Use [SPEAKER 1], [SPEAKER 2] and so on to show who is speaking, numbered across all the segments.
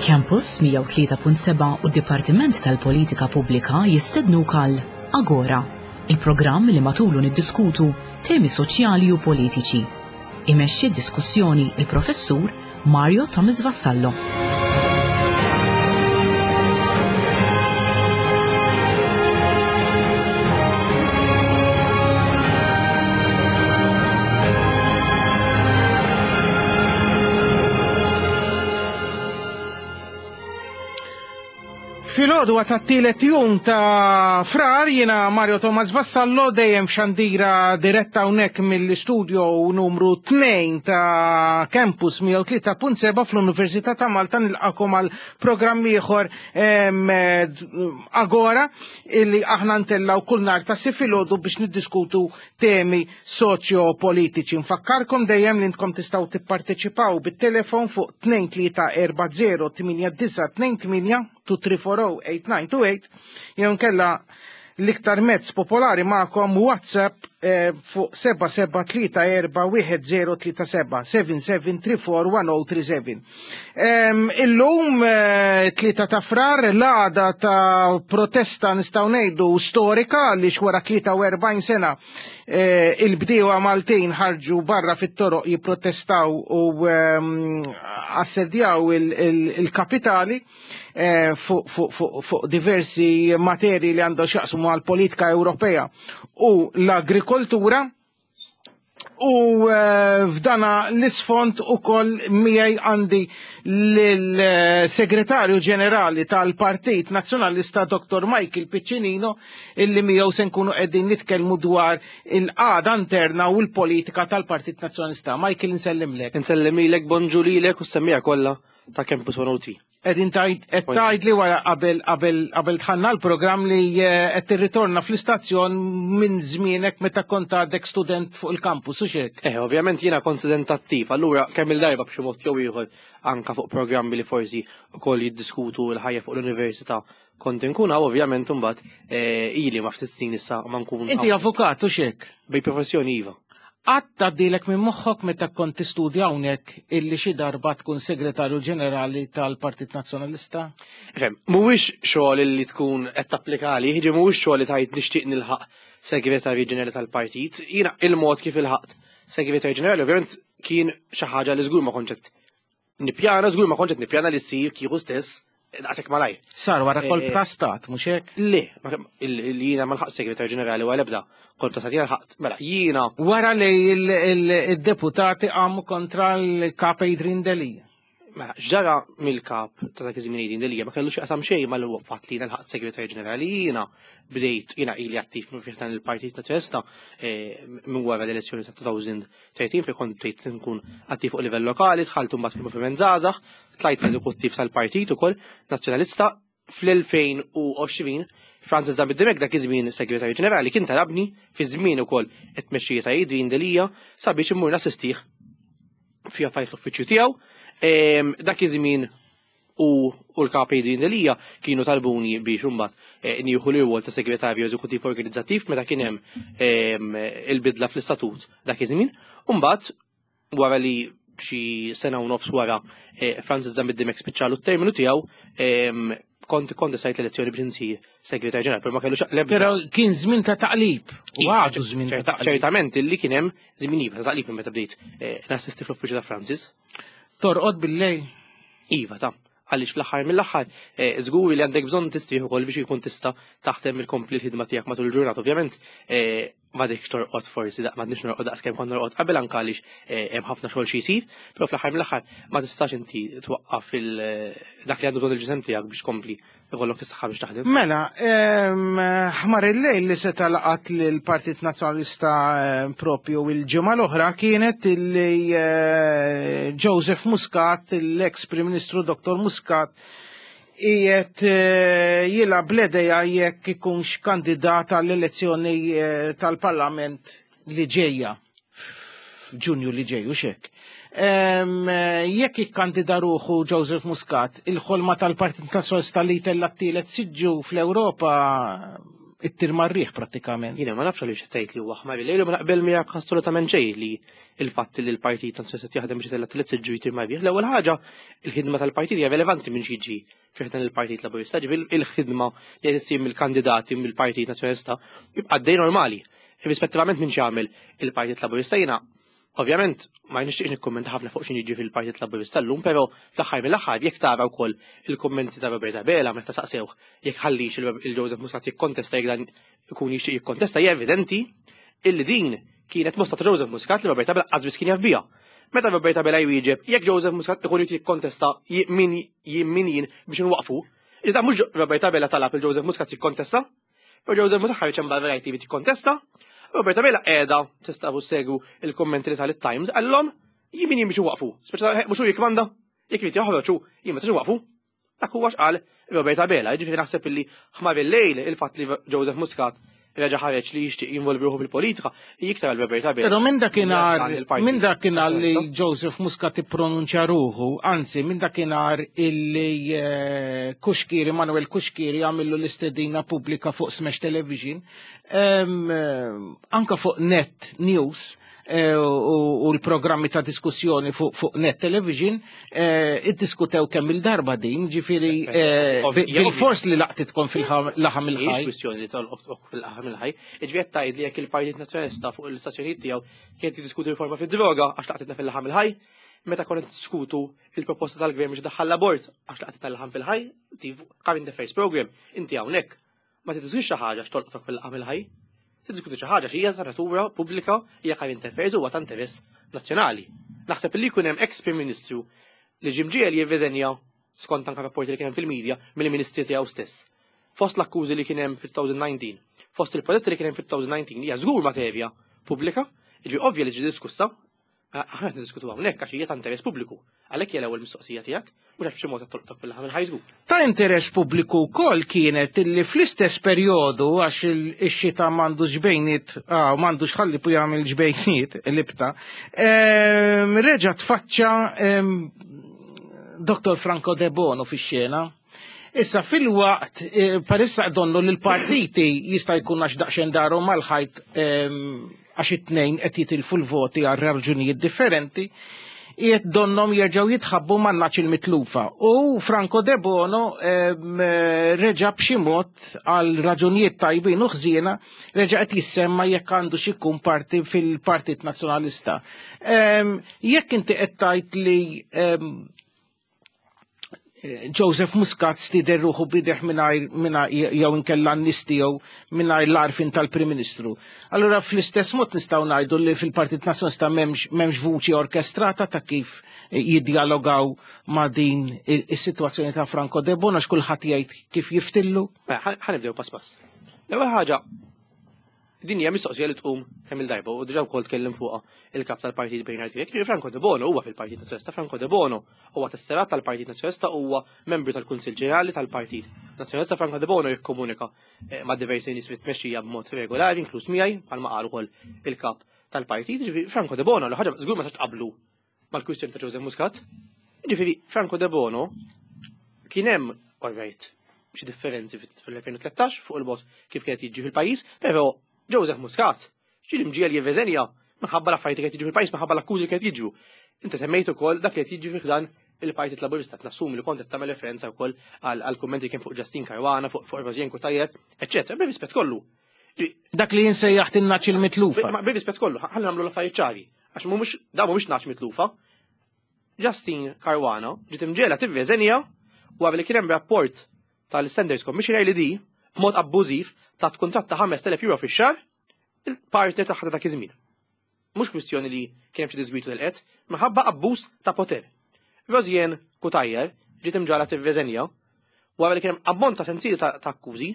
[SPEAKER 1] Campus 103.7 u d-Dipartiment tal-Politika Pubblika jistednuk għal Agora, il-programm li matulu niddiskutu temi soċjali u politiċi. Imexxi d-diskussjoni il-Professur Mario Thomas Vassallo.
[SPEAKER 2] Filgħodu tat-tielet jum ta' frar jiena Mario Thomas Vassallo dejjem f'xandira diretta hawnhekk mill-istudio numru 2 ta' Campus 103.7 fl-Università ta' Malta nilqakom għal programm ieħor Agora illi aħna ntellaw kull nar ta' si filgħodu biex niddiskutu temi soċjo-politiċi. Nfakkarkom dejjem li intkom tistgħu tipparteċipaw bit-telefon fuq 2340 8928 234-8928 jew nkella l-iktar mezz popolari magħkom WhatsApp eh, fuq 77341037 77341037. Illum eh, tlieta ta' frar l-għada ta' protesta nistgħu ngħidu storika li wara 43 sena eh, il-bdiewa Maltin ħarġu barra fit-toroq jipprotestaw u assedjaw il-kapitali eh, fuq diversi materi li għandhom x'jaqsmu għal-politika Ewropea u l-agrikoltura. U eh, f'dana l-isfond u koll miegħi għandi l-segretarju ġenerali tal-Partit Nazzjonalista Dr. Michael Piccinino illi miegħu se nkunu qegħdin nitkellmu dwar il-qagħda interna u l-politika tal-Partit Nazzjonalista. Michael insellimlek.
[SPEAKER 3] Insellimilek, bonġu lilek u s-semmija kollha ta' Campus 103.
[SPEAKER 2] Qegħdin tgħid qed tgħid li wara qabel qabel qabel dħalna l-programm li eh, qed tirritorna fl-istazzjon minn żmienek meta kont għadek student fuq il-kampus u xek.
[SPEAKER 3] Eh, ovvjament jiena kont student attiv, allura kemm il-darba b'xi mod jew ieħor anka fuq programmi li forsi wkoll jiddiskutu l-ħajja fuq l-università kont inkun hawn ovvjament imbagħad eh, ili ma ftit snin issa ma nkun.
[SPEAKER 2] Inti avukat u xek?
[SPEAKER 3] Bej professjoni iva.
[SPEAKER 2] Qatt għaddielek minn moħħok meta kont tistudja hawnhekk illi xi darba tkun Segretarju Ġenerali tal-Partit Nazzjonalista?
[SPEAKER 3] Ifhem, mhuwiex xogħol illi tkun qed tapplika għalih, jiġifieri mhuwiex xogħol li tgħid nixtieq nilħaq Segretarju Ġenerali tal-Partit. Jiena il-mod kif ilħaqt Segretarju Ġenerali ovvjament kien xi ħaġa li żgur ma kontx qed Nippjana, żgur ma kontx qed nippjana li ssir kieku stess daqshekk malajr.
[SPEAKER 2] Sar wara kolb eh, ta' stat, mhux hekk?
[SPEAKER 3] Le, li jiena ma lħaqt segretarju ġenerali wara ebda kolb ta' stat jiena lħaqt, mela jiena.
[SPEAKER 2] Wara li il-deputati qamu kontra l-kap Adrian Delia.
[SPEAKER 3] Mela, ġara mill-kap ta' dak iż-żmien Adrian Delia ma kellux jaqsam xejn mal-fatt li jiena lħaqt segretarju ġenerali jiena bdejt jiena ili attiv minn fih dan il-Partit Nazzjonalista eh, minn wara l-elezzjoni ta' 2000 30 fejn kont bdejt nkun attiv fuq livell lokali, dħalt imbagħad fil-Moviment Żgħażagħ, tlajt l-eżekuttiv tal-partit ukoll Nazzjonalista fl-2020 Francis Zammit Dimech dak iż-żmien Segretarju Ġenerali kien talabni fi żmien ukoll it-tmexxija ta' Adrian Delia sabiex immur nassistih fi affarijiet l-uffiċċju tiegħu. Ehm, dak iż-żmien u u l-kap Adrian Delia kienu talbuni biex imbagħad eh, nieħu l-irwol ta' segretarju eżekuttiv organizzattiv meta kien hemm ehm, il-bidla fl-istatut dak iż-żmien. U mbagħad wara li xi sena u nofs wara eh, Francis Zammit Dimech spiċċalu t-terminu tiegħu ehm, kont kont sajt l-elezzjoni biex insir segretarju ġenerali, però ma kellux
[SPEAKER 2] l-ebda. Però kien żmien ta' taqlib. U
[SPEAKER 3] Iva,
[SPEAKER 2] għadu żmien ta' taqlib.
[SPEAKER 3] Ċertament illi kien hemm żmien iva ta' taqlib minn meta bdejt eh, nassisti fl-uffiċċju ta' Francis.
[SPEAKER 2] Torqod bil-lejl?
[SPEAKER 3] Iva, ta' għaliex fl-aħħar mill-aħħar eh, żgur li għandek bżonn tistrieħ ukoll biex jkun tista' taħdem il-kompli l-ħidma tiegħek matul il-ġurnata. Ovvjament eh, m'għadekx torqod forsi daq m'għadniex norqod daqs kemm kont norqod qabel anke għaliex eh, hemm ħafna xogħol xi jsir, però fl-aħħar mill-aħħar ma tistax inti twaqqaf dak li għandu bżonn il-ġisem tiegħek biex tkompli ikollok is-saħħa biex taħdem.
[SPEAKER 2] Mela, ħmar il-lejl li seta laqat lill-Partit Nazzjonalista propju il-ġimgħa l-oħra kienet li eh, Joseph Muscat, l-ex Prim Ministru Dr. Muscat, qiegħed eh, jilgħab l-idea jekk ikunx kandidat għall-elezzjoni eh, tal-Parlament li ġejja f'Ġunju li ġej u xek. Jekk ikkandida ruħu Joseph Muscat, il-ħolma tal-Partit Nazzjonalista li tella t-tielet siġġu fl-Ewropa ittir mar-riħ prattikament.
[SPEAKER 3] Jiena ma nafx għaliex tgħid li huwa ħmar il-lejl u ma naqbel miegħek assolutament xejn li il-fatt li l-partit Nazzjonalista qed jaħdem biex itella' tliet siġġu jtir mar-riħ. L-ewwel ħaġa, il-ħidma tal-partit hija relevanti minn xi jiġi fi ħdan il-Partit Laburista, ġifieri il-ħidma li qed issir mill-kandidati mill-Partit Nazzjonalista jibqa' għaddej normali. Irrispettivament minn x'jagħmel il-Partit Laburista jiena Ovvjament, ma nixtieqx nikkummenta ħafna fuq x'inhi jiġri fil-Partit Laburista llum, però fl-aħħar mill-aħħar jekk tara wkoll il-kummenti ta' Robert Abela meta saqsewh jekk ħallix il-Joseph Muscat jikkontesta jekk dan ikun jixtieq jikkontesta hija evidenti illi din kienet mosta ta' Joseph Muscat li Robert Abela qatt biss kien jaf biha. Meta Robert Abela jwieġeb jekk Joseph Muscat ikun jrid jikkontesta min jien min jien biex inwaqqfu, iżda mhux Robert Abela talab il Joseph Muscat jikkontesta, U Joseph Muscat ħareġ hemm barra jgħid li tikkontesta. Robert Abela qiegħda tistgħu segwu il-kummenti li tal-Times qallhom jien min jien biex waqfu. Speċa mhux hu jikkmanda, jekk irid joħroġ hu jien ma waqfu. Dak huwa x'qal Robert Abela, jiġifieri naħseb illi ħmar il-lejl il-fatt li Joseph Muscat reġa' ħareġ li jixtieq jinvolvi ruħu fil-politika, iktar għal Robert Abela.
[SPEAKER 2] Però minn dakinhar minn dakinhar li Joseph Muscat ippronunċja ruħu, anzi minn dakinhar illi eh, Kuxkiri, Manuel Kuxkiri għamillu l-istedina pubblika fuq Smash Television, eh, anka fuq Net News, Eh, u l-programmi ta' diskussjoni fuq Net Television eh, iddiskutew kemm il-darba din, ġifieri eh, bil-fors li laqtitkom fil-laħam il-ħaj.
[SPEAKER 3] Kwistjoni li tolqok fil-laħam il-ħaj. Ġifieri qed tgħid li jekk il-Partit Nazzjonalista fuq l-istazzjonijiet tiegħu kien jiddiskuti riforma fid-droga għax laqtitna fil-laħam il-ħaj, meta konna diskutu il-proposta tal-gvern biex daħħal l-abort għax laqtitna l-laħam fil-ħaj, current affairs program, inti hawnhekk Ma tiddiskutix xi ħaġa x'tolqtok fil-laqgħa mill-ħaj. Tiddiskuti xi ħaġa x'hija ta' natura pubblika hija current affairs huwa ta' interess nazzjonali. Naħseb li jkun hemm ex Prim Ministru li ġie mġiegħel jirriżenja skont anke rapporti li kien hemm fil-media mill-ministri tiegħu stess. Fost l-akkużi li kien hemm fit-2019, fost il-protesti li kien hemm fit-2019 hija żgur materja pubblika, jiġifieri ovvja li ġi diskussa, Aħna qed niddiskutu hawnhekk għax hija ta' interess pubbliku. Għalhekk hija l-ewwel mistoqsija tiegħek, mhux għax b'xi mod qed tolqtok fil-laħam il-ħaj żgur.
[SPEAKER 2] Ta' interess pubbliku wkoll kienet illi fl-istess perjodu għax ix-xita m'għandux ġbejniet, ah, m'għandux ħalli pu jagħmel ġbejniet libta, ehm, reġa' tfaċċa ehm, Dr. Franco De Bono fix-xena. Issa fil-waqt eh, parissa donnu li l-partiti jista' jkun għax daqsxejn darhom mal-ħajt ehm, għax it-tnejn qed jitilfu l-voti għal raġunijiet differenti, qiegħed donnom jerġgħu jitħabbu man-naċ il-mitlufa. U Franco De Bono ehm, reġa' b'xi mod għal raġunijiet tajbin u ħżiena reġa' qed jissemma jekk għandu xi jkun parti fil-Partit Nazzjonalista. Ehm, jekk inti qed tgħid li Joseph Muscat stider ruħu bideħ mingħajr jew inkella n-nies tiegħu mingħajr l-arfin tal-Prim Ministru. Allura fl-istess mod nistgħu ngħidu li fil-Partit Nazzjonalista m'hemmx vuċi orkestrata ta' kif jiddialogaw ma' din is-sitwazzjoni ta' Franco De Bono għax kulħadd jgħid kif jiftillu.
[SPEAKER 3] Mela, ħa nibdew pass pass. L-ewwel ħaġa Din hija mistoqsija li tqum kemm il-darba u diġà wkoll tkellim fuqha il-kap tal-Partit Bernard Grech. Jiġifieri Franco De Bono huwa fil-Partit Nazzjonalista, Franco De Bono huwa tesserat tal-Partit Nazzjonalista huwa membru tal-Kunsill Ġenerali tal-Partit Nazzjonalista. Franco De Bono jikkomunika eh, ma' diversi nies fit-tmexxija b'mod regolari, inkluż miegħi, bħalma qal ukoll il-kap tal-partit. Jiġifieri Franco De Bono li ħaġa żgur ma tqablu mal-kwistjoni ta' Joseph Muscat. Ġifieri Franco De Bono kien hemm all right xi differenzi fil-2013 fuq il-mod kif kienet jiġi fil-pajjiż, però Joseph Muscat ġie imġiegħel jirreżenja minħabba l-affarijiet li kienet jiġu fil-pajjiż minħabba l-akkużi li kienet jiġu. Inti semmejt ukoll dak li qed jiġi fi dan il-Partit Laburista nassumi li kont qed tagħmel referenza wkoll għal kummenti kien fuq Justin Caruana, fuq Rosien Cutajar, eċċetera, bir-rispett kollu.
[SPEAKER 2] Dak li jinsejjaħt in-naċ il-mitlufa.
[SPEAKER 3] Ma bir-rispett kollu, ħalli nagħmlu l-affarijiet ċari. Għax mhumiex da mhumiex naċ mitlufa. Justin Caruana ġiet imġiegħla tirreżenja wara li kien hemm rapport tal-Standards Commissioner li di b'mod abbużiv tat kuntratt ta' 5,000 euro fix-xahar il-partner tagħha ta' dak iż-żmien. Mhux kwistjoni li kien hemm xi diżgwitu li qed, minħabba abbuż ta' poter. Rosianne Cutajar ġiet imġagħla tirreżenja wara li kien hemm ammont ta' sensieli ta' akkużi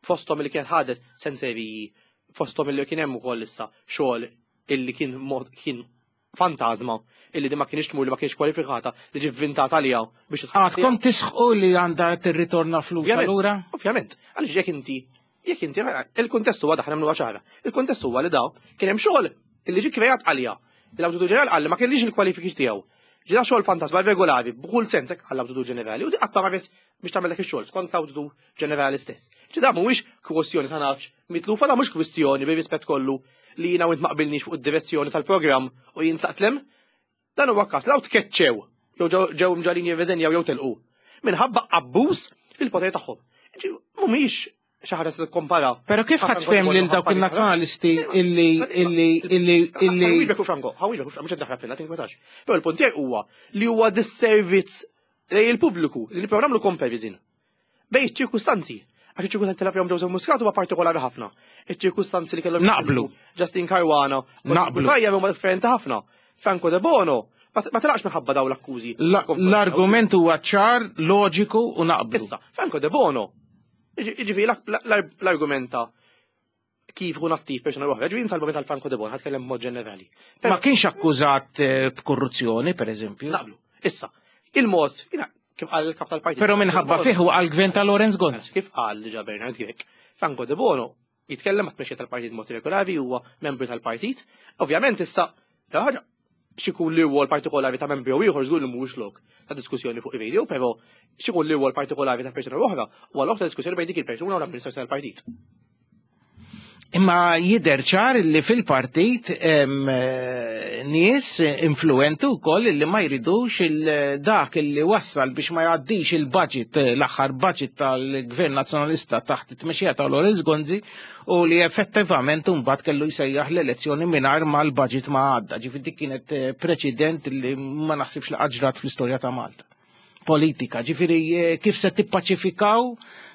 [SPEAKER 3] fosthom li kienet ħadet senseriji, fosthom li kien hemm ukoll issa xogħol illi kien mod kien fantażma illi di ma kienx tmur li ma kienx kwalifikata li ġi vvintata għaliha biex
[SPEAKER 2] Għadkom tisħqu li għandha tirritorna flus allura?
[SPEAKER 3] Ovvjament, għaliex jekk inti jekk inti il-kuntest huwa daħna nagħmluha ċara. Il-kuntest huwa li daw kien hemm xogħol illi ġi kreat għalija. L-Awditur Ġeneral qal li ma kellix il-kwalifiki tiegħu. Ġida xogħol fantasma regolari b'kull sens hekk għall-Awditur Ġenerali u di qatt ma marret biex tagħmel dak ix-xogħol skont l-Awditur Ġenerali stess. Ġida mhuwiex kwestjoni ta' nafx mitlufa da mhux kwistjoni bir-rispett kollu li jiena u int ma qbilniex fuq id-direzzjoni tal-programm u jien tlaqt lem. Dan huwa każ law tkeċċew jew ġew mġalin jirreżenjaw jew telqu minħabba abbuż fil-poter tagħhom. Mhumiex xi ħaġa se tikkompara.
[SPEAKER 2] Però kif ħadd fhem lil dawk in-nazzjonalisti illi illi illi illi
[SPEAKER 3] Ħawilek u Franco, ħawilek u Franco, mhux qed naħrab minna, tinkwetax. Però il-punt tiegħi huwa li huwa disservizz lejn il-pubbliku li nipprovaw nagħmlu comparison bejn iċ-ċirkustanzi. Għax iċ-ċirkustanzi li fihom Joseph Muscat huwa partikolari ħafna. Iċ-ċirkustanzi li kellhom
[SPEAKER 2] Naqblu.
[SPEAKER 3] Justin Caruana u
[SPEAKER 2] Naqblu.
[SPEAKER 3] Tajja huma differenti ħafna. Franco De Bono ma telaqx minħabba daw l-akkużi.
[SPEAKER 2] L-argument huwa ċar, loġiku u naqblu.
[SPEAKER 3] Issa, Franco De Bono Ġifieri l-argumenta kif ikun attiv persuna oħra, ġifieri nsalbu meta l-Franco de Bon, ħatkellem b'mod ġenerali.
[SPEAKER 2] Ma kienx akkużat eh, b'korruzzjoni, per eżempju.
[SPEAKER 3] Naqblu. Issa, il-mod, kif qal il-kap tal-partit.
[SPEAKER 2] Però minħabba fih għal gvern ta' Lorenz Gonz.
[SPEAKER 3] Kif qal diġà Bernard Grech, Franco de Bono jitkellem ma' tmexxija tal-partit mod regolari huwa membru tal-partit. Ovvjament issa, ħaġa x'ikun l-irwol partikolari ta' membru jew ieħor żgur li mhuwiex lok ta' diskussjoni fuq ir-radio, però x'ikun l-irwol partikolari ta' persuna oħra huwa lok ta' diskussjoni bejn dik il-persuna u l-amministrazzjoni tal-partit.
[SPEAKER 2] Imma jidher ċar li fil-partit eh, nies influenti wkoll li ma jridux dak li wassal biex ma jgħaddix il-budget l-aħħar budget tal-Gvern Nazzjonalista taħt it-tmexxija ta' Lawrence Gonzi u li effettivament mbagħad kellu jsejjaħ l-elezzjoni mingħajr ma l-budget ma għadda. Ġifieri dik kienet eh, preċedent li ma naħsibx li qatt fl-istorja ta' Malta. Politika, ġifieri eh, kif se tippaċifikaw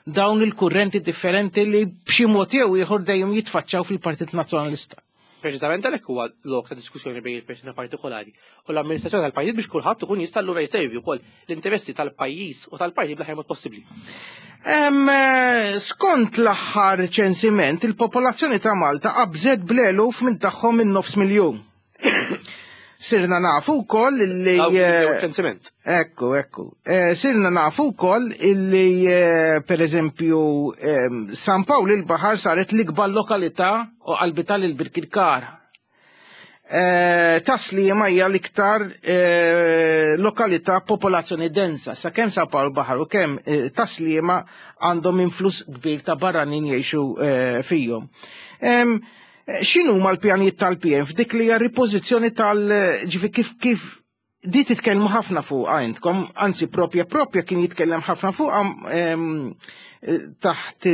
[SPEAKER 2] dawn il-kurrenti differenti li b'xi mod jew ieħor dejjem jitfaċċaw fil-Partit Nazzjonalista.
[SPEAKER 3] Preċiżament għalhekk huwa lok ta' diskussjoni bejn il-persuna partikolari u l-amministrazzjoni tal-pajjiż biex kulħadd ikun jista' allura jservi wkoll l-interessi tal-pajjiż u tal-partit bl-aħjar mod possibbli.
[SPEAKER 2] Eh, skont l-aħħar ċensiment, il-popolazzjoni ta' Malta qabżet bl-eluf minn tagħhom minn nofs miljun. Sirna nafu wkoll li.
[SPEAKER 3] Eh, ċensiment.
[SPEAKER 2] Ekku, ekku. Eh, sirna nafu wkoll illi per eżempju San Pawl il-Baħar saret l-ikbar lokalità u qalbita lil Birkirkara. Eh, Taslima hija l-iktar eh, lokalità popolazzjoni densa, sa kemm San Pawl Baħar u kemm eh, Taslima għandhom influss kbir ta' barranin jgħixu fihom. X'inhu ma l-pjanijiet tal-PN f'dik li hija ripożizzjoni tal-ġifi kif kif Di titkellmu ħafna fuqha intkom, anzi propja propja kien jitkellem ħafna fuqha taħt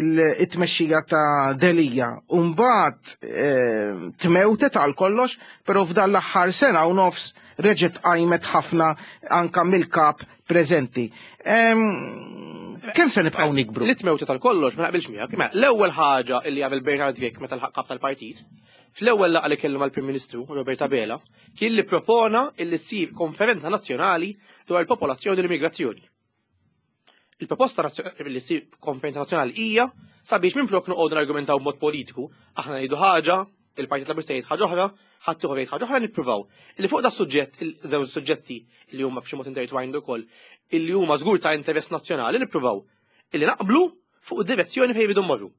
[SPEAKER 2] it-tmexxija ta' Delija. Umbagħad tmewtet għal kollox, però f'dan l-aħħar sena u nofs reġgħet qajmet ħafna anka mill-kap preżenti. Kemm se nibqgħu nikbru?
[SPEAKER 3] Li tmewtet għal kollox ma naqbilx miegħek. Mela, l-ewwel ħaġa li għamel Bernard Grech meta lħaq kap tal-partit, fl-ewwel laqgħa li kellu mal-Prim Ministru Robert Abela, kien li propona illi ssir konferenza nazzjonali dwar il-popolazzjoni u l-immigrazzjoni. Il-proposta li ssir konferenza nazzjonali hija sabiex minflok noqogħdu nargumentaw b'mod politiku, aħna ngħidu ħaġa, il-Partit Laburista jgħid ħaġa oħra, ħadd ieħor jgħid ħaġa oħra nippruvaw. Illi fuq da suġġett, żewġ suġġetti li huma b'xi mod intertwined ukoll, illi huma żgur ta' interess nazzjonali nippruvaw illi naqblu fuq id-direzzjoni fejn jridu mmorru.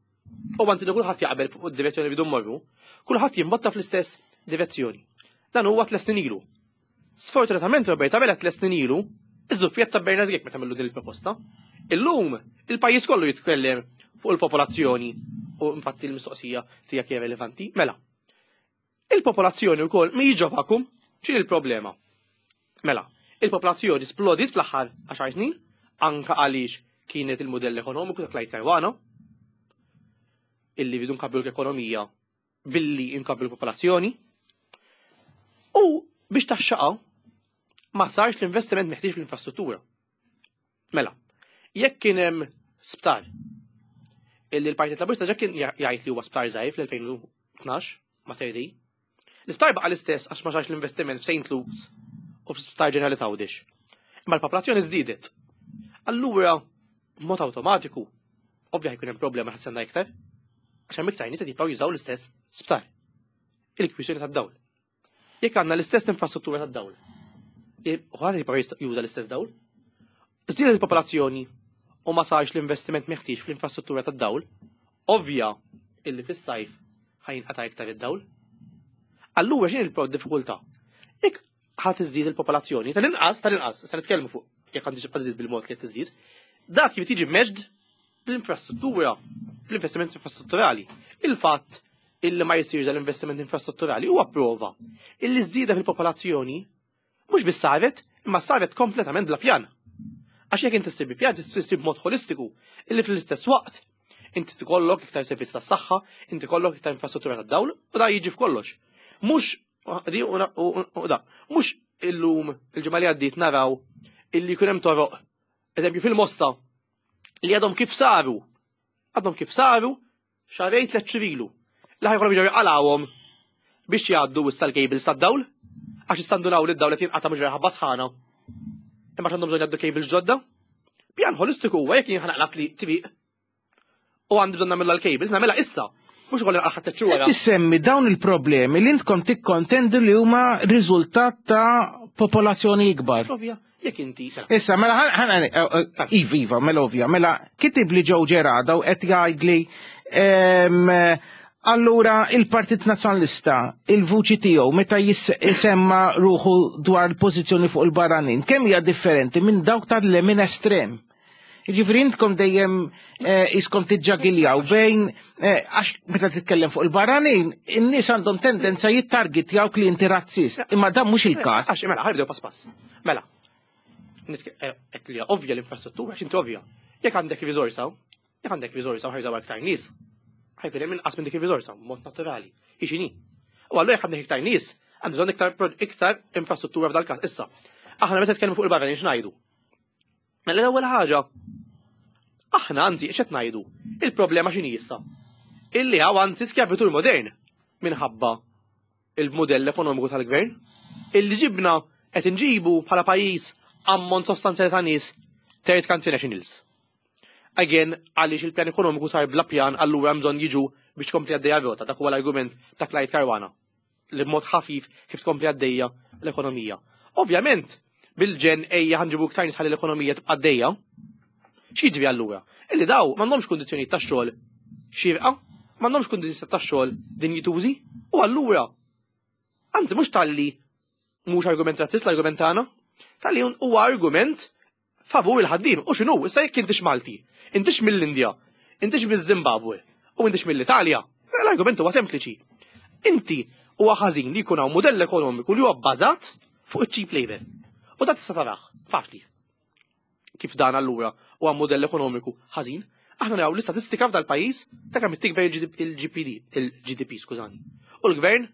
[SPEAKER 3] U għanti li kulħadd jaqbel fuq id-direzzjoni li mmorru, kulħadd jimbotta fl-istess direzzjoni. Dan huwa tles snin ilu. Sfortunatament Robert Abela tles snin ilu, iż-żuffjett ta' Bernard Grech meta għamillu din il-proposta. Illum il-pajjiż kollu jitkellem fuq il-popolazzjoni u infatti l-mistoqsija tiegħek hija relevanti. Mela, Il-popolazzjoni wkoll mhijiex ġo vakum. X'inhi l-problema? Mela, il-popolazzjoni splodiet fl-aħħar 10 snin, anka għaliex kienet il-mudell ekonomiku ta' Clyde Caruana, illi rridu nkabbru l-ekonomija billi nkabbru l-popolazzjoni. U biex taxxaqa ma sarx l-investiment meħtieġ fl-infrastruttura. Mela, jekk kien hemm sptar illi l-Partit Laburista ġa kien jgħid li huwa sptar żgħir fl-2012 ma' Dei. L-isptar baqa' l-istess għax ma sarx l-investiment f'St. Luke's u fl-Isptar Ġenerali t'Għawdex. Imma l-popolazzjoni żdiedet. Allura, b'mod awtomatiku, ovvja jkun hemm problema ħadd sena iktar, għax hemm iktar nies qed jibqgħu jużaw l-istess sptar. Il-kwistjoni tad-dawl. Jekk għandna l-istess infrastruttura tad-dawl, ħadd jibqa' juża l-istess dawl. Żdiedet il-popolazzjoni u ma sarx l-investiment meħtieġ fl-infrastruttura tad-dawl, ovvja illi fis-sajf ħajinqata' iktar id-dawl. Allura x'inhi l-diffikultà? Jekk ħa tiżdied il-popolazzjoni, tal-inqas, tal-inqas, se nitkellmu fuq jekk għandix tiżdied bil-mod li qed tiżdied, dak jrid jiġi meġd bl-infrastruttura, bl-investiment infrastrutturali. Il-fatt illi ma jsirx dal-investiment infrastrutturali huwa prova illi żieda fil-popolazzjoni mhux biss saret, imma saret kompletament bla pjan. Għax jekk inti ssib bi pjan, issib b'mod holistiku, illi fl-istess waqt inti tkollok iktar servizz tas-saħħa, inti kollok iktar infrastruttura tad-dawl, u da jiġi f'kollox. Mhux u da, mhux illum il-ġimgħa li għaddiet naraw illi jkun hemm toroq, eżempju fil-Mosta, li għadhom kif saru, għadhom kif saru xahrejn tliet xhur ilu, li ħajkollhom jiġu jqalgħuhom biex jgħaddu issa l-cables tad-dawl, għax issa ndunaw li d-dawl qed jinqata' mhux ħabba sħana. Imma għandhom bżonn jgħaddu cables ġodda. Pjan holistiku huwa jekk jien ħanaqlaq li triq u għandi bżonn nagħmilha l-cables, nagħmilha issa. Mhux ukoll naqgħod tliet xhur wara.
[SPEAKER 2] Tissemmi dawn il-problemi li intkom tikkontendu li huma riżultat ta' popolazzjoni ikbar.
[SPEAKER 3] Ovvja, jekk inti.
[SPEAKER 2] Issa, mela, ħana, eh, eh, iva, iva, mela ovvja, mela, kitib li ġew ġerada u qed jgħidli allura il-Partit Nazzjonalista, il-vuċi tiegħu meta jisemma ruħu dwar il-pożizzjoni fuq il-barranin, kemm hija differenti minn dawk tal-lemin estrem? Ġifri intkom dejjem eh, iskom tiġġagiljaw bejn eh, għax meta titkellem fuq il-barranin, in-nies għandhom tendenza jittargetjaw li inti razzist. Imma dan mhux il-każ.
[SPEAKER 3] Għax mela ħarbdew pass pass. Mela. Eh, qed li ovvja l-infrastruttura għax inti ovvja. Jekk għandek riżorsa, jekk għandek riżorsa u ħajżaw aktar nies, ħajkun hemm inqas minn dik ir-riżorsa mod naturali. Ixini. U allura jekk għandek iktar nies, għandek bżonn iktar iktar infrastruttura f'dal-każ. Issa, aħna meta nitkellmu fuq il-barranin x'ngħidu? Mela l-ewwel ħaġa, aħna anzi x'qed ngħidu? Il-problema x'inhi issa? Illi hawn anzi skjavitur modern minħabba il-mudell ekonomiku tal-gvern illi ġibna qed inġibu bħala pajjiż ammont sostanzjali ta' nies third country nationals. Again, għaliex il-pjan ekonomiku sar bla pjan allura hemm bżonn jiġu biex tkompli għaddejja rota, dak huwa l-argument ta' Clyde Caruana. li b'mod ħafif kif tkompli għaddejja l-ekonomija. Ovvjament, bil-ġen ejja ħanġibu iktar nies ħalli l-ekonomija tibqa' għaddejja. X'jiġri allura? Illi daw m'għandhomx kundizzjonijiet ta' xogħol xierqa, m'għandhomx kundizzjonijiet ta' xogħol dinjitużi, u allura anzi mhux talli mhux argument razzist l-argument tagħna, talli huwa argument favur il-ħaddiem. U x'inhu, issa jekk intix Malti, intix mill-Indja, intix miż-Zimbabwe u intix mill-Italja, l-argument huwa sempliċi. Inti huwa ħażin li jkun hawn mudell ekonomiku li huwa bbażat fuq iċ-cheap labor. U dat tista' tarah, faċli. Kif dan allura huwa mudell ekonomiku ħażin, aħna naraw l-istatistika f'dal-pajjiż ta' kemm tikber il-GPD, il-GDP, skużani. U l-gvern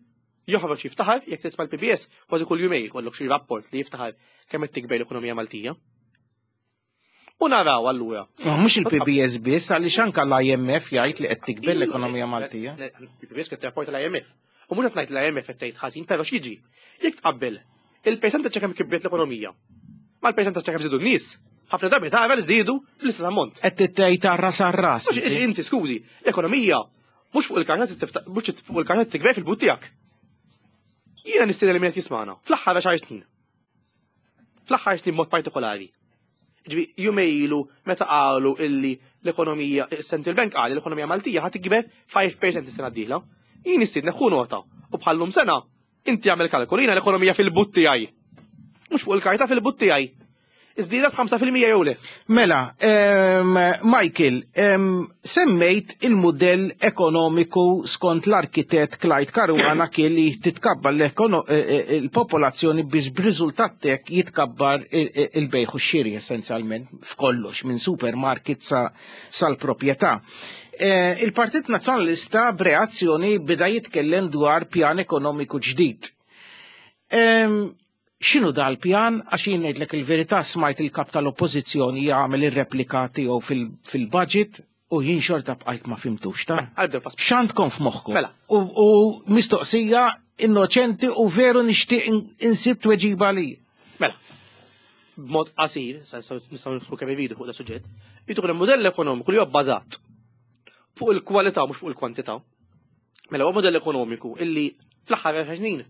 [SPEAKER 3] Joħroġ jiftaħar, jekk tisma' l-PBS, kważi kull jumej jkollok xi rapport li jiftaħar kemm qed tikber l-ekonomija Maltija. U naraw allura.
[SPEAKER 2] Ma mhux il-PBS biss għaliex anke l-IMF jgħid li qed tikber l-ekonomija Maltija.
[SPEAKER 3] Il-PBS qed rapporta l-IMF. U mhux qed ngħid l-IMF qed tgħid ħażin, però x'jiġi? Jekk tqabbel il-percentaġġ kemm kibret l-ekonomija mal-percentaġġ kemm żiedu n-nies, ħafna drabi tara li żdiedu l-istess ammont.
[SPEAKER 2] Qed tgħid tar-ras għar-ras.
[SPEAKER 3] Inti skużi, l-ekonomija Mhux fuq il-karta mhux fuq il-karta tikber fil-but tiegħek. Jiena nistieden li min qed jismagħna fl-aħħar għaxar snin. Fl-aħħar snin mod partikolari. Ġifi, jumej ilu meta qalu illi l-ekonomija, il-Central Bank qal l-ekonomija Maltija ħa tikber 5% is-sena d-dieħla. Jien nistiednek ħu nota u bħallum sena inti għamel kalkolu jiena l-ekonomija fil-but tiegħi. Mhux fuq il-karta fil-but tiegħi. Iżdiedet 5% jew le?
[SPEAKER 2] Mela, Michael, semmejt il-mudell ekonomiku skont l-arkitett Clyde Caruana kien li titkabbar e, e, il-popolazzjoni biex b'riżultat tek jitkabbar il-bejħ u x-xiri essenzjalment f'kollox minn supermarket sal-proprjetà. E, il-Partit Nazzjonalista b'reazzjoni beda jitkellem dwar pjan ekonomiku ġdid. X'inhu dal-pjan? Għax jien ngħidlek il-verità smajt il-kap tal-Oppożizzjoni jagħmel ir-replika tiegħu fil-budget u jien xorta bqajt ma fimtux ta'.
[SPEAKER 3] Mela,
[SPEAKER 2] X'għandkom f'moħħkom?
[SPEAKER 3] Mela.
[SPEAKER 2] U mistoqsija innoċenti u veru nixtieq insib tweġiba li.
[SPEAKER 3] Mela. B'mod qasir, nistgħu nidħlu kemm iridu fuq da suġġett, jidħol mudell ekonomiku li huwa bbażat fuq il-kwalità mhux fuq il-kwantità. Mela huwa mudell ekonomiku illi fl-aħħar snin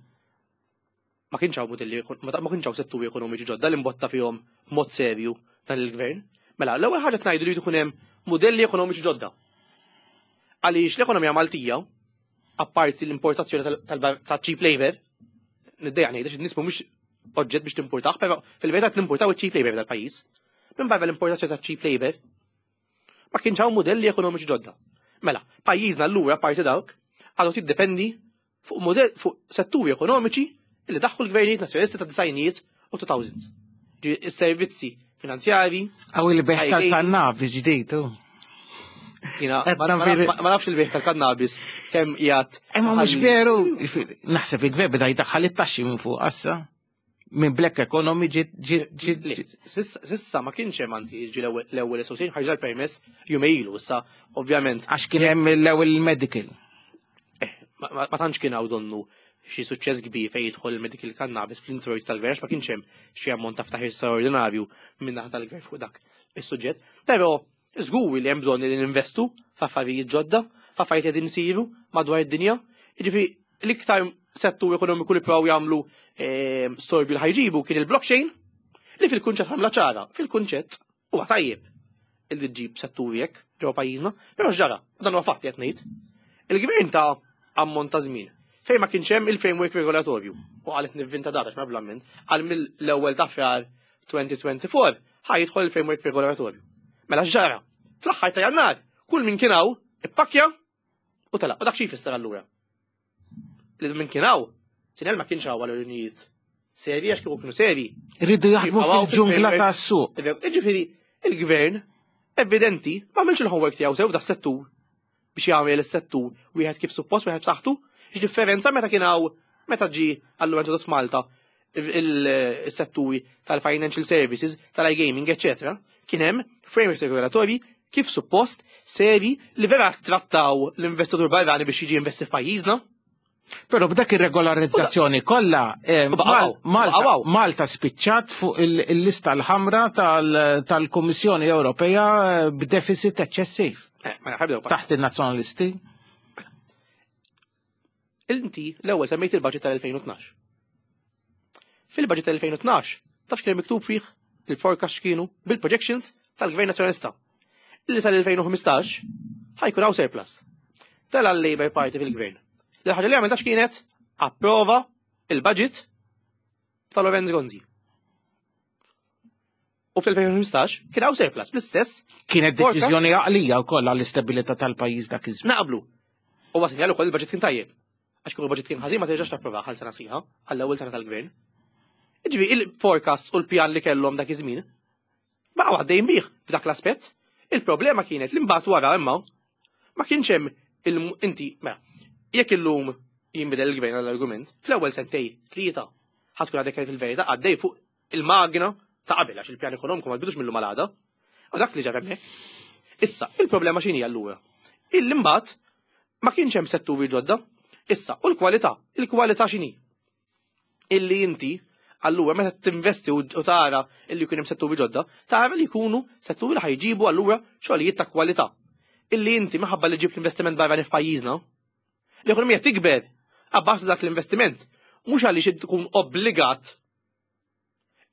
[SPEAKER 3] ma kienx hawn mudelli, ma kienx hawn setturi ekonomiċi ġodda li mbotta fihom mod serju dan il-gvern. Mela, l-ewwel ħaġa tngħidu li jkun hemm mudelli ekonomiċi ġodda. Għaliex l-ekonomija Maltija, apparti l-importazzjoni ta' cheap labor, niddejja ngħid għax in-nies mhumiex oġġett biex timpurtah, però fil-verità timpurtaw iċ-cheap labor tal-pajjiż. Minn barra l-importazzjoni ta' cheap labor, ma kienx hawn modelli ekonomiċi ġodda. Mela, pajjiżna allura parti dawk għadu tiddependi fuq modell fuq setturi ekonomiċi li daħħu l-gvernijiet nazzjonalisti ta' disajnijiet u 2000s. Is-servizzi finanzjari.
[SPEAKER 2] Għaw il-beħ tal-kannabis ġdid,
[SPEAKER 3] Jina, ma nafx il-beħ tal-kannabis kemm jgħat.
[SPEAKER 2] Imma mhux veru, naħseb il-gvern beda jdaħħal it-taxxi minn fuq assa. Minn black economy ġiet ġiet
[SPEAKER 3] Sissa ma kienx hemm anzi ġi l-ewwel association ħarġa l-permess jumejlu issa ovvjament.
[SPEAKER 2] Għax kien hemm l-ewwel medical.
[SPEAKER 3] Eh, ma tantx kien hawn donnu xi suċċess kbir fejn jidħol il-medical cannabis fl-introjt tal-gvern ma kienx hemm xi ammont ta' ftaħir straordinarju minn naħa tal-gvern fuq dak is-suġġett. Però żgur li hemm bżonn li ninvestu f'affarijiet ġodda, f'affarijiet li qegħdin isiru madwar id-dinja. Jiġifieri l-iktar settur ekonomiku li provaw jagħmlu ehm, sorbju li ħajġibu kien il-blockchain li fil-kunċett ħamla ċara, fil-kunċett Huwa tajjeb illi ġġib setturi hekk ġewwa pajjiżna, però x'ġara? U dan huwa fatt qed ngħid. Il-gvern ta' ammont ta' żmien fejn ma kienx hemm il-framework regolatorju u qalet nivvinta data x'ma blamment, għal mill-ewwel ta' frar 2024 ħa jidħol il-framework regolatorju. Mela x'ġara? Fl-aħħar ta' Jannar, kull min kien hawn ippakkja u telaq. U dak xi jfisser allura? Li minn kien hawn, sinel ma kienx hawn għal raġunijiet serji għax kieku kienu serji.
[SPEAKER 2] Rridu jaħdmu fil-ġungla tas-suq.
[SPEAKER 3] Ġifieri, il-gvern evidenti ma għamilx il-homework tiegħu sew da settur biex jagħmel is-settur wieħed kif suppost wieħed b'saħħtu. X'differenza meta kien hawn meta ġi allura introdott f'Malta il-setturi tal-financial services, tal-iGaming, eccetera, kien hemm frameworks regolatorji kif suppost seri li vera trattaw l-investitur barrani biex jiġi investi f'pajjiżna.
[SPEAKER 2] Però b'dak ir-regolarizzazzjoni kollha eh, Malta, Malta spiċċat fuq il-lista l-ħamra tal-Kummissjoni Ewropea eh, b'deficit eċċessiv.
[SPEAKER 3] Eh,
[SPEAKER 2] Taħt in-nazzjonalisti.
[SPEAKER 3] Inti l-ewwel semmejt il-budget tal-2012. Fil-budget tal-2012, taf x'kien miktub fih il-forecast x'kienu bil-projections tal-Gvern Nazzjonalista. Illi sal-2015 ħajkun hawn surplus. Tela l-Labour Party fil-Gvern. L-ħaġa li għamel taf x'kienet approva il-budget ta' Lorenz Gonzi. U fl-2015 kien hawn surplus bl-istess.
[SPEAKER 2] Kienet deċiżjoni għaqlija wkoll għall-istabilità tal-pajjiż dak iż-żmien.
[SPEAKER 3] Naqblu. U sinjal ukoll il-budget kien tajjeb. Għax kieku il-budget kien ħażin ma terġax tapprova għal sena sħiħa għall-ewwel sena tal-gvern. Ġifi il-forecast u l-pjan li kellhom dak iż-żmien baqgħu għaddejjin bih f'dak l-aspett. Il-problema kienet li mbagħad wara imma ma kienx hemm inti mela jekk illum jinbidel il-gvern għall-argument, fl-ewwel sentej tlieta ħatkun għadek fil-verità għaddej fuq il-magna ta' qabel għax il-pjan ekonomiku ma tbidux mill-lum għal għada. U dak li ġara hemmhekk. Issa, il-problema x'inhi allura? Illi mbagħad ma kienx hemm setturi ġodda. Issa, u l-kwalità, il-kwalità x'inhi? Illi inti allura meta tinvesti u tara illi jkun hemm setturi ġodda, tara li jkunu setturi li ħajġibu allura xogħlijiet ta' kwalità. Illi inti minħabba li ġib l-investiment barrani f'pajjiżna, l-ekonomija tikber abbażi dak l-investiment, mhux għaliex tkun obbligat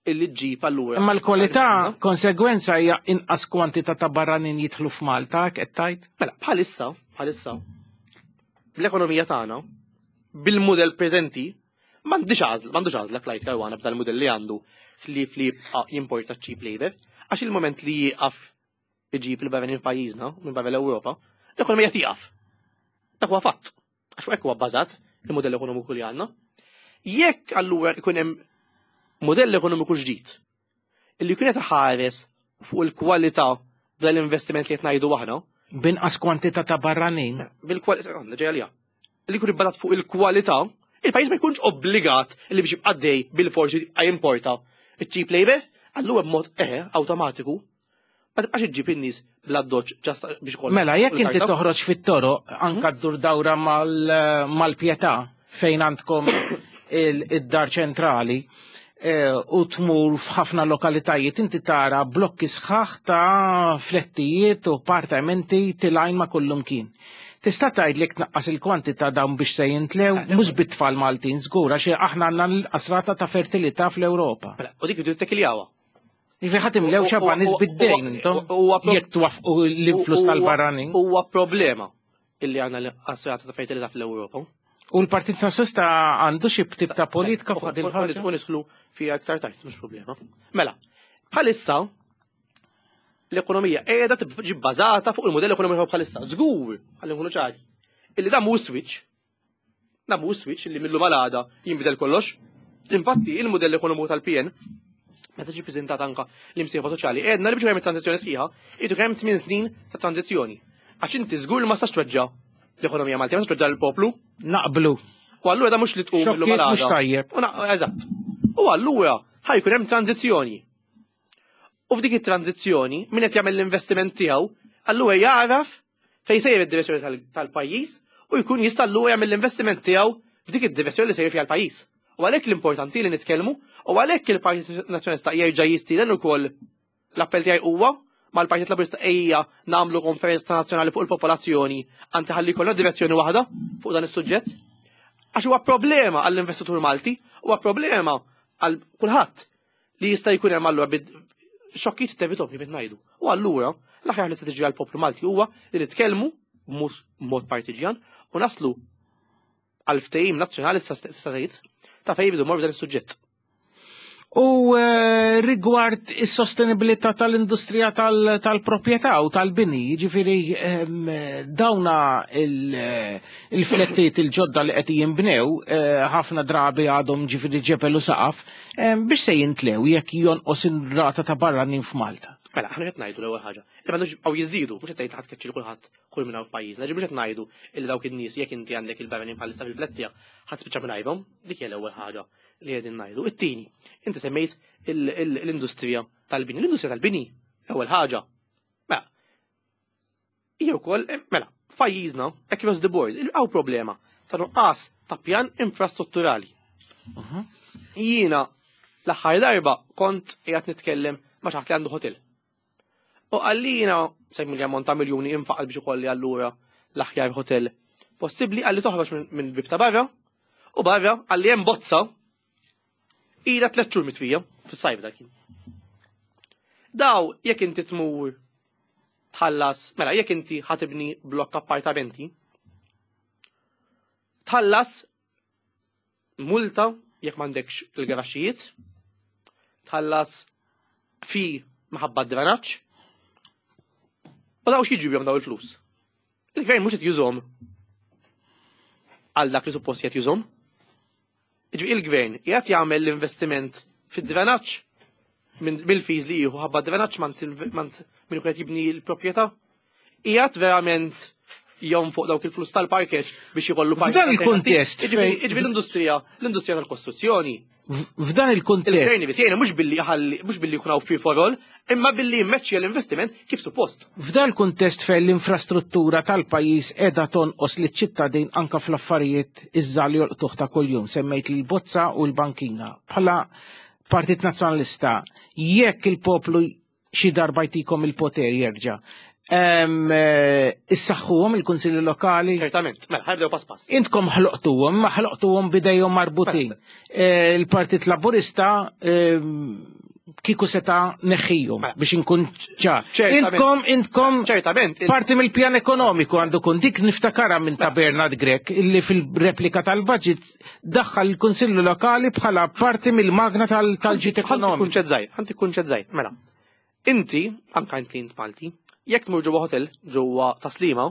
[SPEAKER 3] illi ġġib allura.
[SPEAKER 2] Imma l-kwalità konsegwenza hija inqas kwantità ta' barranin jidħlu f'Malta, qed tgħid?
[SPEAKER 3] Mela, bħalissa, bħalissa, l-ekonomija tagħna bil-mudell preżenti m'għandix għażla, m'għandux għażla Clyde Caruana b'dal mudell li għandu li li jibqa' jimporta cheap labor, għax il-moment li jieqaf iġib il-barranin f'pajjiżna minn barra l-Ewropa, l-ekonomija tieqaf. Dak huwa fatt. Għax hekk huwa bbażat il-modell ekonomiku li għandna. Jekk allura ikun hemm modell ekonomiku ġdid illi jkun qed ħares fuq il-kwalità dal-investiment li qed ngħidu aħna.
[SPEAKER 2] Binqas kwantità ta' barranin.
[SPEAKER 3] Bil-kwalità, ġej għalija. Li jkun ibbażat fuq il-kwalità, il-pajjiż ma jkunx obbligat li biex jibqa' dej bil-forsi jimporta iċ-cheap labor, allura b'mod eħe awtomatiku Ma tibqax iġġib in-nies bl-addoċ ġast biex kollha.
[SPEAKER 2] Mela, jekk inti toħroġ fit-toroq anka mhm. ddur dawra mal-pjetà fejn għandkom id-dar ċentrali eh, u tmur f'ħafna lokalitajiet inti tara blokki sħaħ ta' flettijiet u appartamenti tilajn ma' kullum kien. Tista' tgħid li tnaqqas il-kwantità dawn biex se jintlew eh, mhux bit-tfal Maltin żgur għax aħna għandna l-qasrata ta' fertilità fl-Ewropa.
[SPEAKER 3] Mela, u dik id-tekiljawa.
[SPEAKER 2] Jiġifieri ħadd imlew xabba nies bid-dejn intom jekk twaffqu l-influss tal-barranin.
[SPEAKER 3] Huwa problema illi għandna l-assurata ta' fertilità fl-Ewropa.
[SPEAKER 2] U l-Partit Nazzjonalista għandu xi tip ta' politika fuq din
[SPEAKER 3] ħaġa? U nidħlu fiha aktar tard, mhux problema. Mela, bħalissa l-ekonomija qiegħda tiġi bbażata fuq il-modell ekonomiku bħalissa. Żgur, ħalli nkunu ċari. Illi dan mhu switch. Dan mhu switch illi millu malada jinbidel kollox. Infatti, il-modell ekonomiku tal-PN meta ġi preżentat anka l-imsieħba soċjali, għedna li biex hemm tranzizzjoni sħiħa, irid hemm 8 snin ta' tranzizzjoni. Għax inti żgur ma sax tweġġa' l-ekonomija Maltija, ma sax tweġġa' l-poplu.
[SPEAKER 2] Naqblu.
[SPEAKER 3] U allura da mhux li tqum
[SPEAKER 2] illum għal Mhux tajjeb.
[SPEAKER 3] Eżatt. U allura ħajkun hemm tranzizzjoni. U f'dik it-tranzizzjoni, min qed jagħmel l-investiment tiegħu, allura jagħraf fejn sejjer id-direzzjoni tal-pajjiż u jkun jista' allura jagħmel l-investiment tiegħu f'dik id-direzzjoni li sejjer fiha l-pajjiż. U għalhekk l-importanti li nitkellmu u għalhekk il-Partit Nazzjonalista jerġa' jistieden ukoll l-appell tiegħi huwa mal-Partit Laburista ejja nagħmlu konferenza nazzjonali fuq il-popolazzjoni anti ħalli jkollna direzzjoni waħda fuq dan is-suġġett. Għax huwa problema għall-investitur Malti, huwa problema għal kulħadd li jista' jkun hemm allura xokkijiet tevitom kif ngħidu. U allura l-aħjar li se tiġi għall-poplu Malti huwa li nitkellmu mhux mod partiġjan u naslu għal ftehim nazzjonali tista' tgħid ta' fejn jridu morru dan is-suġġett.
[SPEAKER 2] U eh, rigward is-sostenibilità tal-industrija tal-proprjetà u tal-bini, jiġifieri ehm, dawna eh, il-flettiet il-ġodda li qed jinbnew eh, ħafna drabi għadhom ġifieri ġebel u saqaf, ehm, biex se jintlew jekk jonqos ir-rata ta' barranin f'Malta.
[SPEAKER 3] Mela, aħna qed ngħidu l-ewwel ħaġa. Li m'għandux għaw jiżdiedu, mhux qed tgħid ħadd keċċi kulħadd kull minn hawn f'pajjiżna. Ġifieri mhux qed ngħidu illi dawk in-nies jekk inti għandek il-barranin bħalissa fil-flett tiegħek ħadd spiċċa mingħajrhom, dik hija l-ewwel ħaġa li qegħdin ngħidu. It-tieni, inti semmejt l-industrija tal-bini. L-industrija tal-bini, ewwel ħaġa. Mela, hija wkoll, eh, mela, f'pajjiżna, across the board, hawn problema ta' nuqqas ta' pjan infrastrutturali. Jiena l-aħħar darba kont qiegħed nitkellem ma' xi ħadd li għandu hotel. U qalli jiena semmi li ammont ta' miljuni infaqal biex ikolli allura l-aħjar hotel possibbli qalli toħroġ minn bib ta' barra u barra qalli hemm bozza ila tliet xhur mitfija fis-sajf dak. Daw jekk inti tmur tħallas, mela jekk inti ħatibni blokk appartamenti, tħallas multa jekk m'għandekx il-garaxxijiet, tħallas fi maħabba d-drenaġġ. U daw x'jiġri bihom daw il-flus? Il-gvern mhux qed jużhom għal dak li suppost qed jużhom. Jiġifieri il-gvern qiegħed jagħmel l-investiment fid-drenaġġ mill-fees li jieħu ħabba drenaġġ mant min qed jibni l-proprjetà. Qiegħed verament jom fuq dawk il-flus tal-parkeġ biex jkollu
[SPEAKER 2] parkeġ. F'dan il-kuntest.
[SPEAKER 3] Jiġifieri l-industrija, l-industrija tal-kostruzzjoni.
[SPEAKER 2] F'dan il-kuntest.
[SPEAKER 3] Il-gvern irid jgħinha mhux billi jħalli, mhux billi jkun hawn free for all, imma billi jimmeċċja l-investiment kif suppost.
[SPEAKER 2] F'dan il-kuntest fejn l-infrastruttura tal-pajjiż qiegħda tonqos liċ-ċittadin anke fl-affarijiet iż-żgħar li jolqtuh ta' kuljum, semmejt l-bozza u l-bankina. Bħala Partit Nazzjonalista, jekk il-poplu xi darba jtikom il-poter jerġa'. Eh, issaħħuhom il-kunsilli lokali.
[SPEAKER 3] Ċertament, mela ħajbdew pass pass.
[SPEAKER 2] Intkom ħloqtuhom, ma ħloqtuhom bidejhom marbutin. Mela. Eh, il-Partit Laburista kieku seta neħħijhom mela. biex inkun ċar. Intkom, intkom,
[SPEAKER 3] ċertament,
[SPEAKER 2] parti mill-pjan ekonomiku għandu kun dik niftakara minn ta' mela. Bernard Grech illi fil-replika tal-budget daħħal il-Kunsillu Lokali bħala parti mill-magna tal-ġit ekonomiku.
[SPEAKER 3] Kunċett żgħir, ħanti kunċett żgħir, mela. Inti, anka inti int Malti, jekk tmur ġewwa hotel ġewwa Taslima,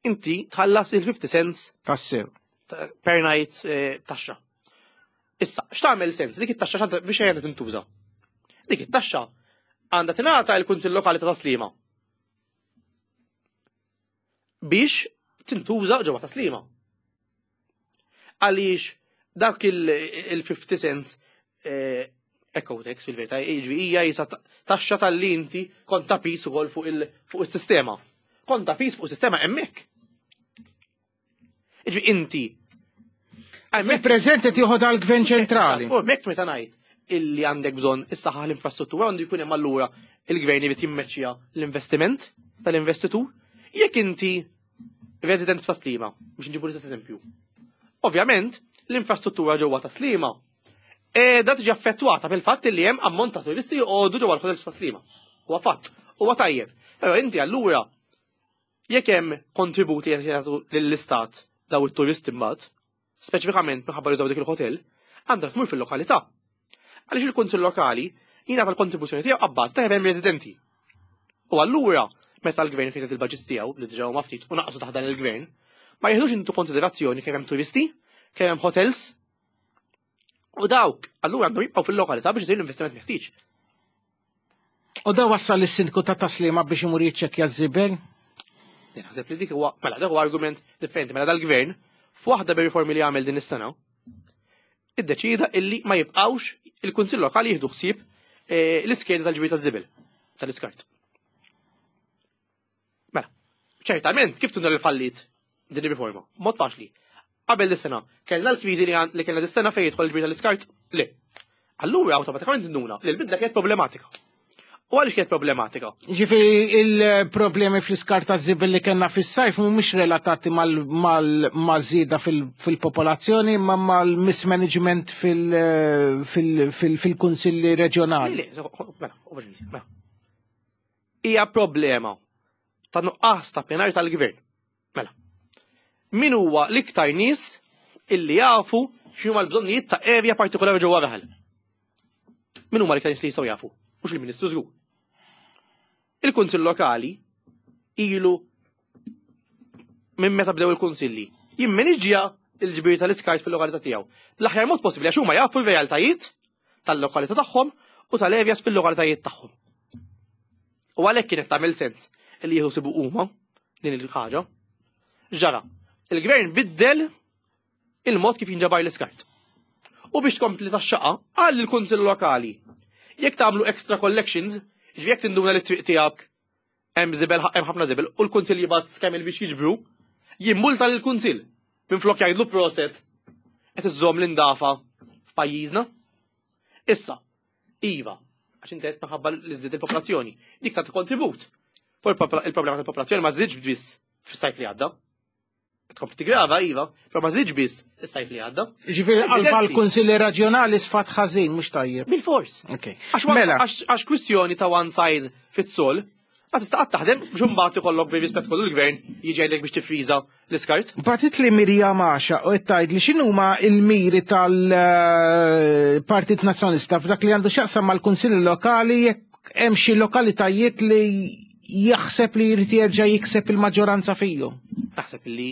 [SPEAKER 3] inti tħallas il-50 cents
[SPEAKER 2] tassew
[SPEAKER 3] per night eh, taxxa. Issa, x'tagħmel sens? Dik it-taxxa biex għandha tintuża. Dik it-taxxa għandha tingħata l-Kunsill Lokali ta' Taslima. Biex tintuża ġewwa Taslima. Għaliex dak il-50 cents eh, eco tax fil-verità, jiġri hija jisa taxxa tal-li inti kont ta' pis ukoll fuq il-sistema. Kont ta' pis fuq is-sistema hemmhekk. Jiġri inti.
[SPEAKER 2] Hemmhekk qed jieħu dal-gvern ċentrali.
[SPEAKER 3] U hemmhekk meta ngħid illi għandek bżonn is-saħħa l-infrastruttura għandu jkun hemm allura il-gvern irid jimmeċċja l-investiment tal-investitur. Jekk inti resident ta' Slima, biex nġibu l-istess eżempju. Ovvjament, l-infrastruttura ġewwa ta' Slima qiegħda tiġi affettwata bil-fatt li hemm ammont ta' turisti joqogħdu ġewwa l-ħotels ta' Slima. Huwa fatt, huwa tajjeb. Però inti allura jekk hemm kontributi qed jagħtu lill-istat daw it-turisti mbagħad, speċifikament minħabba li dik il-hotel, għandha tmur fil-lokalità. Għaliex il-kunsill lokali jingħata l-kontribuzzjoni tiegħu abbaż ta' hemm residenti. U allura, meta l-gvern kien il-budgets tiegħu li diġà huma ftit u naqsu taħt dan il-gvern, ma jieħdux intu konsiderazzjoni kemm hemm turisti, kemm hemm hotels. U dawk, allura għandhom jibqgħu fil-lokalità biex isir l-investiment meħtieġ.
[SPEAKER 2] U da wassal is-sindku ta' taslima biex imur jiċċekkja ż-żibel?
[SPEAKER 3] Naħseb li dik huwa mela dak huwa argument differenti mela dal-gvern f'waħda bir-riformi li għamel din is-sena iddeċida illi ma jibqgħux il-Kunsill Lokali jieħdu ħsieb eh, l-iskeda tal-ġbir taż-żibel tal-iskart. Mela, ċertament kif tundar il-fallit din ir-riforma? Mod faċli. Qabel dis-sena, kellna l-kriżi li kellna dis-sena fejn jidħol il-ġbir tal-iskart? Le. Allura awtomatikament nduna li l-bidla kienet problematika. U għaliex kienet problematika?
[SPEAKER 2] Ġifieri il-problemi fl-iskart ta' żibel li kellna fis-sajf mhumiex relatati mal-żieda fil-popolazzjoni ma mal-mismanagement fil-kunsilli reġjonali.
[SPEAKER 3] Mela, mela. Hija problema ta' nuqqas ta' pjanar tal-gvern. Mela. Min huwa l-iktar nies illi jafu x'huma l-bżonnijiet ta' area partikolari ġewwa raħal? Min huma l-iktar nies li jistgħu jafu? Mhux il-Ministru żgur. Il-Kunsill Lokali ilu minn meta bdew il-kunsilli jimmaniġġja il-ġbir tal-iskart fil-lokalità tiegħu. L-aħjar mod possibbli għax huma jafu r-realtajiet tal-lokalità tagħhom u tal-areas fil-lokalitajiet tagħhom. U għalhekk kienet tagħmel sens li jieħu sibu huma din il-ħaġa. Ġara, il-gvern biddel il-mod kif jinġabar l-iskart. U biex tkompli tax-xaqa, qal lill-Kunsill Lokali, jekk tagħmlu extra collections, ġifieri jekk tinduna li t-triq tiegħek hemm żibel hemm ħafna żibel u l-Kunsill jibgħat skemil biex jiġbru, jimmulta lill-Kunsill minflok jgħidlu proset qed iżżomm l-indafa f'pajjiżna. Issa, iva, għax inti qed minħabba li żdied il-popolazzjoni, dik tagħti kontribut. Il-problema tal-popolazzjoni ma żdiedx biss fis-sajf li għadda. Tkompli tigrava, iva, però ma żdiedx biss is-sajf li għadda.
[SPEAKER 2] Ġifieri qalba l-Kunsilli Reġjonali sfat ħażin mhux tajjeb.
[SPEAKER 3] Bil-fors.
[SPEAKER 2] Mela.
[SPEAKER 3] Għax kwistjoni ta' one size fits all, ma tista' qatt taħdem biex imbagħad ikollok bi rispett kollu l-gvern jiġi jgħidlek biex tifriża l-iskart.
[SPEAKER 2] Bagħtitli Mirjam Għaxa u qed tgħidli x'inhuma l-miri tal-Partit Nazzjonalista f'dak li għandu x'jaqsam mal-Kunsilli Lokali jekk hemm xi lokalitajiet li jaħseb li jrid jerġa' jikseb il-maġġoranza fihom.
[SPEAKER 3] Naħseb li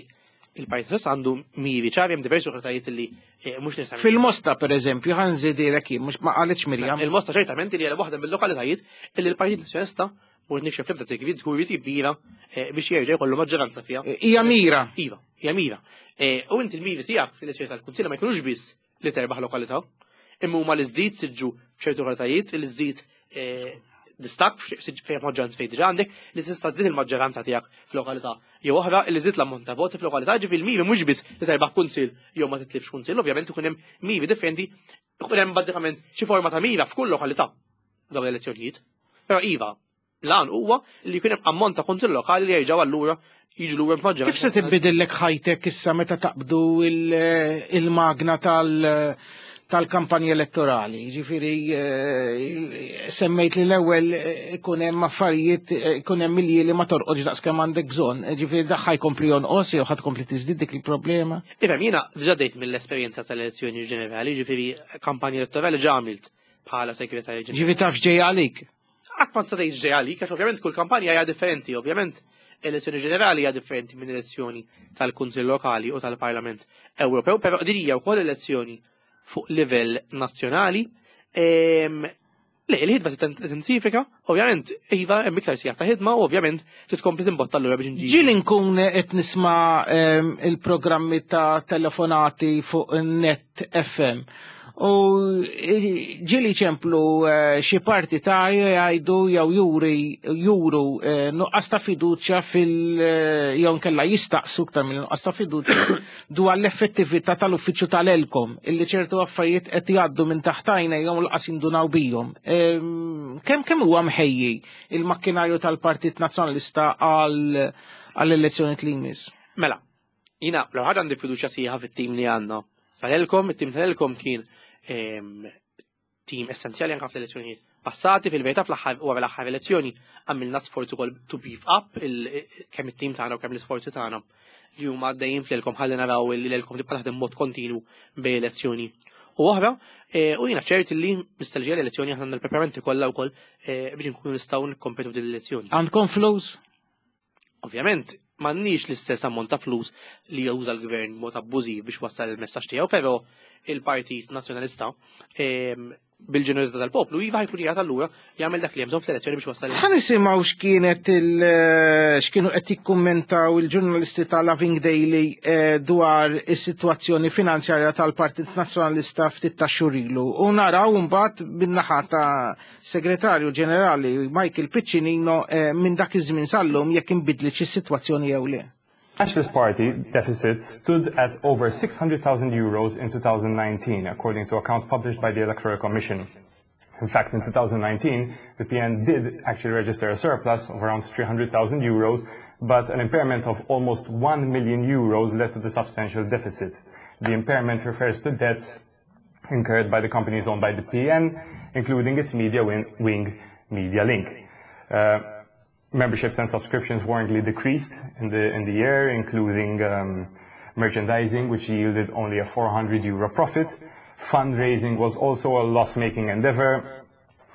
[SPEAKER 3] il-Partit Nazzjonalista għandu miri ċari hemm diversi lokalitajiet li eh, mhux nista'
[SPEAKER 2] Fil-Mosta pereżempju ħa nżidilek jien mhux ma qalitx Mirjam.
[SPEAKER 3] Il-Mosta ċertament li hija waħda mill-lokalitajiet li l-Partit Nazzjonalista mhux nikxef l-ebda sigriet żgur jrid jibbira eh, biex jerġa' jkollu maġġoranza fiha.
[SPEAKER 2] Eh, hija mira.
[SPEAKER 3] Iva, hija mira. U inti l-miri tiegħek fil-elezzjoni tal-Kunsill ma jkunux biss li terbaħ lokalità, imma huma li żdid siġġu f'ċertu lokalitajiet, li żdid eh, distak fejn maġġoranza fejn diġà għandek li tista' żżid il-maġġoranza tiegħek f'lokalità jew oħra li żid l-ammont ta' voti f'lokalità ġifieri l-miri mhux biss li terbaħ kunsill jew ma titlifx kunsill, ovvjament ikun hemm miri differenti, ikun hemm bażikament xi forma ta' mira f'kull lokalità dawn l-elezzjonijiet. Però iva, L-għan huwa li jkun hemm ammont ta' kunsill lokali li jerġgħu allura jiġu lura b'maġġoranza.
[SPEAKER 2] Kif se tinbidillek ħajtek issa meta taqbdu il-magna tal-kampanja elettorali? Ġifieri eh, semmejt li l-ewwel eh, ikun hemm affarijiet eh, ikun hemm milji li ma torqodx daqskemm għandek bżonn. Ġifieri daħħa jkompli jonqos jew ħadd tkompli tiżdied dik il-problema.
[SPEAKER 3] Ifhem, jiena diġà dejt mill-esperjenza tal-elezzjoni ġenerali, ġifieri kampanja elettorali ġa għamilt bħala segretarju ġenerali.
[SPEAKER 2] Ġifieri taf ġej għalik.
[SPEAKER 3] Qatt ma tista' tgħid x'ġej għalik, għax ovvjament kull kampanja hija differenti, ovvjament elezzjoni ġenerali hija differenti minn elezzjoni tal-Kunsill Lokali u tal-Parlament Ewropew, però din hija wkoll elezzjoni fuq livell nazzjonali. Ehm, le, il-ħidma tintensifika, ovvjament, iva hemm iktar sigħat ta' ħidma u ovvjament se tkompli timbotta allura biex nġi.
[SPEAKER 2] Ġieli nkun qed nisma' ehm, il-programmi ta' telefonati fuq net FM. U ġili ċemplu eh, xi partitarju jgħidu jew juri juru eh, nuqqas ta' fiduċja fil eh, jew nkella jistaqsu iktar minn nuqqas ta' fiduċja dwar l-effettività tal-uffiċċju tal-Elkom illi ċertu affarijiet qed jgħaddu minn taħt għajnejhom u laqas jindunaw bihom. Ehm, kemm kemm huwa mħejji il-makkinarju tal-Partit Nazzjonalista għal għall-elezzjoni li jmiss?
[SPEAKER 3] Mela, Jina, l ħaġa għandi fiduċja sħiħa fit-tim li għandna. Tal-Elkom, it-tim tal-Elkom kien ehm, tim essenzjali anka fl-elezzjonijiet passati fil-verità fl-aħħar wara l-aħħar elezzjoni għamilna sforz ukoll to beef up kemm it-tim tagħna u kemm l-isforzi tagħna li huma għaddejjin fl-elkom ħalli naraw li l-elkom tibqa' taħdem mod kontinu bejn elezzjoni u oħra e, u jiena ċert li mistalġija l-elezzjoni aħna għandna l-preparamenti kollha wkoll e, biex nkunu nistgħu nikkompetu f'din l-elezzjoni.
[SPEAKER 2] Għandkom flus?
[SPEAKER 3] Ovvjament, m'għandniex l-istess ammont ta' flus li juża l-gvern mod abbużiv biex wassal il-messaġġ tiegħu, però il-Partit Nazzjonalista ehm, bil-ġenerożità tal-poplu iva ħajkun qiegħed allura jagħmel dak li hemm bżonn fl-elezzjoni biex wassal.
[SPEAKER 2] Ħa nisimgħu x'kienet il eh, x'kienu qed jikkummentaw il-ġurnalisti ta' Loving Daily eh, dwar is-sitwazzjoni finanzjarja tal-Partit Nazzjonalista ftit ta' xhur ilu. U naraw mbagħad bin-naħa ta' Segretarju Ġenerali Michael Piccinino eh, minn dak iż-żmien sal-lum jekk inbidlitx is-sitwazzjoni jew le.
[SPEAKER 4] Nationalist Party deficit stood at over 600,000 euros in 2019, according to accounts published by the Electoral Commission. In fact, in 2019, the PN did actually register a surplus of around 300,000 euros, but an impairment of almost 1 million euros led to the substantial deficit. The impairment refers to debts incurred by the companies owned by the PN, including its media wing, Media Link. Uh, memberships and subscriptions warrantly decreased in the, in the year, including um, merchandising, which yielded only a 400 euro profit. Fundraising was also a loss-making endeavor,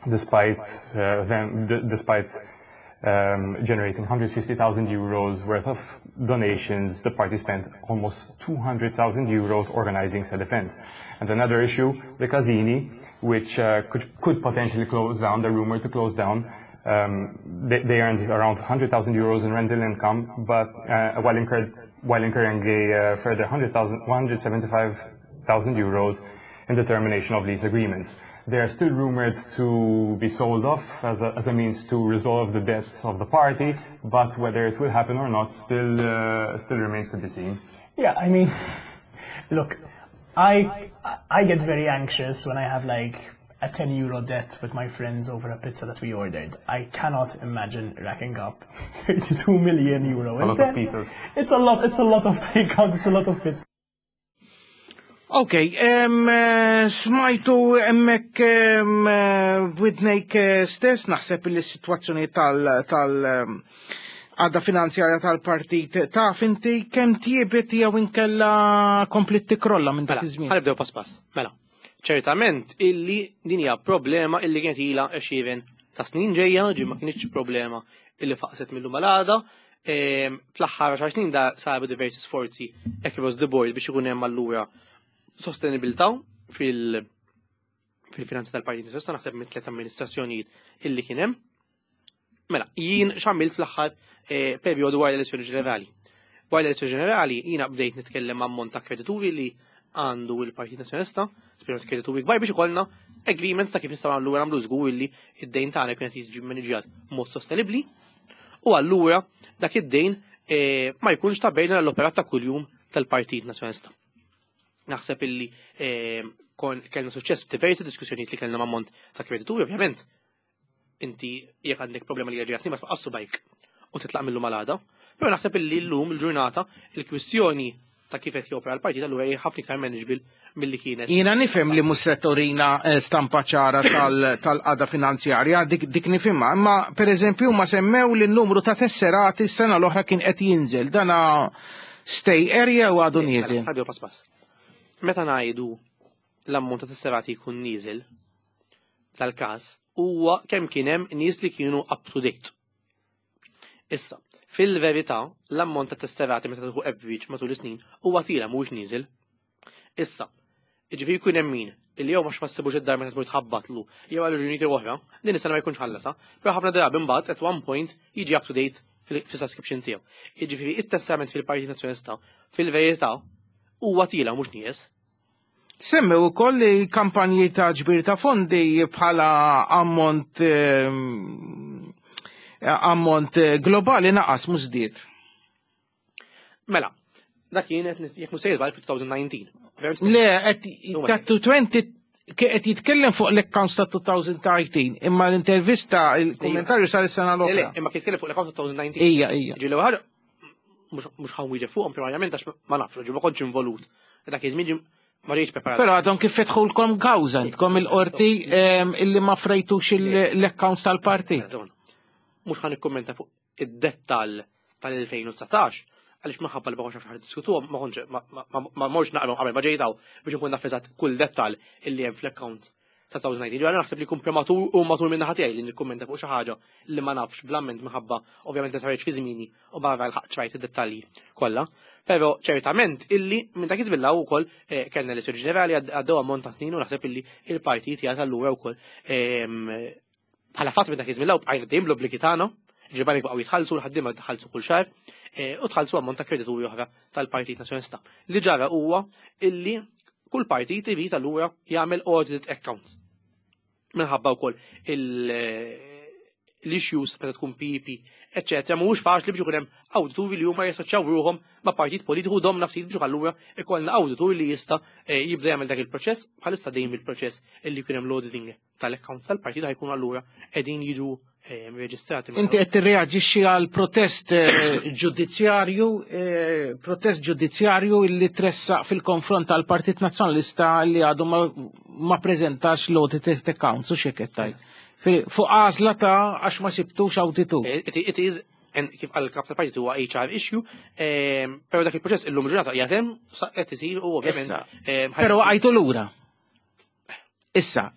[SPEAKER 4] despite, uh, them, despite um, generating 150,000 euros worth of donations, the party spent almost 200,000 euros organizing said events. And another issue, the Casini, which uh, could, could potentially close down, the rumor to close down, um, they, they earned around 100,000 euros in rental income, but uh, while, incurred, while incurring a uh, further 175,000 euros in the termination of lease agreements. They are still rumored to be sold off as a, as a means to resolve the debts of the party, but whether it will happen or not still, uh, still remains to be seen.
[SPEAKER 5] Yeah, I mean, look, I, I get very anxious when I have like a 10 euro debt with my friends over a pizza that we ordered. I cannot imagine racking up 32 million euro.
[SPEAKER 4] It's a lot of pizzas.
[SPEAKER 5] It's a lot, it's a lot of takeout, it's a lot of pizza.
[SPEAKER 2] Ok, eh, smajtu emmek eh, b'widnejk eh, stess naħseb li s-situazzjoni tal, tal għadda finanzjarja tal-partit taf inti kemm tjiebet jew inkella komplit tikrolla minn dak
[SPEAKER 3] Mela,
[SPEAKER 2] iż-żmien.
[SPEAKER 3] ħanibdew pass pass. Mela, ċertament illi din hija problema illi kienet ilha għexieren ta' snin ġejja, ġi ma kienx problema illi faqset mill-lum għal għada. Ehm, fl-aħħar 10 snin da saru diversi sforzi across the board biex ikun hemm allura sostenibilità fil- fil-finanzi tal-Partit Nazzjonalista naħseb minn tliet amministrazzjonijiet illi kien hemm. Mela, jien x'għamilt fl-aħħar eh, perjodu wara l-elezzjoni ġenerali. Wara l-elezzjoni ġenerali jiena bdejt nitkellem ammont ta' kredituri li għandu il-Partit Nazzjonalista, speċjalment kredituri kbar biex ikollna agreements ta' kif nistgħu nagħmlu nagħmlu żgur li id-dejn tagħna jkun qed jiġi maniġjat mod sostenibbli u allura dak id-dejn eh, ma jkunx ta' bejna l-operat ta' kuljum tal-Partit Nazzjonalista. Naħseb illi eh, kon kellna suċċess f'diversi diskussjonijiet li kellna ma' ammont ta' kredituri, ovvjament. Inti jekk għandek problema li ġejja ma tfaqqassu bajk u titlaq millu malada. Però naħseb illi llum il-ġurnata il-kwistjoni ta' kif qed jopera l-partit allura hija ħafna iktar manageable milli kienet.
[SPEAKER 2] Jiena nifhem li mhux se turina eh, stampa ċara tal-qada finanzjarja, dik, dik nifhimha, imma pereżempju ma semmew li n-numru ta' tesserati s-sena l-oħra kien qed jinżel. Dana stay area u għadu nieżel.
[SPEAKER 3] Mela, Ħaddew pass pass. Meta ngħidu l-ammont ta' tesserati jkun nieżel tal-każ huwa kemm kien hemm nies li kienu up to date. Issa, fil-verità, l-ammont ta' tesserati meta tieħu average matul is-snin huwa tila mhuwiex nieżel. Issa, jiġifieri jkun hemm min illi jew ma x'massibux id-dar meta tmur tħabbatlu jew għal raġunijiet oħra, din is-sena ma jkunx ħallasa, però ħafna drabi mbagħad at one point jiġi up to date fis-subscription tiegħu. Jiġifieri it-tessament fil-Partit Nazzjonalista fil-verità huwa tila mhux nieqes.
[SPEAKER 2] Semmew ukoll li kampanji ta' ġbir ta' fondi bħala ammont ehm, ammont globali naqas mhux żdied.
[SPEAKER 3] Mela, dak kien qed jekk mhux sejjer fil-2019.
[SPEAKER 2] Le, qed ta' 20 qed jitkellem fuq l-accounts ta' 2019, imma l-intervista, il-kommentarju sar is-sena
[SPEAKER 3] Le,
[SPEAKER 2] l-oħra.
[SPEAKER 3] imma kien jitkellem fuq l-accounts ta' 2019.
[SPEAKER 2] Ija, ija.
[SPEAKER 3] Ġi l-ewwel ħaġa mhux ħan wieġeb fuqhom primarjament għax ma nafx, ġi ma kontx involut. Dak iż-żmien Ma rridx preparat.
[SPEAKER 2] Però għadhom kif fetħulkom kawża intkom il-qorti illi ma frejtux l-accounts tal-partit.
[SPEAKER 3] Mhux ħa nikkummenta fuq id-dettall tal-2019 għaliex minħabba li ma kontx naf x'ħa niddiskutuhom ma kontx ma mortx naqrahom qabel ma ġejt hawn biex inkun naf eżatt kull dettall illi hemm fl-account ta' 2019. Ġifieri naħseb li jkun prematur u matur minn naħa tiegħi li nikkummenta fuq xi ħaġa li ma nafx bl-amment minħabba ovvjament li saritx fi żmieni u barra l-ħaqt ċrajt id-dettalji kollha. Però ċertament illi minn dak iż-żmien ukoll eh, kellna l ġenerali għaddew ammont ta' snin u naħseb illi il-partit jagħta allura wkoll ehm, bħala fatt minn dak iż-żmien bqajna dejjem l-obbligi tagħna, ġibani baqgħu jitħallsu l-ħaddiema tħallsu kull xahar eh, u tħallsu ammont ta' kredituri oħra tal-Partit Nazzjonalista. Li ġara huwa illi kull partit irid allura jagħmel audit account. Minħabba wkoll l-issues meta tkun PP, eċetera, mhuwiex faċli biex ikun hemm awdituri li huma jassoċjaw ruħhom ma' partit politiku domna ftit biex allura ikollna awditur li jista' eh, jibda jagħmel dak il-proċess bħalissa dejjem il-proċess illi jkun hemm l-auditing tal-accounts tal-partit ħajkunu allura qegħdin jiġu eh, reġistrati.
[SPEAKER 2] Inti qed tirreaġixxi għal protest eh, ġudizzjarju, eh, protest ġudizzjarju illi tressaq fil-konfront tal-Partit Nazzjonalista li għadu ma preżentax l-audit accounts u xi qed tgħid. Fuq għażla ta' għax ma sibtux awditur.
[SPEAKER 3] It is kif għal kap tal-partit huwa HR issue, però dak il-proċess illum ġurnata qiegħed hemm qed isir u ovvjament.
[SPEAKER 2] Però għajtu lura. Issa,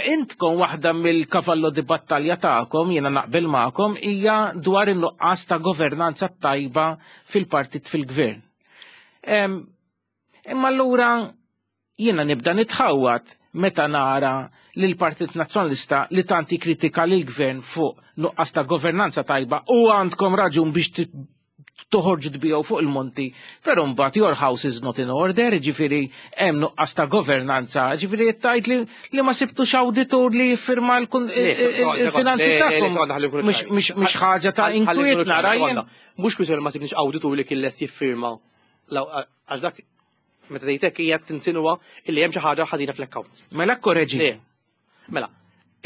[SPEAKER 2] intkom waħda mill-kavallo di battalja tagħkom, jiena naqbel magħkom, hija dwar in-nuqqas ta' governanza tajba fil-partit fil-gvern. Imma allura jiena nibda nitħawwad meta nara li l-Partit Nazzjonalista li tanti kritika lil gvern fuq nuqqas ta' governanza tajba u għandkom raġun biex toħorġu tbiegħu fuq il-monti, però mbagħad your house is not in order, ġifieri hemm nuqqas ta' governanza, ġifieri qed tgħid li, li ma sibtux awditur li jiffirma il-finanzi tagħkom. Mhix ħaġa ta' inkwiet nara jien.
[SPEAKER 3] Mhux kwistjoni ma sibniex awditur li kien lest jiffirma għax dak meta tgħidek hija tinsinwa illi hemm xi ħaġa ħażina fl-accounts.
[SPEAKER 2] Mela korreġi.
[SPEAKER 3] Mela,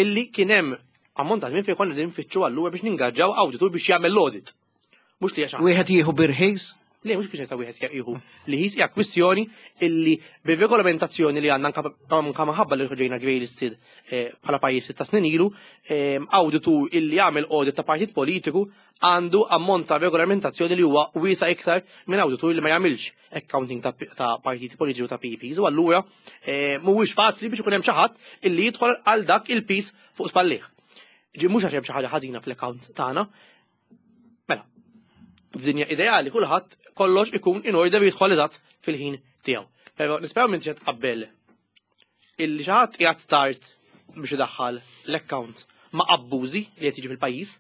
[SPEAKER 3] illi kien hemm ammont ta' żmien fejn konna qegħdin nfittxu allura biex ningaġġaw awditur biex jagħmel l-audit. Mhux li għax
[SPEAKER 2] Wieħed jieħu birħis?
[SPEAKER 3] Le, mhux biex ta' wieħed jieħu li ħis hija kwistjoni illi bir-regolamentazzjoni li għandna anka minħabba li ġejna grey listed eh, bħala pajjiż ta' snin ilu, eh, awditur illi jagħmel audit ta' partit politiku għandu ammont ta' regolamentazzjoni li huwa wiesa iktar minn awditur li ma jagħmilx accounting ta' partiti politiċi u ta' PPs u allura eh, mhuwiex faċli biex ikun hemm xi ħadd illi jidħol għal dak il-pis fuq spallih. Ġi mhux għax hemm xi ħaġa ħażina fl-account tagħna. Mela, f'dinja ideali kulħadd kollox ikun in order jidħol eżatt fil-ħin tiegħu. Però nisperaw minn ġed qabel illi xi ħadd qiegħed tard biex idaħħal l-account ma' abbużi li qed jiġi fil-pajjiż,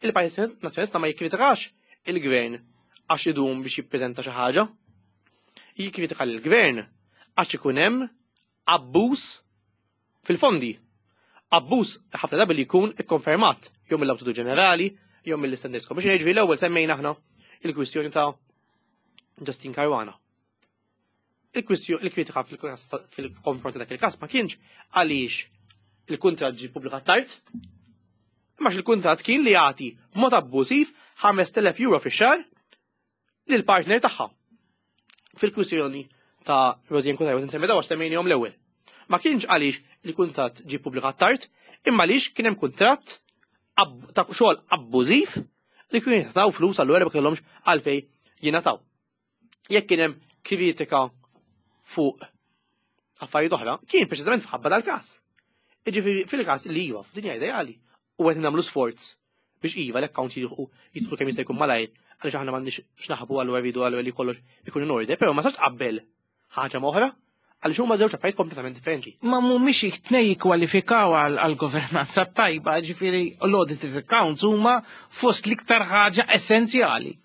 [SPEAKER 3] il-Partit Nazzjonalista ma jikkritikax il-gvern għax idum biex jippreżenta xi ħaġa. Jikkritika lill-gvern għax ikun hemm abbuż fil-fondi. Abbuż ħafna drabi li jkun ikkonfermat jew mill-Awditur Ġenerali jew mill-Standards Commission. Jiġifieri l-ewwel semmejna aħna il-kwistjoni ta' Justin Caruana. Il-kritika fil-konfront ta' dak il-każ ma kienx għaliex il-kuntratt ġie ppubblikat tard, imma il-kuntratt kien li jagħti mod abbużiv 5,000 euro fix-xahar lil partner tagħha. Fil-kwistjoni ta' Rosianne Cutajar nsemmi daw għax semmejnihom l-ewwel. Ma kienx għaliex il-kuntratt ġie ppubblikat tard, imma għaliex kien hemm kuntratt ta' xogħol abbużiv li kienu jingħataw flus allura ma kellhomx għalfejn jingħataw. Jekk kien hemm kritika fuq affarijiet oħra, kien preċiżament f'ħabba dal-każ. Jiġifieri fil-każ li iva f'dinja ideali u qed nagħmlu sforz biex iva l-account jidħu jidħlu kemm jista' jkun malajr għaliex aħna m'għandniex x'naħbu allura rridu allura li kollox ikun in order, però ma sax qabel ħaġa m'oħra għaliex huma żewġ affarijiet kompletament differenti.
[SPEAKER 2] Ma mhumiex it-tnej jikkwalifikaw għal governanza tajba, ġifieri l-audited accounts huma fost l-iktar ħaġa essenzjali.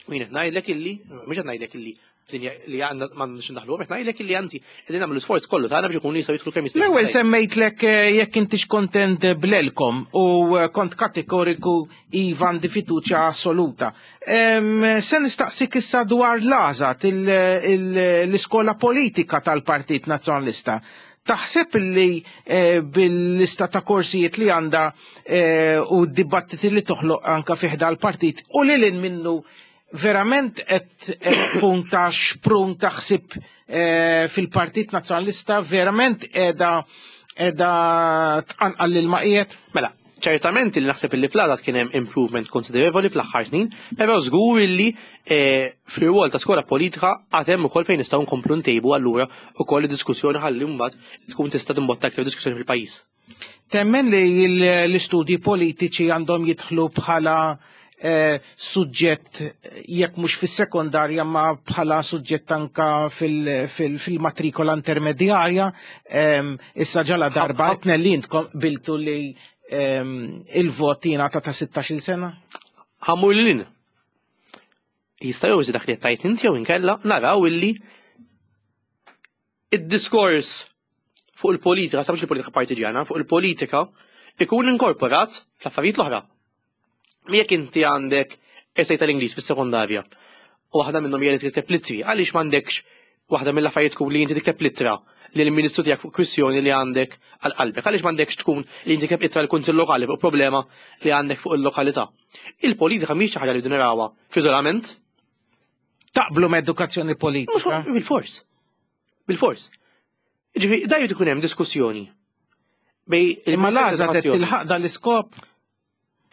[SPEAKER 3] U jien qed ngħidlek illi, mhux qed ngħidlek illi li għandna m'għandniex ndaħlu, qed ngħidlek illi anzi qegħdin nagħmlu sforz kollu tagħna biex ikunu jistgħu jidħlu kemm jista'
[SPEAKER 2] L-ewwel semmejtlek eh, jekk intix kontent bl-Elkom u eh, kont kategoriku iva għandi fiduċja assoluta. Se nistaqsik issa dwar l-għażat l-iskola politika tal-Partit Nazzjonalista. Taħseb li eh, bil-lista ta' korsijiet li għandha eh, u d-dibattiti li toħloq anka fiħda l-partit u li lin minnu Verament qed tkun ta' xprun ta' ħsieb eh, fil-Partit Nazzjonalista, verament qiegħda qiegħda tqanqal lil maqiet?
[SPEAKER 3] Mela, ċertament li naħseb illi fl kien hemm improvement konsiderevoli fl-aħħar snin, però żgur illi eh, fir-rwol ta' skola politika għad hemm ukoll fejn nistgħu nkomplu ntejbu allura ukoll id-diskussjoni ħalli mbagħad tkun tista' timbotta aktar diskussjoni fil-pajjiż.
[SPEAKER 2] Temmen li l-istudji politiċi għandhom jidħlu bħala eh, suġġett jekk mhux fis-sekondarja ma bħala suġġett anka fil-matrikola intermedjarja. Issa ġala darba qed li intkom biltu li il-vot jingħata ta' 16-il sena?
[SPEAKER 3] Ħammur lil Jista' jew dak li qed tgħid inti jew inkella naraw illi id-diskors fuq il-politika, sa mhux il-politika partiġjana, fuq il-politika ikun inkorporat fl-affarijiet l-oħra. Jekk inti għandek esej tal-Ingliż fis-sekondarja u waħda minnhom hija li tikteb littri, għaliex m'għandekx waħda mill-affarijiet tkun li inti tikteb littra lil ministru tiegħek fuq kwistjoni li għandek għal qalbek, għaliex m'għandekx tkun li inti tikteb ittra l-Kunsill Lokali fuq problema li għandek fuq il-lokalità. Il-politika mhix xi ħaġa li narawha f'iżolament.
[SPEAKER 2] Taqblu ma' edukazzjoni politika?
[SPEAKER 3] Bil-fors. Bil-fors. Ġifi, da jrid ikun hemm diskussjoni.
[SPEAKER 2] Bej Imma l-għażla qed tilħaq dan l-iskop?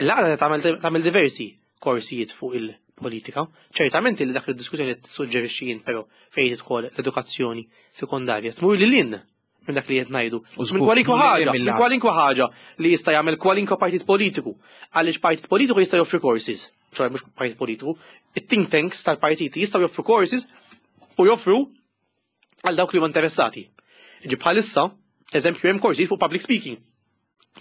[SPEAKER 3] L-għażla tagħmel diversi korsijiet fuq il-politika. Ċertament li dak id-diskussjoni tissuġġerixxi jien però fejn tidħol l-edukazzjoni sekondarja tmur lil hinn minn dak li qed ngħidu. Minn kwalinkwa ħaġa, minn kwalinkwa ħaġa li jista' jagħmel kwalinkwa partit politiku. Għaliex partit politiku jista' joffri courses, ċoħe mhux partit politiku, it-think tanks tal-partiti jistgħu joffru courses u joffru għal dawk li huma interessati. Ġi bħalissa, eżempju hemm courses fuq public speaking,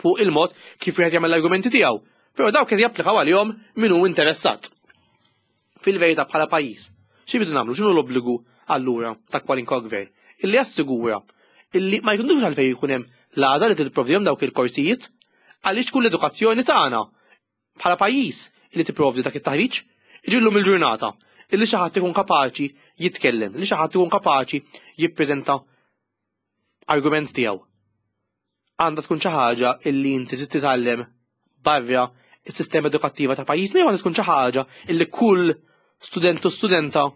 [SPEAKER 3] fuq il-mod kif wieħed jagħmel l-argumenti tiegħu, però dawk qed japplikaw għalihom min hu interessat. Fil-verità bħala pajjiż, xi bidu nagħmlu x'inhu l-obbligu allura ta' kwalinkwa gvern? Illi jassigura illi ma jkunux għalfejn jkun hemm l-għażla li tipprovdihom dawk il-korsijiet għaliex tkun l-edukazzjoni tagħna bħala pajjiż li tipprovdi dak it-taħriġ, illum il-ġurnata illi xi ħadd ikun kapaċi jitkellem, li xi ħadd ikun kapaċi jippreżenta argument tiegħu. Għandha tkun xi ħaġa illi inti trid titgħallem barra is-sistema edukattiva ta' pajjiżna jew għandha tkun xi ħaġa illi kull student u studenta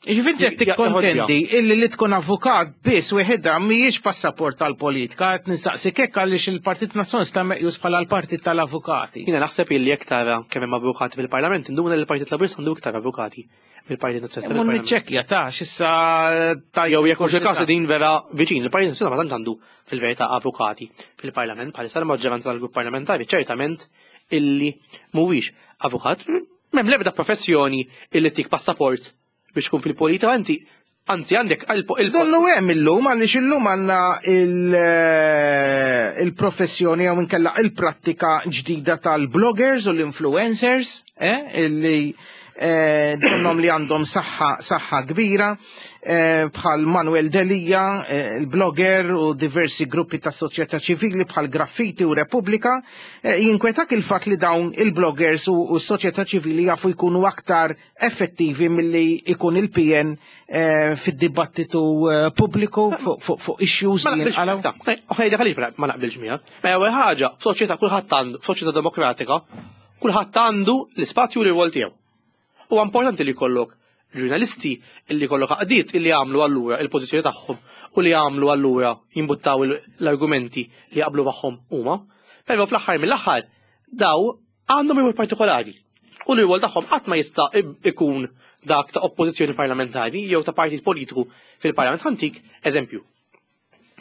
[SPEAKER 2] Ġifieri qed tikkontendi illi li tkun avukat biss wieħedha mhijiex passaport tal-politika, qed nistaqsik hekk għaliex il-Partit Nazzjonalista meqjus bħala l-partit tal-avukati.
[SPEAKER 3] Jiena naħseb illi jekk tara kemm hemm avukati fil-Parlament induna li l-Partit Laburista għandu iktar avukati mill-Partit Nazzjonalista.
[SPEAKER 2] Mun niċċekkja ta' x'issa
[SPEAKER 3] ta' jew jekk mhux il-każ din vera viċin, il-Partit Nazzjonalista ma tantx għandu fil-verità avukati fil-Parlament bħalissa l-maġġoranza tal-grupp parlamentari ċertament illi mhuwiex avukat. M'hemm l-ebda professjoni illi tik passaport biex tkun fil-politika inti anzi għandek
[SPEAKER 2] il Donnu hemm illum għaliex illum għandna eh, il-professjoni jew inkella il-prattika ġdida tal-bloggers u l-influencers, eh, illi eh, donnom li għandhom saħħa saħħa kbira eh, bħal Manuel Delia, eh, il-blogger u diversi gruppi ta' soċjetà ċivili bħal Graffiti u Repubblika, jinkwetak il-fatt li dawn il-bloggers u s-soċjetà ċivili jafu jkunu aktar effettivi milli ikun il-PN fid-dibattitu pubbliku fuq issues li jinqalgħu.
[SPEAKER 3] Ħajda għaliex ma naqbilx miegħek. Ma ewwel ħaġa, f'soċjetà kulħadd għandu, f'soċjetà demokratika, Kulħadd għandu l-ispazju u l-irwol tiegħu. Huwa importanti li jkollok ġurnalisti li jkollok għaqdiet li jagħmlu allura il-pożizzjoni tagħhom u li jagħmlu allura jimbuttaw l-argumenti li jaqblu magħhom huma. Però fl-aħħar mill-aħħar daw għandhom irwol partikolari u l-irwol tagħhom qatt ma jista' ikun dak ta' oppożizzjoni parlamentari jew ta' partit politiku fil-parlament. Ħantik eżempju.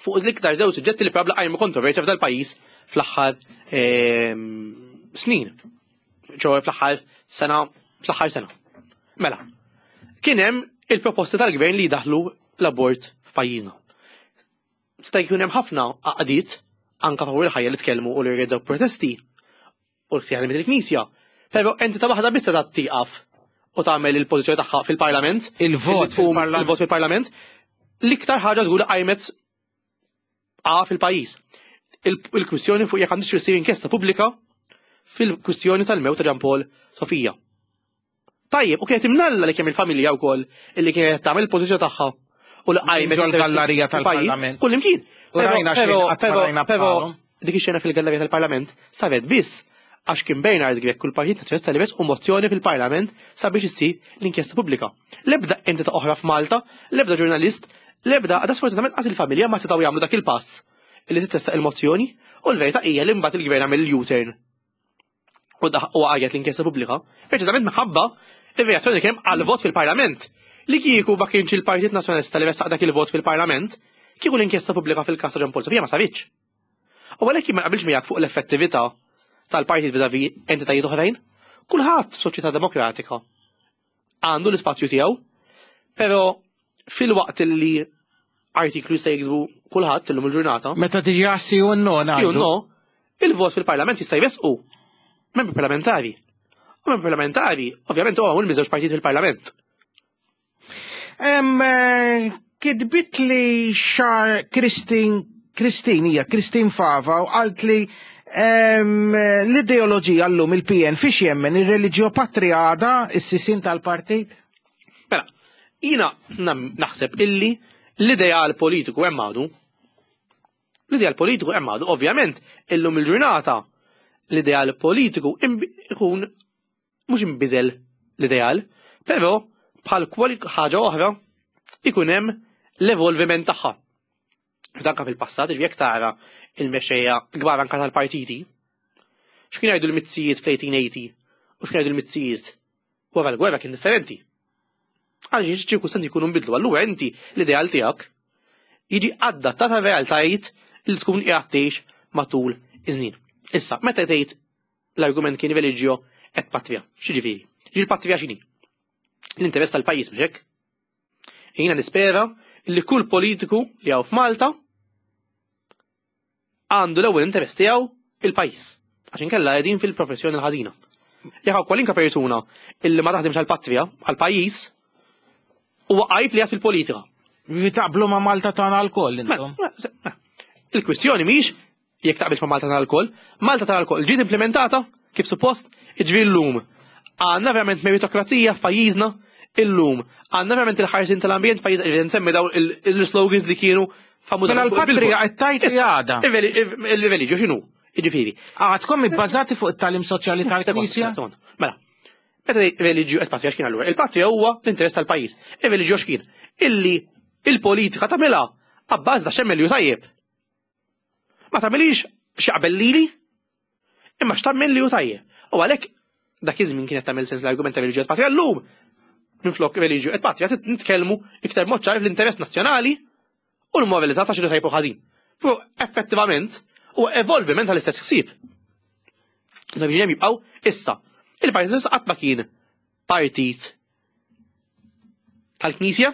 [SPEAKER 3] fuq l-iktar żewġ suġġetti li probabbli qajmu kontroversja f'dal pajjiż fl-aħħar ehm, snin. ċoħe fl-aħħar sena, fl-aħħar sena. Mela, kien hemm il-proposti tal-gvern li jdaħlu l-abort f'pajjiżna. Sta jkun hemm ħafna għaqdiet anka favur il-ħajja li tkellmu u li rreġgħu protesti u l-ktieħ li il-Knisja. Però entità waħda biss ta' tieqaf u tagħmel il-pożizzjoni tagħha fil-Parlament.
[SPEAKER 2] Il-vot
[SPEAKER 3] fil-Parlament. Il-vot fil-Parlament. L-iktar ħaġa żgur qajmet A fil-pajjiż. Il-kwistjoni fuq jekk għandix issir inkjesta pubblika fil-kwistjoni tal-mewt ta' Ġan Paul Sofija. Tajjeb, u kienet imnalla li kemm il-familja wkoll illi kienet tagħmel il-pożizzjoni tagħha u li
[SPEAKER 2] qajmet il-gallerija tal-Parlament.
[SPEAKER 3] Kull imkien. Però dik ix-xena fil-gallerija tal-Parlament saret biss. Għax kien Bernard Grech u l-Partit Nazzjonalista li ressqu mozzjoni fil-Parlament sabiex issir l-inkjesta pubblika. L-ebda entità oħra f'Malta, l-ebda ġurnalist, l-ebda għada sfortunatament qas il-familja ma setgħu jagħmlu dak il-pass li titressaq il-mozzjoni u l-verità hija li mbagħad il-gvern għamel il-U-turn u u għajjet l-inkjesta pubblika, preċiżament minħabba ir-reazzjoni li kien hemm għall-vot fil-Parlament. Li kieku ma kienx il-Partit Nazzjonalista li ressaq dak il-vot fil-Parlament, kieku l-inkjesta pubblika fil-każ ta' Jean Paul Sofia ma saritx. U għalhekk jien ma naqbilx miegħek fuq l-effettività tal-partit vis-à-vis entitajiet oħrajn. Kulħadd f'soċjetà demokratika għandu l-ispazju tiegħu, però filwaqt li artiklu jista' jiktbu kulħadd illum il-ġurnata.
[SPEAKER 2] Meta tiġi għassi u no,
[SPEAKER 3] ngħidu. No, il-vot fil-parlament jista' jressqu membri parlamentari. U membri parlamentari, ovvjament, huwa magħmul miż-żewġ partit fil-parlament.
[SPEAKER 2] Eh, kitbit li xar Kristin, Kristin hija Kristin Fava u qalt li l-ideoloġija llum il-PN fiex jemmen ir-reliġjo patria għada is-sisin tal-partit?
[SPEAKER 3] Mela, jina naħseb illi l-ideal politiku hemm għadu. L-ideal politiku hemm għadu, ovvjament, illum il-ġurnata l-ideal politiku ikun mhux inbidel l-ideal, però bħal kwalunkwe ħaġa oħra ikun hemm l-evolviment tagħha. Danka fil-passat, ġifieri jekk tara il-mexxejja kbar anka tal-partiti, x'kien jgħidu l-mizzijiet fl-1880 u x'kien jgħidu l-mizzijiet wara l-gwerra kien differenti. Għaliex ċirkustanzi jkunu nbidlu, allura inti l-ideal tiegħek jiġi adattat għar-realtajiet li tkun qiegħed tgħix matul iż-żnien. Issa, meta tgħid L-argument kien religio et patria. X'jiġifieri? Ġifieri patria x'inhi? L-interess tal-pajjiż mhux hekk? Jiena nispera li kull politiku li hawn f'Malta għandu l-ewwel interess tiegħu il-pajjiż. Għax inkella qegħdin fil-professjoni l-ħażina. Jekk hawn kwalinka persuna illi ma taħdimx għall-patrija, għall-pajjiż, huwa għajb li għad fil-politika.
[SPEAKER 2] Li taqblu ma' Malta tagħna lkoll intom.
[SPEAKER 3] Mela, mela, il-kwistjoni mhix jekk taqbilx ma' Malta tal-alkoll, Malta tal-alkoll ġiet implementata kif suppost, jiġifieri llum għandna verament meritokrazija f'pajjiżna illum għandna verament il-ħarsien tal-ambjent f'pajjiżna, jiġifieri nsemmi daw il-slogans li kienu
[SPEAKER 2] famużi. Mela l-patrija qed tgħid li għadha.
[SPEAKER 3] Il-reliġju x'inhu? Jiġifieri.
[SPEAKER 2] Għadkom ibbażati fuq it-tagħlim soċjali tal-Knisja?
[SPEAKER 3] Mela, meta reliġju qed patrija x'kien allura? Il-patrija huwa l-interess tal-pajjiż. Ir-reliġju x'kien? Illi il-politika tagħmilha abbażi ta' x'hemmel tajjeb. Ma tagħmilix x'jaqbel lili, imma x'tagħmel li hu tajjeb. U għalhekk dak iż-żmien kienet tagħmel sens l-argument ta' reliġju et patria llum minflok reliġju et patria nitkellmu iktar mod ċar fl-interess nazzjonali u l-moralità ta' xi tajjeb u ħażin. Però effettivament huwa evolviment tal-istess ħsieb. Dak jibqgħu issa. Il-Partit Socialista qatt ma kien partit tal-Knisja,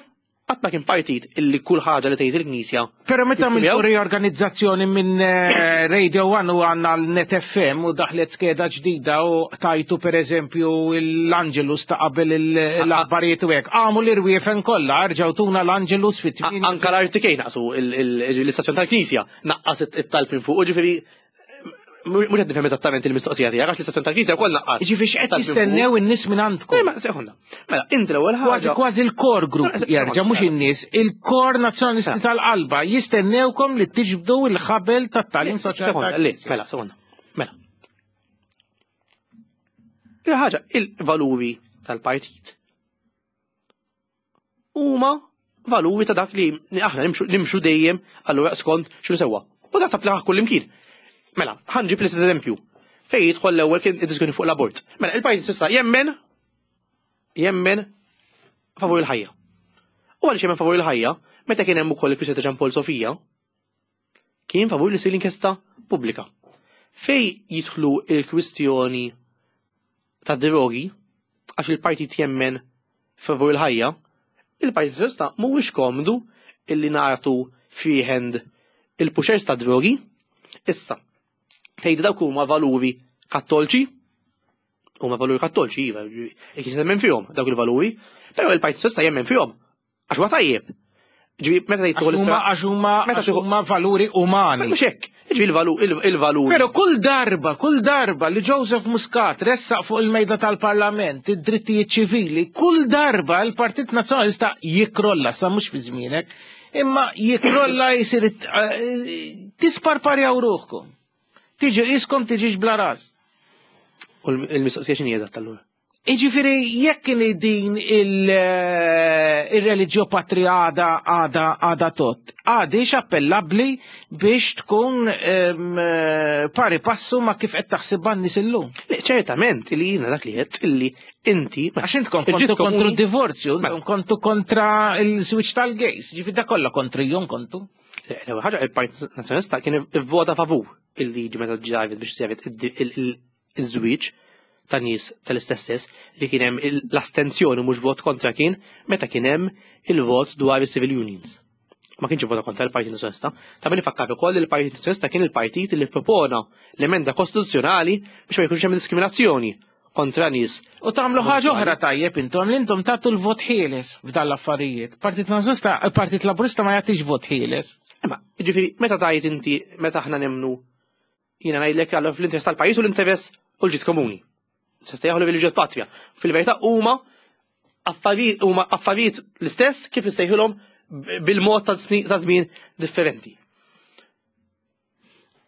[SPEAKER 3] qatt ma kien partit illi kull ħaġa li tgħid il-Knisja.
[SPEAKER 2] Però meta għamiltu riorganizzazzjoni minn eh, Radio 1 u għandna l-Net FM u daħlet skeda ġdida u tajtu per eżempju l-Angelus ta' qabel l-aħbarijiet u hekk. Għamu l-irwiefen kollha, rġgħu tuna l-Angelus fit
[SPEAKER 3] Anka l-RTK naqsu l-istazzjon tal-Knisja naqqas it-talb minn fuq, ġifieri Mhux qed nifhem eżattament il-mistoqsija tiegħek għax l-istazzjon tal-Knisja wkoll naqqas.
[SPEAKER 2] Ġifieri x'qed jistennew in-nies minn għandkom.
[SPEAKER 3] Eh, sekonda. Mela, inti l-ewwel
[SPEAKER 2] ħaġa. Kważi kważi l-kor group jerġa' mhux in-nies, il-kor nazzjonalisti tal-qalba jistennewkom li tiġbdu l-ħabel tat-tagħlim soċjali.
[SPEAKER 3] Mela, sekonda. Mela. Il-ħaġa, il-valuri tal-partit huma valuri ta' dak li aħna nimxu dejjem allura skont x'inhu sewwa. U dak tapplika kull imkien. Mela, ħanġib l-istess eżempju. Fejn jidħol l-ewwel kien id-diskussjoni fuq l-abort. Mela, il-Partit Socialista jemmen jemmen favur il-ħajja. U għaliex jemmen favur il-ħajja, meta kien hemm ukoll il-kwistjoni ta' Ġan Paul Sofija, kien favur li ssir l-inkjesta pubblika. Fej jidħlu il-kwistjoni ta' drogi, għax il-partit jemmen favur il-ħajja, il-Partit Socialista mhuwiex komdu illi nagħtu freehand il-pushers ta' drogi. Issa, tgħid dawk huma valuri kattolċi, huma valuri kattolċi, iva, jekk jemmen fihom dawk il-valuri, però il-Partit Socialista jemmen fihom Għax huwa tajjeb.
[SPEAKER 2] Ġifieri meta tgħid tieħu Għax huma għax huma valuri umani.
[SPEAKER 3] Mhux hekk. Ġifieri il-valuri.
[SPEAKER 2] Però kull darba, kull darba li Joseph Muscat ressaq fuq il-mejda tal-Parlament id-drittijiet ċivili, kull darba l-Partit Nazzjonalista jikrolla, sa mhux fi żmienek, imma jikrolla jsir eh, tisparparjaw ruħkom. Tiġi iskom tiġix bla ras.
[SPEAKER 3] U l-mistoqsija x'inhi eżatt allura?
[SPEAKER 2] Iġifieri jekk kien din il-reliġjo patria għada għada għada tot, għadix appellabbli biex tkun pari passu ma kif qed taħsibha n-nies illum.
[SPEAKER 3] Le, ċertament li jiena dak li qed illi inti.
[SPEAKER 2] Għax intkom kontu kontru divorzju, mela. kontu kontra il-switch tal-gays, ġifieri da kollha kontrijhom kontu.
[SPEAKER 3] L-ewwel ħaġa il-Partit Nazzjonalista kien ivvota favur il-liġi meta ġravet biex sevet iż-żwieġ ta' nies tal-istess sess li kien hemm l-astenzjoni mhux vot kontra kien meta kien hemm il-vot dwar is-civil unions. Ma kienx vota kontra l-Partit Nazzjonalista. Ta' min ifakkar ukoll li l-Partit Nazzjonalista kien il-partit li propona l-emenda kostituzzjonali biex ma jkunx hemm diskriminazzjoni kontra nies.
[SPEAKER 2] U tagħmlu ħaġa oħra tajjeb intom li intom tagħtu l-vot ħieles f'dan l-affarijiet. Partit Nazzjonalista, Partit Laburista ma jagħtix vot ħieles.
[SPEAKER 3] Imma, ġifieri, meta tajt inti meta aħna nemnu Jiena ngħidlek għal fl-interess tal-pajjiż u l-interess u l-ġid komuni. Se jieħu l-ġid patria. Fil-verità huma affarijiet huma affarijiet l-istess kif issejħilhom bil-mod ta' żmien differenti.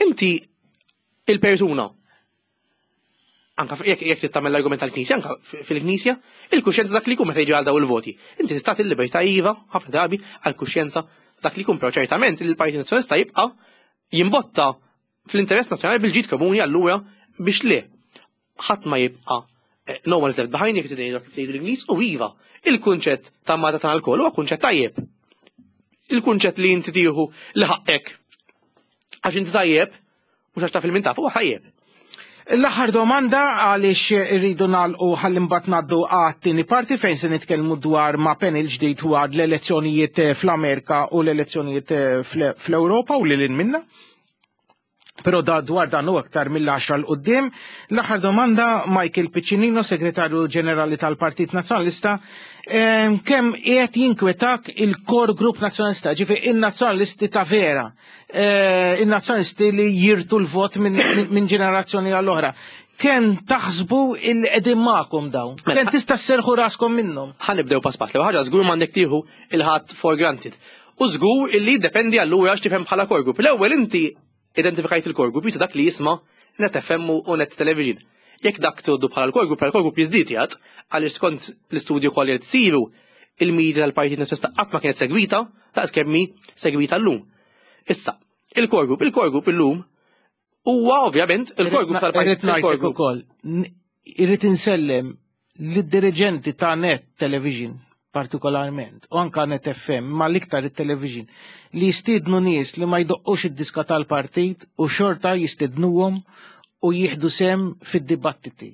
[SPEAKER 3] Inti il-persuna anka jekk jekk trid tagħmel l-argument tal-Knisja, anka fil-Knisja, il-kuxjenza dak li jkun meta jiġi għal daw il-voti. Inti tista' tagħti l-libertà iva ħafna drabi għall-kuxjenza dak li jkun, però ċertament li l-Partit Nazzjonalista jibqa' jimbotta fl-interess nazzjonali bil-ġid komuni allura biex le ħadd ma jibqa' eh, no one is left behind jekk tgħidu kif tgħidu l-Ingliż u iva, il-kunċett ta' Malta tagħna lkoll huwa kunċett tajjeb. Il-kunċett li inti tieħu li ħaqqek għax inti tajjeb mhux għax taf il-min taf huwa tajjeb.
[SPEAKER 2] L-aħħar domanda għaliex irridu nagħlqu ħalli mbagħad ngħaddu għat-tieni parti fejn se nitkellmu dwar ma' panel ġdid dwar l-elezzjonijiet eh, fl-Amerika u l-elezzjonijiet eh, fl-Ewropa u lil minna. Però da dwar dan u aktar mill-10 l qudiem. L-aħħar domanda Michael Piccinino, Segretarju Ġenerali tal-Partit Nazzjonalista, eh, kemm qiegħed jinkwetak il-Core Group Nazzjonalista, ġifi in-nazzjonalisti ta' vera. Eh, in-nazzjonalisti li jirtu l-vot minn ġenerazzjoni għall-oħra. Kemm taħsbu il qegħdin magħkom dawn? Mela, Kemm tista' sserħu raskom minnhom?
[SPEAKER 3] Ħa nibdew pass pass. L-ewwel ħaġa żgur m'għandek tieħu il-ħadd for granted. U żgur illi jiddependi allura x'tifhem bħala core group. L-ewwel inti identifikajt il-core group jista' dak li jisma' Net FM u Net Television. Jekk dak tgħoddu bħala l-core group, bħala core group jiżdied jgħad, għaliex skont l-istudju kollha li tsiru il-media tal-Partit Nazzjonalista qatt ma kienet segwita daqs kemm hi segwita llum. Issa, il-core group, il-core group illum huwa ovvjament il-core group tal-Partit
[SPEAKER 2] Irrid ukoll, irrid insellem lid-diriġenti ta' Net Television partikolarment, u anka Net FM, ma l-iktar it-television, li jistidnu nies li ma jdoqqux id-diska tal-partit u xorta jistidnuhom u jieħdu sem fid-dibattiti.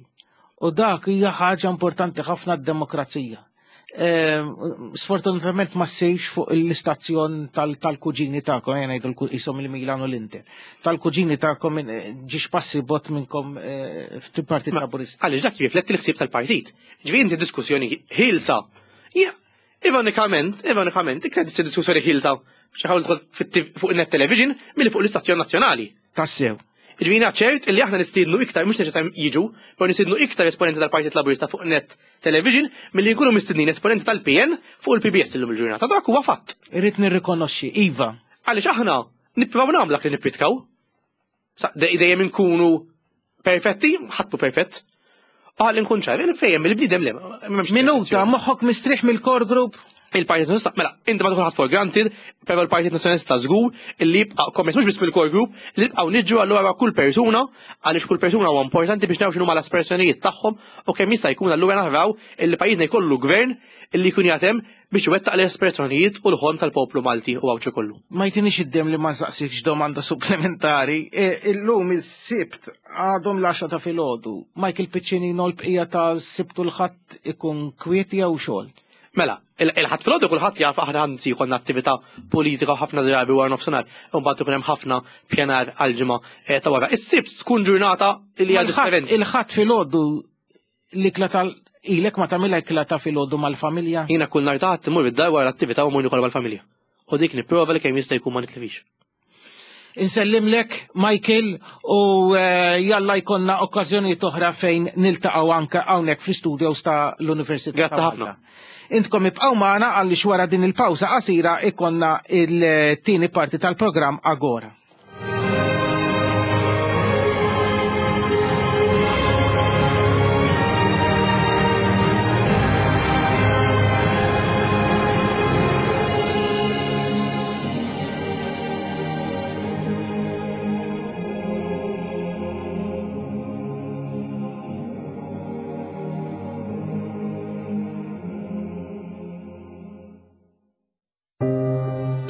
[SPEAKER 2] U dak hija ħaġa importanti ħafna d-demokrazija. Ehm, sfortunatament ma ssirx fuq l-istazzjon tal-kuġini tagħkom, jena ngħidu jisom il-Milan u l-Inter. Tal-kuġini tagħkom eh, ġiex passi bot minnkom eh, fil-Partit Laburista.
[SPEAKER 3] Għaliex dak jirrifletti l-ħsieb tal-partit. Ġifieri inti diskussjoni ħilsa. Ironikament, ironikament, iktar tissir diskussjoni ħilsa xi ħawl fuq net television milli fuq l-istazzjon nazzjonali.
[SPEAKER 2] Tassew.
[SPEAKER 3] Ġifieri ċert illi aħna nistiednu iktar mhux neċessarjament jiġu, però nistiednu iktar esponenti tal-Partit Laburista fuq net Television milli jkunu mistednin esponenti tal-PN fuq il-PBS illum il-ġurnata. Dak huwa fatt.
[SPEAKER 2] Irrid nirrikonoxxi, iva.
[SPEAKER 3] Għaliex aħna nippruvaw nagħmlu dak li nippritkaw. Dejjem inkunu perfetti, ħadd mhu perfett. Għal nkun ċar, fejjem il-bniedem le.
[SPEAKER 2] Minuta, moħħok mistrieħ mill-core group?
[SPEAKER 3] Il-Partit Nazzjonalista, mela, inti ma tkun ħadd for granted, però l-Partit Nazzjonalista żgur li jibqa' kommess mhux biss mill-core group, li jibqgħu niġru allura kull persuna, għaliex kull persuna huwa importanti biex naraw x'inhuma l-aspersjonijiet tagħhom u kemm jista' jkun allura naraw illi pajjiżna jkollu gvern illi jkun jagħtem biex iwettaq l-espressjonijiet u l-ħolm tal-poplu Malti u Għawdxi kollu.
[SPEAKER 2] Ma jtinix id-demm li ma nsaqsikx domanda supplementari. E, illum is-Sibt għadhom l-għaxra ta' filgħodu. Michael Piccinino l-bqija ta' Sibt u l-Ħadd ikun kwiet jew xogħol?
[SPEAKER 3] Mela, il-Ħadd filgħodu kulħadd jaf aħna anzi jkollna attività politika ħafna drabi wara nofsinhar, u mbagħad ikun hemm ħafna pjanar għall-ġimgħa eh, ta' wara. Is-Sibt tkun ġurnata li hija differenti.
[SPEAKER 2] Il-Ħadd filgħodu l-ikla tal ilek ma tagħmilha ikla ta' filgħodu mal-familja?
[SPEAKER 3] Jiena kull nhar ta' Ħadd immur id-dar wara l-attività u mmur nikol mal-familja. U dik nipprova li kemm jista' jkun ma nitlifix.
[SPEAKER 2] Insellimlek, Michael, u eh, jalla jkollna okkażjonijiet oħra fejn niltaqgħu anke hawnhekk fl-istudios ta' l-Università.
[SPEAKER 3] Grazzi ħafna.
[SPEAKER 2] Intkom ibqgħu magħna għaliex wara din il-pawża qasira ikonna il-tieni parti tal-programm Agora.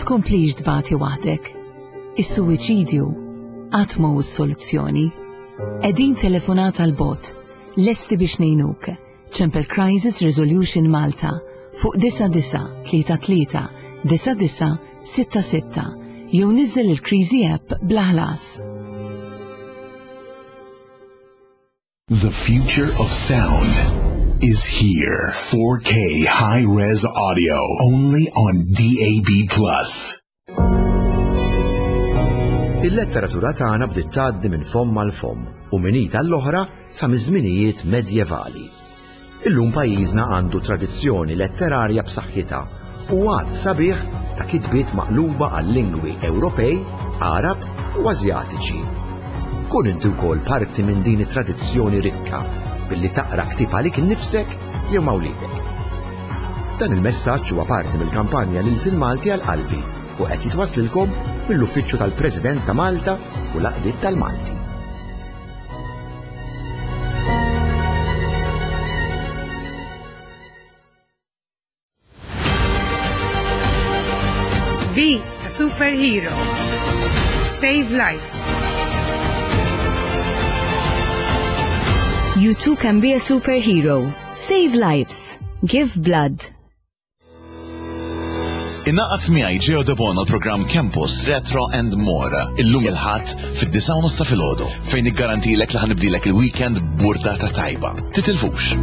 [SPEAKER 1] Tkomplix tbati waħdek. Is-suwiċidju qatt mhu s-soluzzjoni. Qegħdin telefonata 'l bogħod, lesti biex ngħinuk. Ċempel Crisis Resolution Malta fuq 9933 9966 jew niżżel il-Kriżi app bla ħlas.
[SPEAKER 6] The future of sound is here. 4K high-res audio only on DAB+.
[SPEAKER 7] Il-letteratura tagħna bdiet tgħaddi minn fomm għal fomm u minn id għall-oħra sa miż-żminijiet medjevali. Illum pajjiżna għandu tradizzjoni letterarja b'saħħitha u għadd sabiħ ta' kitbiet maqluba għal lingwi Ewropej, Għarab u Asjatiċi. Kun inti wkoll parti minn din it-tradizzjoni rikka billi taqra ktieb għalik innifsek jew ma' wliedek. Dan il-messaġġ huwa parti mill-kampanja L-Ilsien Malti għal Qalbi u qed jitwasslilkom mill-Uffiċċju tal-President ta' Malta u l-Għaqdiet tal-Malti.
[SPEAKER 8] Be a superhero. Save lives.
[SPEAKER 1] You too can be a superhero. Save lives. Give blood.
[SPEAKER 9] Ingħaqad miegħi Geo Debono l-programm Campus Retro and More illum il-Ħadd fid-disgħa u nofs ta' filgħodu fejn niggarantilek li ħanibdilek il-weekend b'burdata tajba. Titilfux!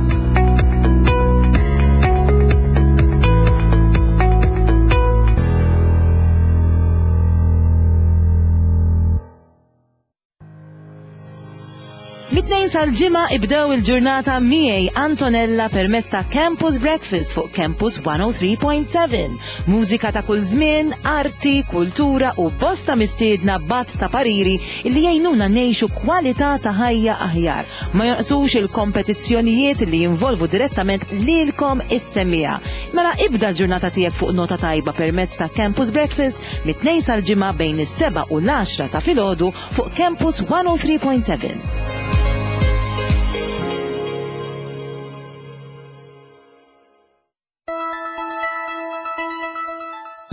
[SPEAKER 1] Mit-tnejn sal-ġimgħa ibdew il-ġurnata miegħi Antonella permezz ta' Campus Breakfast fuq Campus 103.7. Mużika ta' kull żmien, arti, kultura u bosta mistiedna b'għadd ta' pariri li jgħinuna ngħixu kwalità ta' ħajja aħjar. Ma jonqsux il-kompetizzjonijiet li jinvolvu direttament lilkom is-semmiegħa. Mela ibda l-ġurnata tiegħek fuq nota tajba permezz ta' Campus Breakfast mit-tnejn sal-ġimgħa bejn is-sebgħa u l-għaxra ta' filgħodu fuq Campus 103.7.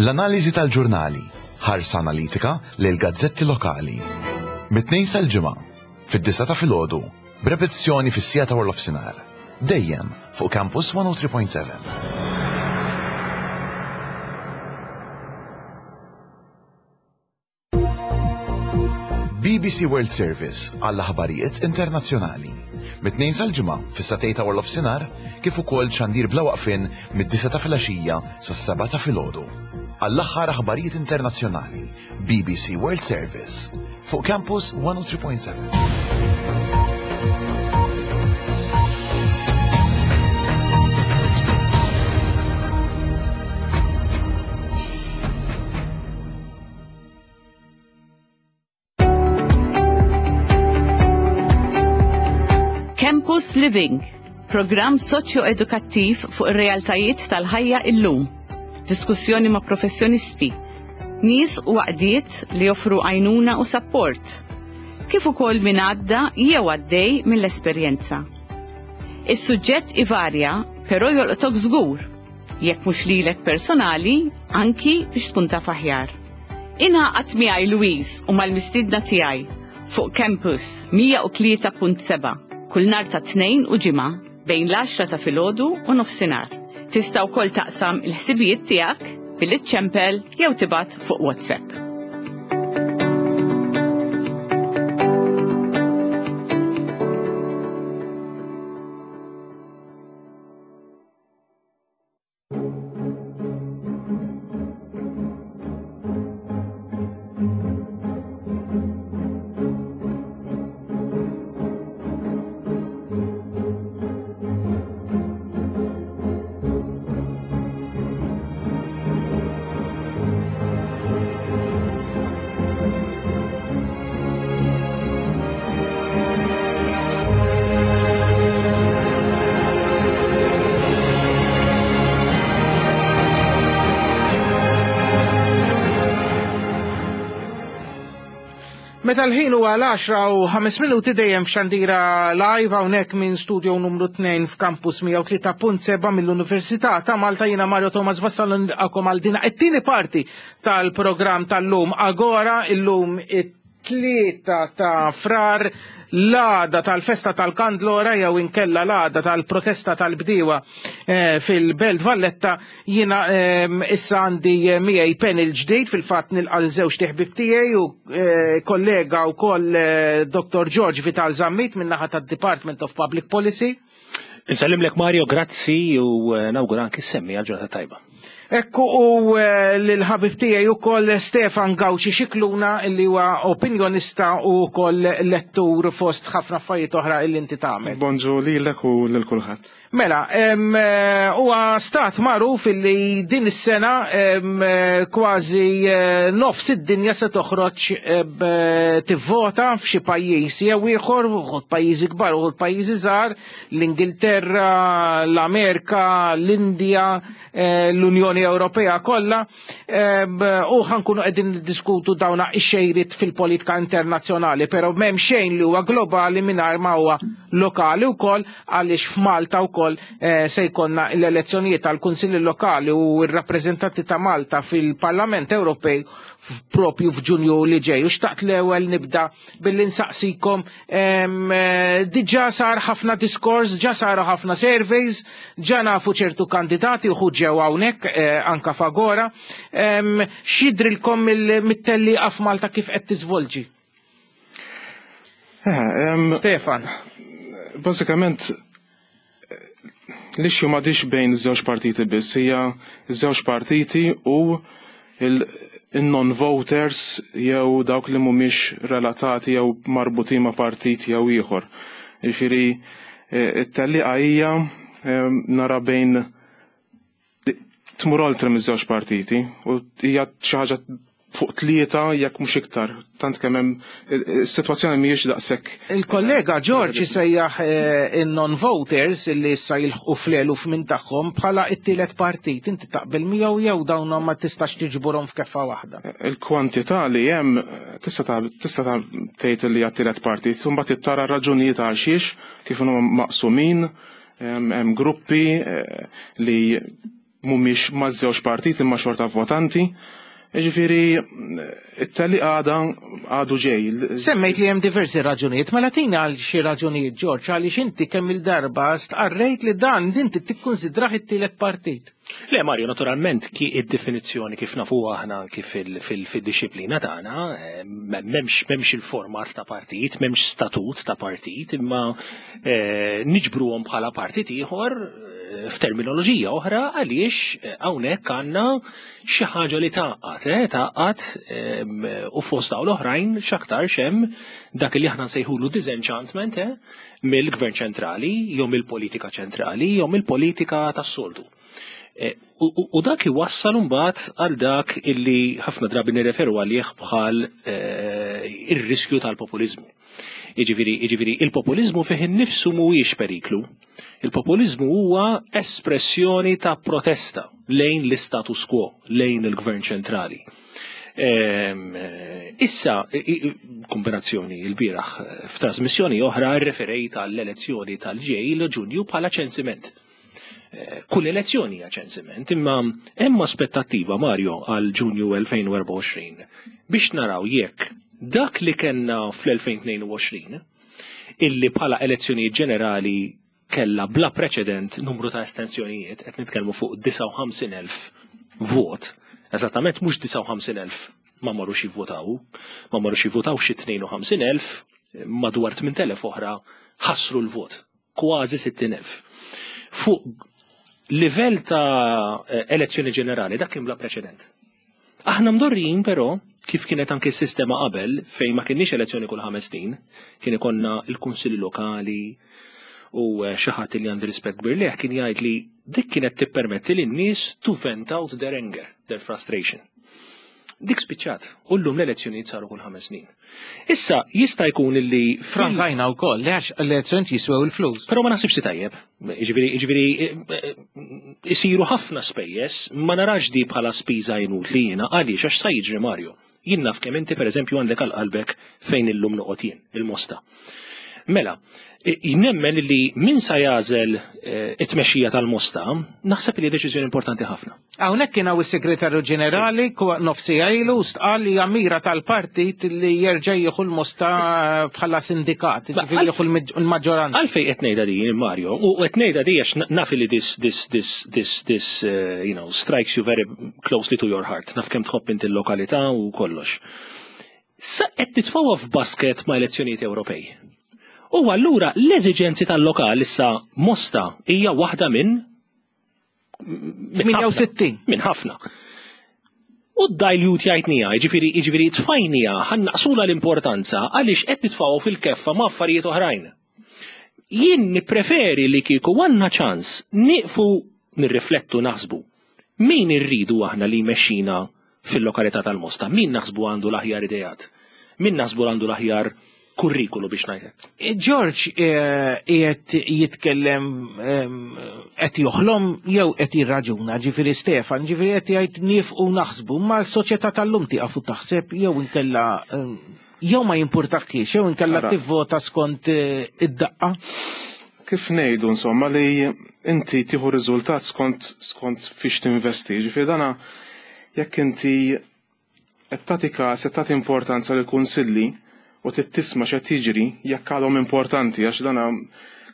[SPEAKER 9] L-analiżi tal-ġurnali, ħarsa analitika lejn gazzetti lokali. Mit-tnejn sal-ġimgħa, fid-disgħa ta' filgħodu, b'repetizzjoni fis-siegħa ta' warnofsinhar. Dejjem fuq Campus 103.7. BBC World Service għall-aħbarijiet internazzjonali. Mit-tnejn sal-ġimgħa fis-satej ta' warnofsinhar kif ukoll xandir bla waqfien mid-disgħa ta' filgħaxija sas-sebgħa ta' filgħodu. Għall-aħħar aħbarijiet internazzjonali, BBC World Service fuq Campus 103.7.
[SPEAKER 10] Campus Living, programm soċjo-edukattiv fuq ir-realtajiet tal-ħajja illum. Diskussjoni ma' professjonisti, nies u għaqdiet li joffru għajnuna u sapport, kif ukoll min għadda jew għaddej mill-esperjenza. Is-suġġett ivarja, però jolqtok żgur, jekk mhux lilek personali, anki biex tkun taf aħjar. Ingħaqad miegħi Louise u mal-mistiedna tiegħi fuq Campus 103.7 kull nhar ta' Tnejn u Ġimgħa bejn l-għaxra ta' filgħodu u nofsinhar. Tista' wkoll taqsam il-ħsibijiet tiegħek billi ċċempel jew tibgħat fuq WhatsApp.
[SPEAKER 2] Meta l-ħin huwa l-10 u 5 minuti dejjem f'xandira live hawnhekk minn studio numru 2 f'Campus 103.7 mill-Università ta' Malta jiena Mario Thomas Vassallo nilqakom għal din it-tieni parti tal-programm tal-lum Agora illum it 3 ta' Frar l-għada tal-festa tal-Kandlora jew inkella l-għada tal-protesta tal-bdiewa eh, fil-Belt Valletta jiena ehm, issa għandi eh, miegħi panel ġdid fil-fatt nilqa' l-żewġ tiħbib tiegħi u eh, kollega wkoll Dr. George Vital Zammit min-naħa tad-Department of Public Policy.
[SPEAKER 3] Insellimlek Mario, grazzi u eh, nawgura anki semmi għal ġurnata tajba.
[SPEAKER 2] Ekku u eh, l-ħabib tiegħi ukoll Stefan Gawċi Xikluna li huwa opinjonista u wkoll lettur fost ħafna affarijiet oħra illi inti tagħmel.
[SPEAKER 11] Bonġu lilek u lil kulħadd.
[SPEAKER 2] Mela, eh, huwa stat magħruf illi din is-sena kważi nofs id-dinja se toħroġ tivvota f'xi pajjiż jew ieħor, uħud pajjiżi kbar, uħud pajjiżi żgħar, l-Ingilterra, l-Amerika, l-Indja, eh, l-Unjoni Ewropea kollha, eh, u ħankunu qegħdin niddiskutu dawna x-xejriet fil-politika internazzjonali, però m'hemm xejn li huwa globali mingħajr ma huwa lokali wkoll għaliex f'Malta wkoll eh, se jkollna l-elezzjonijiet tal-Kunsilli Lokali u r-rappreżentanti ta' Malta fil-Parlament Ewropej propju f'Ġunju li ġej. U xtaqt l-ewwel nibda billi nsaqsikom eh, diġà sar ħafna diskors, ġa saru ħafna surveys, ġa nafu ċertu kandidati uħu ġew hawnhekk eh, anka fagora. X'jidrilkom mit-tellieqa f'Malta kif qed tiżvolġi?
[SPEAKER 11] Eh,
[SPEAKER 2] Stefan.
[SPEAKER 11] Bażikament l-issue m'għadix bejn żewġ partiti biss, hija żewġ partiti u il-non-voters jew dawk li mhumiex relatati jew marbutin ma' partit jew ieħor. Jiġifieri eh, it-tellieqa hija eh, nara bejn tmur oltre miż-żewġ partiti u hija xi ħaġa fuq tlieta jekk mhux iktar. Tant kemm hemm is-sitwazzjoni mhijiex daqshekk.
[SPEAKER 2] Il-kollega George sejjaħ eh, in-non-voters li issa jilħqu fl-eluf minn tagħhom bħala t-tielet partit. Inti taqbel miegħu jew dawn ma tistax tiġburhom f'keffa waħda?
[SPEAKER 11] Il-kwantità li hemm tista' tista' tgħid li hija t-tielet partit, imbagħad tara raġunijiet għal xiex kif huma maqsumin Hemm gruppi eh, li mhumiex maż-żewġ partit imma xorta votanti. Ġifieri it-tali għada għadu ġej.
[SPEAKER 2] Semmejt li hemm diversi raġunijiet, mela tina għal xi raġunijiet Ġorġ għaliex inti kemm il-darba stqarrejt li dan inti tikkunsidrah it-tielet partit.
[SPEAKER 3] Le Mario, naturalment ki id-definizzjoni kif nafu aħna anki fil-dixxiplina tagħna, eh, m'hemmx il-format ta' partit, m'hemmx statut ta' partit, imma eh, niġbruhom bħala partit ieħor eh, f'terminoloġija oħra għaliex hawnhekk għandna xi ħaġa li tgħaqqad, tgħaqqad u fost dawn l-oħrajn x'aktarx hemm dak li aħna nsejħulu disenchantment mill-gvern ċentrali, jew mill-politika ċentrali, jew mill-politika tas-soltu. E, u dak iwassal imbagħad għal dak illi ħafna drabi nirreferu għalih bħal e, ir-riskju tal-populiżmu. Jiġifieri, jiġifieri il-populiżmu fih innifsu mhuwiex periklu. Il-populiżmu huwa espressjoni ta' protesta lejn l-istatus quo, lejn il-gvern ċentrali. Ehm, issa, kombinazzjoni il-bieraħ f'trasmissjoni oħra referejt għall-elezzjoni tal-ġej Ġunju bħala ċensiment. Eh, kull elezzjoni hija ċensiment, imma hemm aspettattiva Mario għal Ġunju 2024 biex naraw jekk dak li kellna fl-2022 illi bħala elezzjonijiet ġenerali kellha bla preċedent numru ta' estensjonijiet, qed nitkellmu fuq 59,000 vot, eżattament mhux 59,000 ma marrux jivvotaw, ma marrux jivvotaw xi 52,000, madwar 8,000 oħra ħassru l-vot, kważi 60,000. Fuq livell ta' elezzjoni ġenerali dak kien bla preċedent. Aħna mdorrijin però, kif kienet anki s-sistema qabel, fejn ma kinniex elezzjoni kull ħames snin, kien ikollna l-kunsilli lokali u eh, xi ħadd li għandi rispett kbir leh kien jgħid li dik kienet tippermetti lin-nies to vent out their anger, their frustration. Dik spiċċat, u llum l-elezzjonijiet saru kull ħames snin. Issa, jista' jkun li.
[SPEAKER 2] Frankajna wkoll, li għax l-elezzjonijiet jiswew il-flus.
[SPEAKER 3] Però ma naħsibx li tajjeb. Jiġifieri, jiġifieri isiru ħafna spejjeż, ma narax di bħala spiża inutli jiena għaliex għax sa jiġri Mario.
[SPEAKER 12] Jien naf kemm inti pereżempju għandek għal qalbek fejn illum noqgħod jien, il-Mosta. Mela, nemmen li min sa jagħżel eh, it-tmexxija tal-Mosta, naħseb li deċiżjoni importanti ħafna.
[SPEAKER 2] Hawnhekk kien hawn is-Segretarju Ġenerali nofsi ilu stqal li mira tal-partit li jerġa' jieħu l-Mosta bħala sindikat, ġifieri jieħu l-maġġoranza.
[SPEAKER 12] Għalfejn qed ngħidha din Mario, u qed ngħidha di għax naf li this this this this this eh, you know strikes you very closely to your heart. Naf kemm tħobb inti l-lokalità u kollox. Sa qed nitfgħuha f'basket ma' elezzjonijiet Ewropej. U allura l-eżiġenzi tal-lokal issa Mosta hija waħda minn
[SPEAKER 2] 68.
[SPEAKER 12] Minn ħafna. U d-dilute jgħidnija, ġifiri, ġifiri tfajnija, ħannaqsula l-importanza għaliex qed nitfgħu fil-keffa ma' affarijiet oħrajn. Jien nippreferi li kieku għandna ċans nieqfu nirriflettu naħsbu. Min irridu aħna li jmexxina fil-lokalità tal-Mosta? Min naħsbu għandu l-aħjar ideat? Min naħsbu għandu l-aħjar kurrikulu biex ngħidlek?
[SPEAKER 2] Eh, George eh, qiegħed jitkellem ehm, qed joħlom jew qed jirraġuna, ġifieri Stefan, ġifieri qed jgħid nifqu naħsbu, ma s-soċjetà tal-lum tieqaf u taħseb jew inkella ehm, jew ma jimpurtakiex, jew inkella tivvota skont eh, id-daqqa.
[SPEAKER 11] Kif ngħidu insomma li inti tieħu riżultat skont skont fiex tinvesti, ġifieri dana jekk inti qed tagħti każ qed tagħti importanza lil kunsilli u trid tisma' x'qed jiġri jekk għadhom importanti għax dana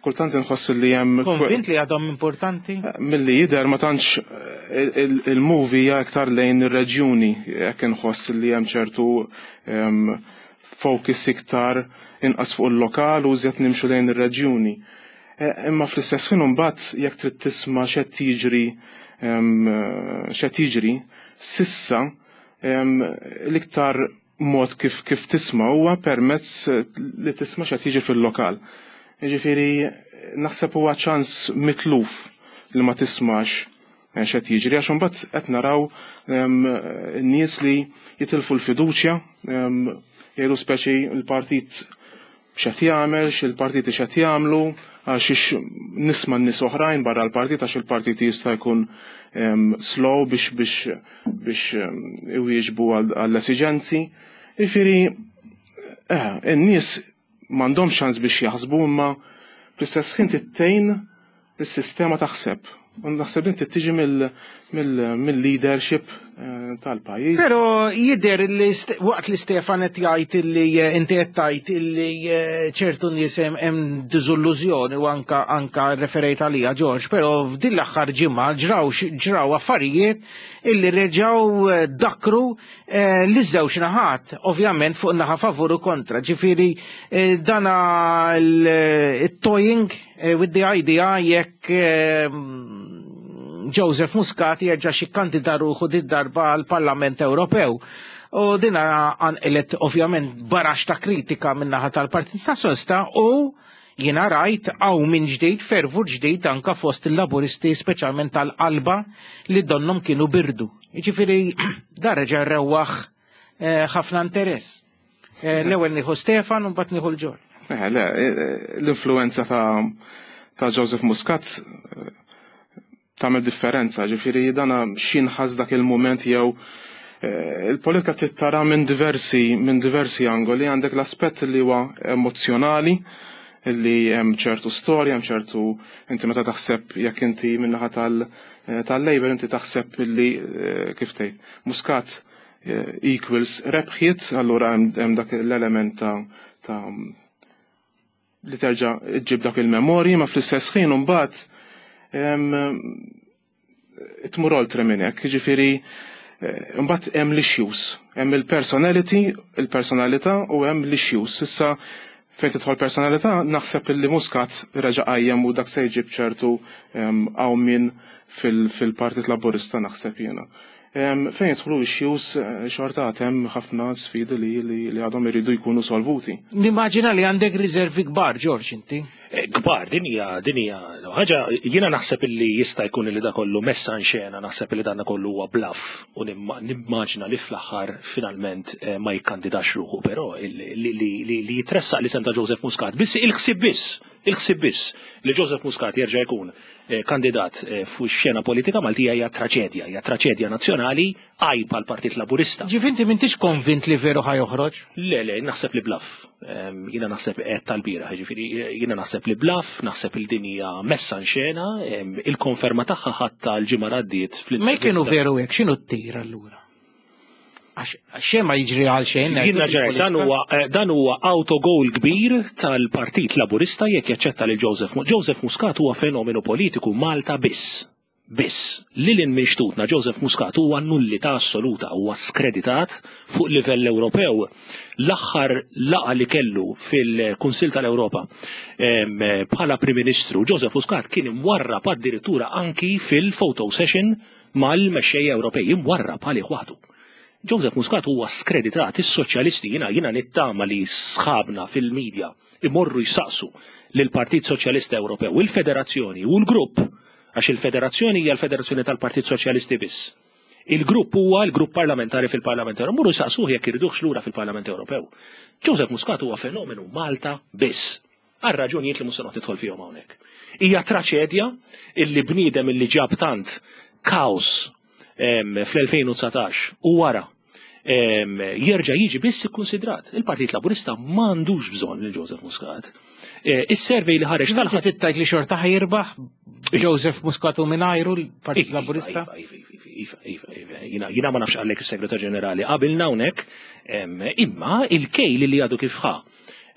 [SPEAKER 11] kultant inħoss li hemm
[SPEAKER 2] Konvint li għadhom importanti?
[SPEAKER 11] Eh, milli jidher ma tantx eh, il-movie hija iktar lejn ir-reġjuni jekk inħoss li hemm ċertu focus iktar inqas fuq il-lokal u iżjed nimxu lejn ir-reġjuni. Eh, imma fl-istess ħin imbagħad jekk trid tisma' x'qed jiġri x'qed jiġri, sissa l-iktar mod kif kif tisma' huwa permezz li tisma' x'qed jiġi fil-lokal. Jiġifieri naħseb huwa ċans mitluf li ma tismax eh, x'qed jiġri għax imbagħad qed naraw ehm, nies li jitilfu l-fiduċja ehm, jgħidu speċi l-partit x'qed jagħmel, x'il-partiti x'qed jagħmlu, għax nisma' nies oħrajn barra l-partit għax il-partit jista' jkun ehm, slow biex biex biex iwieġbu għall-esiġenzi. Jiġifieri, eh, in-nies m'għandhomx ċans biex jaħsbu imma fl-istess ħin tittejn is-sistema taħseb. U naħseb din tiġi mill-leadership eh, tal-pajjiż.
[SPEAKER 2] Però jidher li waqt li Stefan qed jgħid li eh, inti qed tgħid li eh, ċertu nies hemm diżillużjoni u anka anka referejt għalija Ġorġ, però f'din l-aħħar ġimgħa ġraw ġraw affarijiet illi reġgħu dakru li żewġ naħat, ovvjament fuq naħa favur u kontra. Ġifieri dana il-toying Eh, with the idea jekk eh, Joseph Muscat jerġa' xi kandida ruħu di darba għal Parlament Ewropew. U dina għanqlet ovvjament barax ta' kritika min-naħa tal-Partit Nazzjonalista u jiena rajt għaw minn ġdid fervur ġdid anka fost il-laburisti speċjalment tal-qalba li donnom kienu birdu. Jiġifieri dar reġa' rewwaħ eh, ħafna interess. Eh, l-ewwel nieħu Stefan u mbagħad nieħu l-ġor.
[SPEAKER 11] Eh, le, eh, l-influenza ta' ta' Joseph Muscat tagħmel differenza, ġifieri dana x'inħass dak il-mument jew il-politika tittara minn diversi minn diversi angoli għandek l-aspett li huwa emozjonali li hemm ċertu storja, hemm ċertu inti meta taħseb jekk inti min-naħa tal-Labour inti taħseb li kif tgħid Muscat equals rebħiet, allura hemm dak l-element ta' ta' li terġa' ġġib dak il-memorji, ma fl-istess ħin imbagħad tmur oltre minn hekk, jiġifieri eh, mbagħad hemm l-issues, hemm il-personality, il-personalità u hemm l-issues. Issa fejn tidħol personalità naħseb illi Muscat reġa' qajjem u dak se jġib ċertu qawmien fil-Partit Laburista naħseb jiena. Fejn jidħlu issues eh, xorta għad hemm ħafna sfidi li, li, li għadhom iridu jkunu solvuti.
[SPEAKER 2] Nimmaġina li għandek riservi kbar, George, inti.
[SPEAKER 12] Eh, kbar, din hija din hija ħaġa jiena naħseb illi jista' jkun li da kollu messa xena, naħseb li dan kollu huwa bluff u nimmaġina li fl-aħħar finalment eh, ma jikkandidax ruħu, però li jitressaq li senta Joseph Muscat biss il-ħsieb biss, il-ħsieb biss li Joseph Muscat jerġa' jkun eh, kandidat eh, fuq xena politika Maltija hija traċedja, hija traċedja nazzjonali għajb għal Partit Laburista.
[SPEAKER 2] Ġifinti m'intix konvint li veru ħa joħroġ?
[SPEAKER 12] Le, le, naħseb li bluff. Jiena naħseb qed tal-bieraħ, ġifieri jiena naħseb li bluff, naħseb il din hija messa xena, il-konferma tagħha ħatta l-ġimgħa għaddiet
[SPEAKER 2] fl Ma kienu veru hekk, x'inhu t-tir allura? Għax xejn ma jiġri għal xejn.
[SPEAKER 12] Jien ġerajt, dan huwa eh, dan huwa autogol kbir tal-Partit Laburista jekk jaċċetta lil Joseph Joseph Muscat huwa fenomenu politiku Malta biss. Biss, lil hinn minn xtutna Joseph Muscat huwa nullità assoluta, huwa skreditat fuq livell Ewropew. L-aħħar laqgħa li kellu fil-Kunsill tal-Ewropa bħala Prim Ministru, Joseph Muscat kien imwarrab addirittura anki fil-photo session mal-mexxejja Ewropej, imwarrab għalih waħdu. Joseph Muscat huwa skreditat, is-soċjalisti jiena jiena nittama li sħabna fil-medja imorru jsaqsu lill-Partit Soċjalista Ewropew, il-Federazzjoni u l-grupp, għax il-Federazzjoni hija l-Federazzjoni tal-Partit Soċjalisti biss. Il-grupp huwa l-grupp parlamentari fil-Parlament Ewropew. Morru jsaqsuh jekk iridux lura fil-Parlament Ewropew. Joseph Muscat huwa fenomenu Malta biss. Għal raġunijiet li mhux se noqgħod nidħol fihom hawnhekk. Hija traċedja illi bniedem illi ġab tant kaos fl-2019 u wara jerġa' jiġi biss ikkunsidrat. Il-Partit Laburista m'għandux bżonn lil Joseph Muscat. Eh, is-survey li ħareġ
[SPEAKER 2] tal Tittajt li xorta ħajirbaħ Joseph Muscat u mingħajru l-Partit iva, Laburista?
[SPEAKER 12] Iva, iva, iva, iva, iva. Jina ma nafx għallek is-Segretar Ġenerali qabilna hawnhekk, imma il-kejl li għadu kif ħa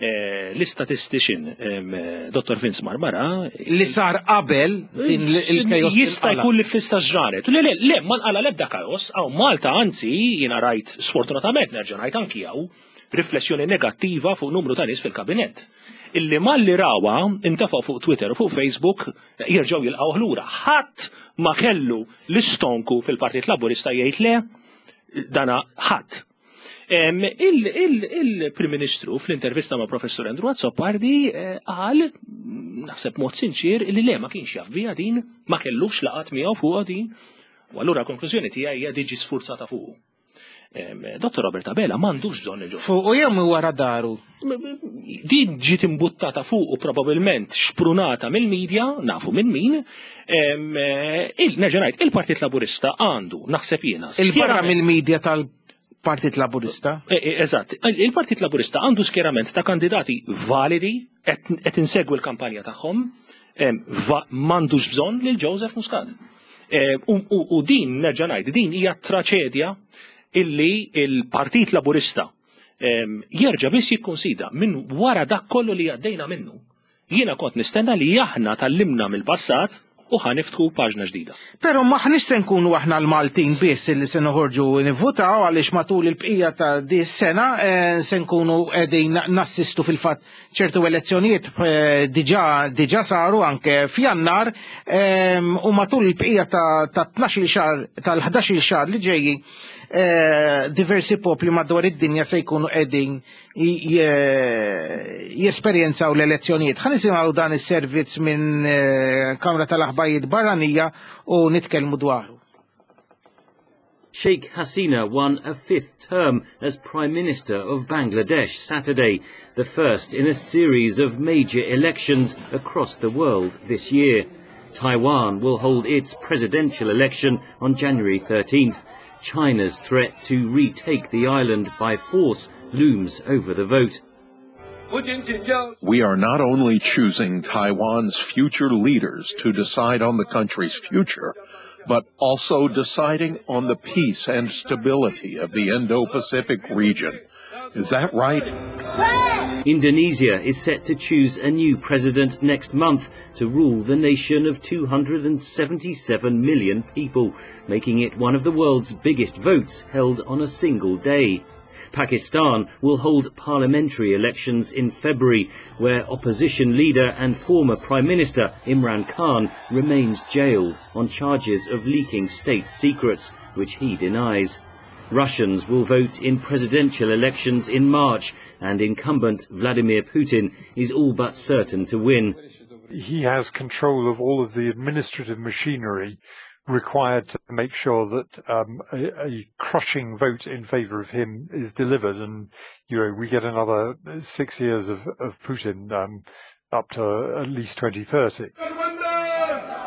[SPEAKER 12] Eh, l-istatistician Dr. Vince Marmara.
[SPEAKER 2] Li sar qabel din il-kajos.
[SPEAKER 12] Jista' jkun li fl-istess ġranet. Le, le, le, ma nqala l-ebda kajos, għaw Malta anzi jiena rajt sfortunatament nerġa' ngħid anki hawn riflessjoni negattiva fuq numru ta' nies fil-kabinett. Illi malli rawa intefgħu fuq Twitter u fuq Facebook jerġgħu jilqgħu lura. Ħadd ma kellu l-istonku fil-Partit Laburista jgħid le dana ħadd. Il-Prim Ministru fl-intervista ma' Professur Andrew Azzopardi eh, qal, naħseb mod sinċir, li le ma kienx jaf bija din, ma kellux laqat miegħu fuq din. U allura konklużjoni tiegħi hija diġi sfurzata fuq. Dottor Robert Abela m'għandux bżonn il
[SPEAKER 2] Fuq u jew wara daru.
[SPEAKER 12] Din ġiet imbuttata fuq u probabbilment xprunata mill-medja, nafu minn min, eh, nerġa' ngħid, il-Partit Laburista għandu, naħseb jiena.
[SPEAKER 2] Il-barra mill-medja tal Partit Laburista.
[SPEAKER 12] E, e, eżatt, il-Partit Laburista għandu skjerament ta' kandidati validi qed insegwi l-kampanja tagħhom, m'għandux bżonn lil Joseph Muscat. E, u din nerġa' ngħid, din hija traċedja illi il-Partit Laburista jerġa' biss jikkonsidra minn wara dak kollu li għaddejna minnu. Jiena kont nistenna li aħna tgħallimna mill-passat u ħa niftħu paġna ġdida.
[SPEAKER 2] Però m'aħniex se nkunu aħna l-Maltin biss li se noħorġu nivvutaw għaliex matul il-bqija ta' di sena eh, se nkunu qegħdin nassistu fil-fatt ċertu elezzjonijiet eh, diġà diġà saru anke f'Jannar ehm, u matul il-bqija ta' 12 xahar tal-11 xahar li ġejjin eh, diversi popli madwar id-dinja se jkunu qegħdin jesperjenzaw l-elezzjonijiet. Ħa nisimgħu dan is-servizz minn eh, Kamra tal-Aħbarijiet Barranija u nitkellmu dwaru.
[SPEAKER 13] Sheikh Hasina won a fifth term as Prime Minister of Bangladesh Saturday, the first in a series of major elections across the world this year. Taiwan will hold its presidential election on January 13th. China's threat to retake the island by force looms over the vote.
[SPEAKER 14] We are not only choosing Taiwan's future leaders to decide on the country's future, but also deciding on the peace and stability of the Indo-Pacific region. Is that right?
[SPEAKER 13] Indonesia is set to choose a new president next month to rule the nation of 277 million people, making it one of the world's biggest votes held on a single day. Pakistan will hold parliamentary elections in February, where opposition leader and former Prime Minister Imran Khan remains jailed on charges of leaking state secrets, which he denies. Russians will vote in presidential elections in March, and incumbent Vladimir Putin is all but certain to win.
[SPEAKER 15] He has control of all of the administrative machinery required to make sure that um, a, a crushing vote in favor of him is delivered, and you know we get another six years of, of Putin um, up to at least 2030.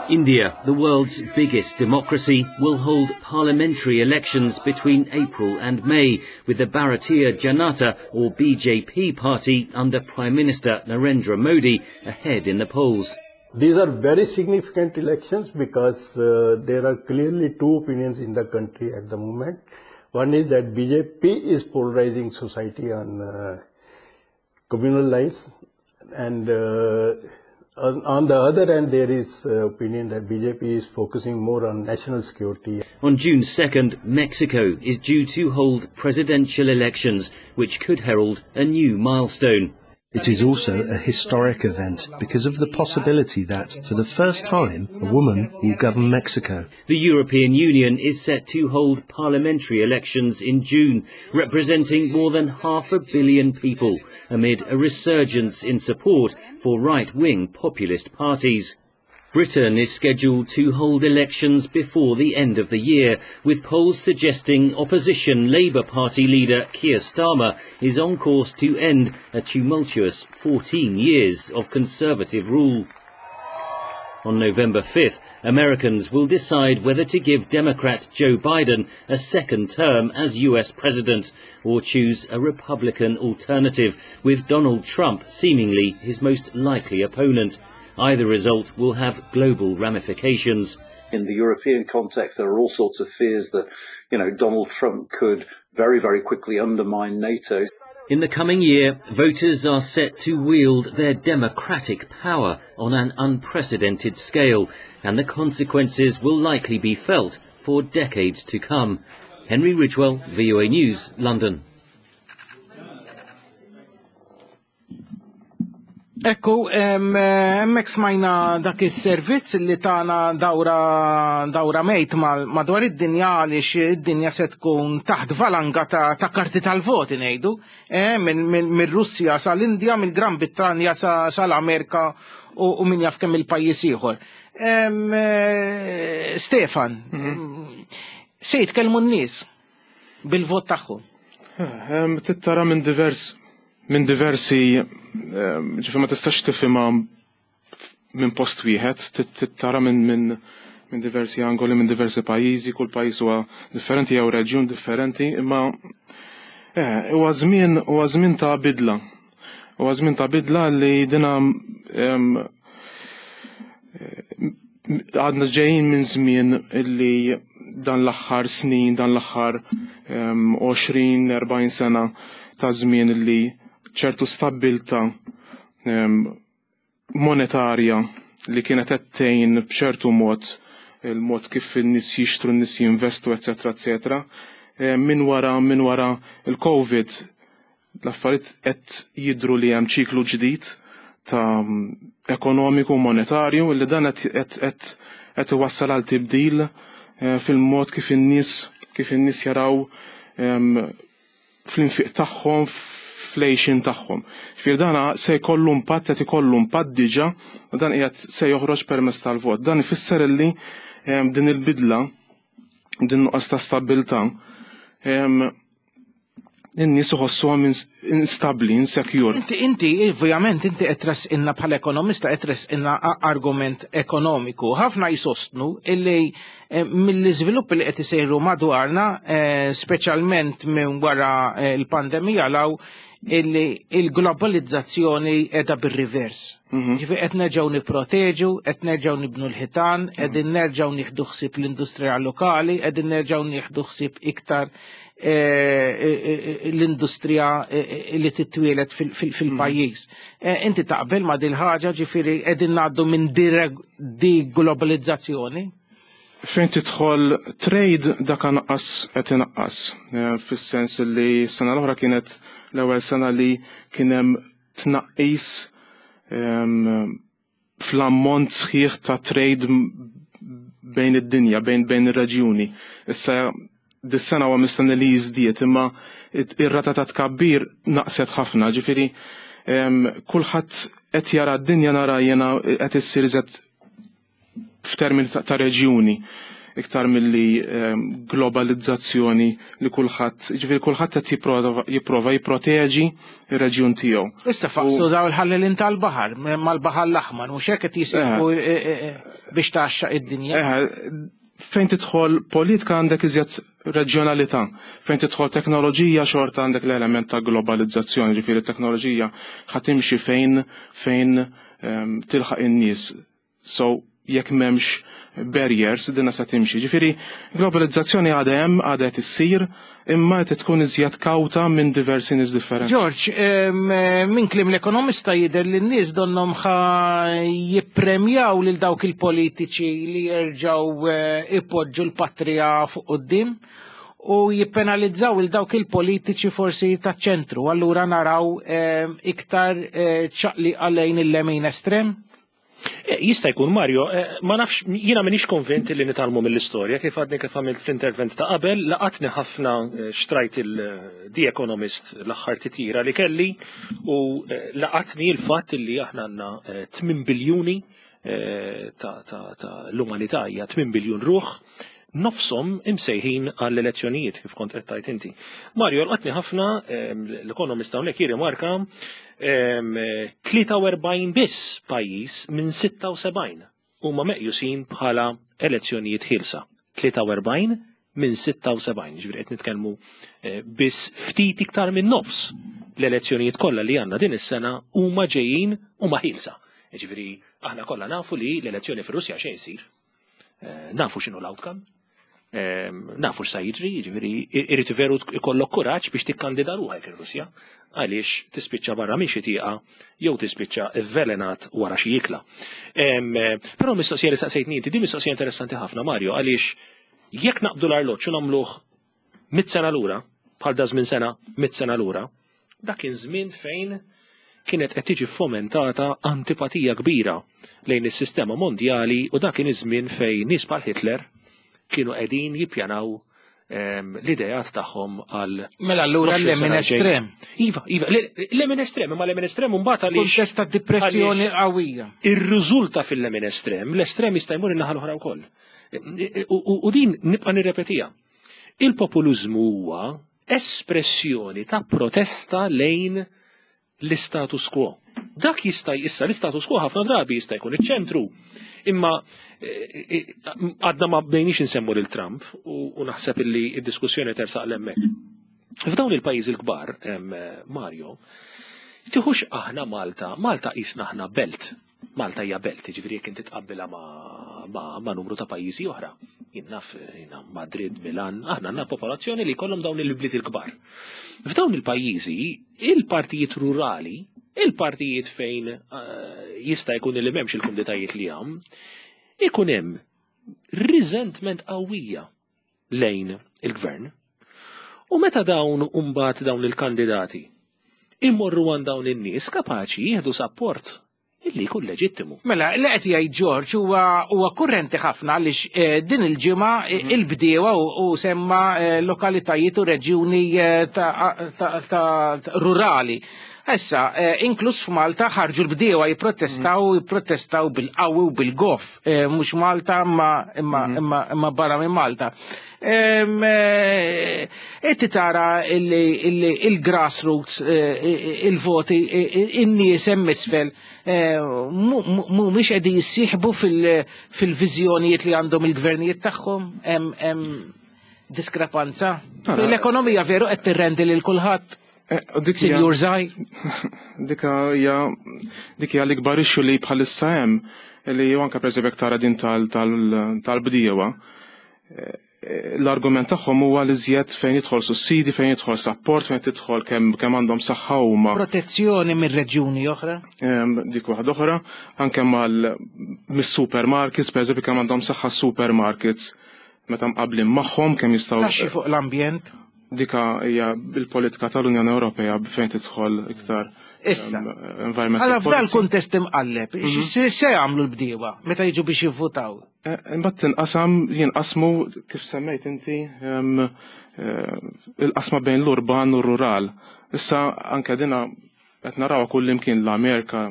[SPEAKER 13] India, the world's biggest democracy, will hold parliamentary elections between April and May, with the Bharatiya Janata or BJP party under Prime Minister Narendra Modi ahead in the polls.
[SPEAKER 16] These are very significant elections because there are clearly two opinions in the country at the moment. One is that BJP is polarizing society on communal lines, and on the other hand there is opinion that BJP is focusing more on national security.
[SPEAKER 13] On June 2nd, Mexico is due to hold presidential elections, which could herald a new milestone.
[SPEAKER 17] It is also a historic event because of the possibility that, for the first time, a woman will govern Mexico.
[SPEAKER 13] The European Union is set to hold parliamentary elections in June, representing more than 500 million people, amid a resurgence in support for right-wing populist parties. Britain is scheduled to hold elections before the end of the year, with polls suggesting opposition Labour Party leader Keir Starmer is on course to end a tumultuous 14 years of Conservative rule. On November 5th, Americans will decide whether to give Democrat Joe Biden a second term as US president or choose a Republican alternative, with Donald Trump seemingly his most likely opponent. Either result will have global ramifications.
[SPEAKER 18] In the European context, there are all sorts of fears that Donald Trump could very, very quickly undermine NATO.
[SPEAKER 13] In the coming year, voters are set to wield their democratic power on an unprecedented scale, and the consequences will likely be felt for decades to come. Henry Ridgwell, VOA News, London.
[SPEAKER 2] Ekku, hemmhekk smajna dak is-servizz li tana dawra dawra mejt madwar id-dinja għaliex id-dinja se tkun taħt valanga ta' karti tal-voti ngħidu, mir-Russja sal-Indja, mill-Gran Brittanja sal-Amerika u min jaf kemm il-pajjiż ieħor. Stefan, se jitkellmu n-nies bil-vot tagħhom.
[SPEAKER 11] Trid tara minn diversi, ġifieri ma tistax tifhimha minn post wieħed, trid tara minn diversi angoli, minn diversi pajjiżi, kull pajjiż huwa differenti jew reġjun differenti, imma huwa żmien ta' bidla. Huwa żmien ta' bidla li dina għadna ġejjin minn żmien li dan l-aħħar snin, dan l-aħħar 20-40 sena ta' żmien li ċertu stabbiltà monetarja li kienet qed tgħin b'ċertu mod il-mod kif in-nies jixtru, n-nies jinvestu, eċetera, eċetera. Minn wara il-Covid l-affarijiet qed jidru li hemm ċiklu ġdid ta' ekonomiku monetarju li dan qed iwassal għal tibdil fil-mod kif in-nies jaraw fl-infiq tagħhom, fl-għixien tagħhom. Ġifieri dana se jkollu impatt, qed ikollu impatt diġà u dan qiegħed se joħroġ permezz tal-vot. Dan ifisser illi din il-bidla, din nuqqas ta' stabbiltà, in-nies iħossuhom instabbli, insecure.
[SPEAKER 2] Inti, ovvjament, inti qed tressqilna bħala ekonomista, qed tressqilna argument ekonomiku. Ħafna jisostnu illi mill-iżviluppi li qed isejru madwarna, speċjalment minn wara l-pandemija 'l hawn, illi il-globalizzazzjoni qiegħda bir-rivers. Ġifieri qed nerġgħu nipproteġu, qed nerġgħu nibnu l-ħitan, qegħdin nerġgħu nieħdu ħsieb l-industrija lokali, qegħdin nerġgħu nieħdu ħsieb iktar l-industrija li titwielet fil-pajjiż. Inti taqbel ma' dil-ħaġa, ġifieri qegħdin ngħaddu minn deglobalizzazzjoni?
[SPEAKER 11] Fejn tidħol trade, dak naqqas, qed inaqqas. Fis-sens li s-sena l-oħra kienet l-ewwel sena li kien hemm tnaqqis fl-ammont sħiħ ta' trade bejn id-dinja, bejn ir-reġjuni. Issa dis-sena huwa mistenni li jiżdied, imma ir-rata ta' tkabbir naqset ħafna, ġifieri kulħadd qed jara d-dinja, nara jena, qed issir iżgħet f'termini ta' reġjuni iktar milli globalizzazzjoni li kulħadd, ġifieri kulħadd qed jipprova jipproteġi ir-reġjun tiegħu.
[SPEAKER 2] Issa faqsu daw il-ħallelin tal-baħar, mal-baħar l-aħmar, mhux hekk qed jisirqu. Biex tgħaxxaq id-dinja.
[SPEAKER 11] Fejn tidħol politika għandek iżjed reġjonalità, fejn tidħol teknoloġija xorta għandek l-element ta' globalizzazzjoni, ġifieri t-teknoloġija ħa timxi fejn fejn tilħaq in-nies. So jekk m'hemmx barriers dinha se timxi. Ġifieri globalizzazzjoni għadha hemm, għadha qed issir, imma qed tkun iżjed kawta minn diversi nies differenti.
[SPEAKER 2] George, minn kliem l-ekonomista jidher li n-nies donnhom ħa jippremjaw lil dawk il-politiċi li jerġgħu eh, ipoġġu l-patrija fuq quddiem u jippenalizzaw il dawk il-politiċi forsi taċ-ċentru. Allura naraw iktar eh, ċaqli lejn il-lemin estrem.
[SPEAKER 12] Eh, jista' jkun Mario, eh, ma nafx jiena m'iniex konvint li nitgħallmu mill-istorja kif għadni kif għamilt fl-intervent ta' qabel, laqatni ħafna eh, xtrajt il-The Economist l-aħħar titira li kelli u laqatni l-fatt li aħna għandna 8 biljuni ta' l-umanità hija 8 biljun ruħ nofshom imsejħin għall-elezzjonijiet kif kont qed tgħid inti. Mario laqatni ħafna l-ekonomista hawnhekk jirrimarka 43 biss pajjiż minn 76 huma meqjusin bħala elezzjonijiet ħielsa. 43 minn 76, ġifieri qed nitkellmu eh, biss ftit iktar minn nofs l-elezzjonijiet kollha li għandna din is-sena huma ġejjin huma ħielsa. Ġifieri aħna kollha nafu li l-elezzjoni fir-Russja xejn isir. Eh, nafu x'inhu l-outcome, eh, nafu x'sa jiġri, jiġifieri irid veru ikollok kuraġġ biex tikkandida ruħek ir-Russja għaliex tispiċċa barra minn xi tieqa jew tispiċċa vvelenat wara xi ikla. Eh, però mistoqsija li saqsejtni inti, din mistoqsija interessanti ħafna Mario, għaliex jekk naqbdu l-arloġġ u nagħmluh mit sena lura, bħal da żmien sena, mit sena lura, Dak kien żmien fejn kienet qed tiġi fomentata antipatija kbira lejn is-sistema mondjali u dak kien iż-żmien fejn nies bħal Hitler kienu qegħdin jippjanaw ehm, l-idejat tagħhom għal.
[SPEAKER 2] Mela allura l-lemin estrem.
[SPEAKER 12] Iva, iva, l-lemin estrem, imma l-lemin estrem mbagħad
[SPEAKER 2] għaliex. Kuntest ta' depressjoni qawwija.
[SPEAKER 12] Ir-riżulta fil-lemin estrem, l-estrem jista' jmur in-naħa l-oħra wkoll. U din nibqa' nirrepetija. Il-populiżmu huwa espressjoni ta' protesta lejn l-istatus quo. Dak jista' issa l-istatus quo ħafna drabi jista' jkun iċ-ċentru. Imma eh, eh, għadna ma bdejniex insemmu lil Trump u naħseb illi d-diskussjoni tersaq l-hemmhekk. F'dawn il-pajjiżi l-kbar, Mario, tiħux aħna Malta, Malta qisna aħna belt. Malta hija belt, jiġifieri jekk inti tqabbilha ma', ma, ma numru ta' pajjiżi oħra. Jien naf jiena Madrid, Milan, aħna għandna popolazzjoni li jkollhom dawn il-bliet il-kbar. F'dawn il-pajjiżi, il-partijiet rurali, il-partijiet fejn eh, jista' jkun li m'hemmx il-kumditajiet li hawn, ikun hemm resentment qawwija lejn il-gvern. U meta dawn mbagħad dawn il-kandidati imorru għand dawn in-nies kapaċi jieħdu sapport illi jkun leġittimu.
[SPEAKER 2] Mela, li qed jgħid George huwa huwa kurrenti ħafna għaliex eh, din il-ġimgħa eh, il-bdiewa u semma eh, lokalitajiet u reġjuni ta' rurali. Issa, inkluż f'Malta ħarġu l-bdiewa jipprotestaw jipprotestaw bil-qawwi u bil-goff, mhux Malta imma imma imma barra minn Malta. Eh, inti tara il-grassroots, eh, il-voti, in-nies hemm isfel eh, mhumiex qegħdin jissieħbu fil-viżjonijiet li għandhom il-gvernijiet tagħhom hemm diskrepanza. L-ekonomija veru qed tirrendi lil kulħadd. Sinjur Zaj.
[SPEAKER 11] Dika hija dik hija l-ikbar issue li bħalissa hemm li anke pereżempju tara din tal-bdiewa. L-argument tagħhom huwa li żjed fejn jidħol sussidi, fejn jidħol sapport, fejn tidħol kemm kemm għandhom saħħa huma.
[SPEAKER 2] Protezzjoni minn reġjuni oħra?
[SPEAKER 11] Dik waħda oħra, anke mal mis-supermarkets, pereżempju kemm għandhom saħħa supermarkets meta mqablin magħhom kemm jistgħu.
[SPEAKER 2] Taxxi fuq l-ambjent?
[SPEAKER 11] Dika hija il-politika tal-Unjoni Ewropea fejn tidħol iktar
[SPEAKER 2] Issa, għala f'dan kuntest imqalleb, mhm. se jagħmlu l-bdiewa meta jiġu biex jivvutaw?
[SPEAKER 11] Eh, imbagħad tinqasam jinqasmu kif semmejt inti eh, il-qasma bejn l-urban u r-rural. Issa anke dina qed narawha kull imkien l-Amerika,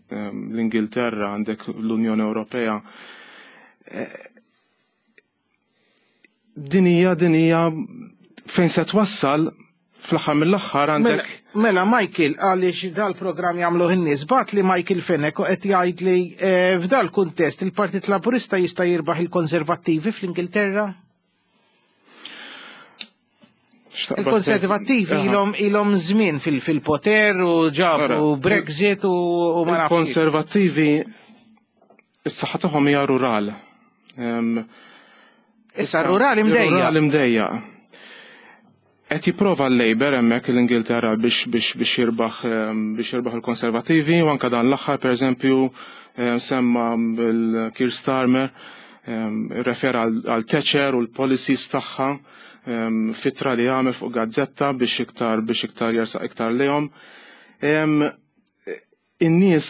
[SPEAKER 11] l-Ingilterra, għandek l-Unjoni Ewropea. Eh, din hija din hija fejn se twassal Fl-aħħar mill-aħħar għandek.
[SPEAKER 2] Mela, Michael, għaliex dal-programm jagħmluh in-nies, bagħat li Michael Fenech u qed jgħid li eh, f'dal-kuntest il-Partit Laburista jista' jirbaħ il-Konservattivi fl-Ingilterra? Il-Konservattivi ilhom ilhom żmien fil-poter u ġabu Brexit u ma nafx.
[SPEAKER 11] Il-Konservattivi is-saħħa tagħhom hija rural.
[SPEAKER 2] Issa rural imdejja.
[SPEAKER 11] Rural imdejja. Qed jipprova l-Labour hemmhekk l-Ingilterra biex biex biex jirbaħ biex jirbaħ il-Konservattivi u anke dan l-aħħar pereżempju semma l-Keir Starmer irrefera għal Thatcher u l-policies tagħha f'ittra li għamel fuq gazzetta biex iktar biex iktar jersaq iktar lejhom. In-nies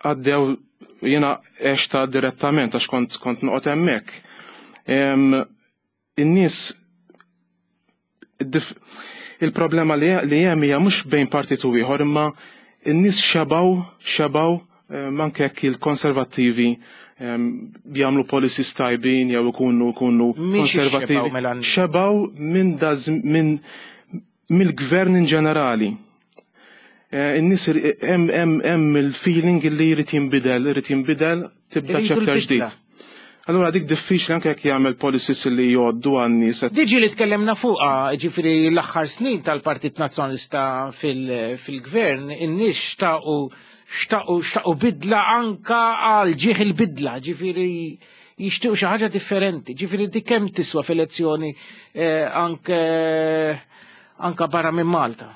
[SPEAKER 11] għaddew jiena għexta direttament għax kont kont noqgħod hemmhekk. In-nies il-problema li hemm hija mhux bejn partit u ieħor imma n-nies xebgħu xebgħu anke jekk il-konservattivi jagħmlu policies tajbin jew ikunu ikunu konservattivi.
[SPEAKER 2] Mela
[SPEAKER 11] xebgħu minn minn mill-gvern in ġenerali. Eh, in-nies hemm il-feeling li jrid jinbidel, irid jinbidel tibda chapter ġdid. Allura dik diffiċli anke jekk jagħmel policies li jgħoddu għan-nies.
[SPEAKER 2] Diġi li tkellimna fuqha, ġifieri l-aħħar snin tal-Partit Nazzjonalista fil-gvern, in-nies xtaqu xtaqu xtaqu bidla anka għal ġieħ il-bidla, ġifieri jixtiequ xi ħaġa differenti. Ġifieri dik kemm tiswa f'elezzjoni eh, anke anka barra minn Malta.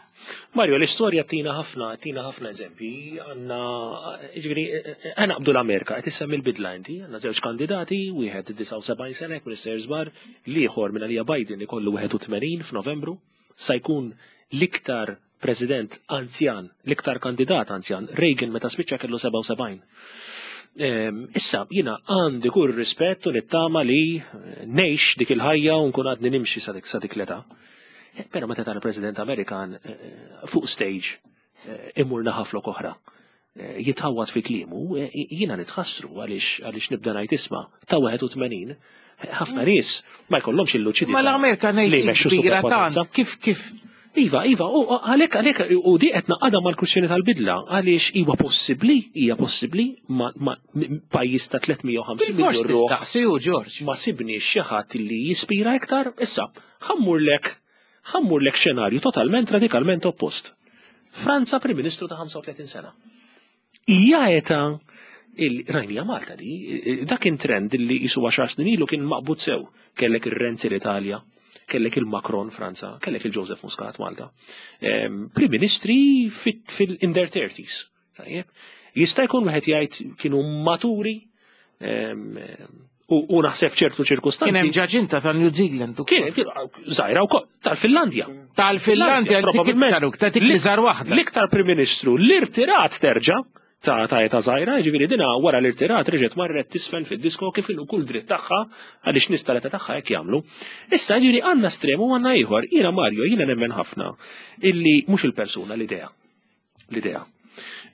[SPEAKER 12] Mario, l-istorja tina ħafna, tina ħafna eżempji, għanna, ġifieri, għana qabdu l-Amerika, qed issemmi l-bidla inti, għanna żewġ kandidati, wieħed 79 sena, jekk minn żbar, l-ieħor minn għalija Biden ikollu 81 f'Novembru, sa jkun l-iktar president anzjan, l-iktar kandidat anzjan, Reagan meta spiċċa kellu 77. Ehm, issa, jina għandi kull rispett u nittama li ngħix dik il-ħajja u nkun għadni nimxi sa dik l-età. Eh, però meta tara President Amerikan eh, eh, fuq stage imur naħaflok oħra jitħawat fi klimu, jiena nitħassru għaliex għaliex nibda ngħid isma' ta' 81 ħafna nies ma jkollhomx il-luċidità.
[SPEAKER 2] Ma l-Amerika ngħid kbira tant kif kif
[SPEAKER 12] Iva, iva, u għalhekk għalhekk u di qed naqadha mal-kwistjoni tal-bidla għaliex huwa possibbli, hija possibbli ma pajjiż ta' 350
[SPEAKER 2] miljun ruħ. Tistaqsi u Ġorġ.
[SPEAKER 12] Ma sibniex xi ħadd li jispira iktar, issa Ħammurlek, ħammurlek xenarju totalment radikalment oppost. Franza Prim Ministru ta' 35 sena. Hija età il-rajnija Malta di, dak kien trend li jisu 10 snin ilu kien maqbud sew. Kellek ir-Renzi l-Italja, kellek il-Macron Franza, kellek il-Joseph Muscat Malta. Ehm, Prim Ministri fil-in their 30s. Tajjeb. Jista' jkun wieħed jgħid kienu maturi ehm, u naħseb ċertu ċirkustanzi.
[SPEAKER 2] Kien hemm ġaġinta ta' New Zealand
[SPEAKER 12] ukoll. Kien żgħira wkoll tal-Finlandja.
[SPEAKER 2] Tal-Finlandja probabbilment ta' dik li żar waħda.
[SPEAKER 12] L-iktar Prim Ministru l-irtirat terġa' ta' ta' eta żgħira, jiġifieri dina wara l-irtirat reġgħet marret tisfen fid-disko kif inhu kull dritt tagħha għaliex nies tal-età tagħha hekk jagħmlu. Issa jiġifieri għandna estrem u għandna ieħor. Jiena Mario jiena nemmen ħafna illi mhux il-persuna l-idea. L-idea.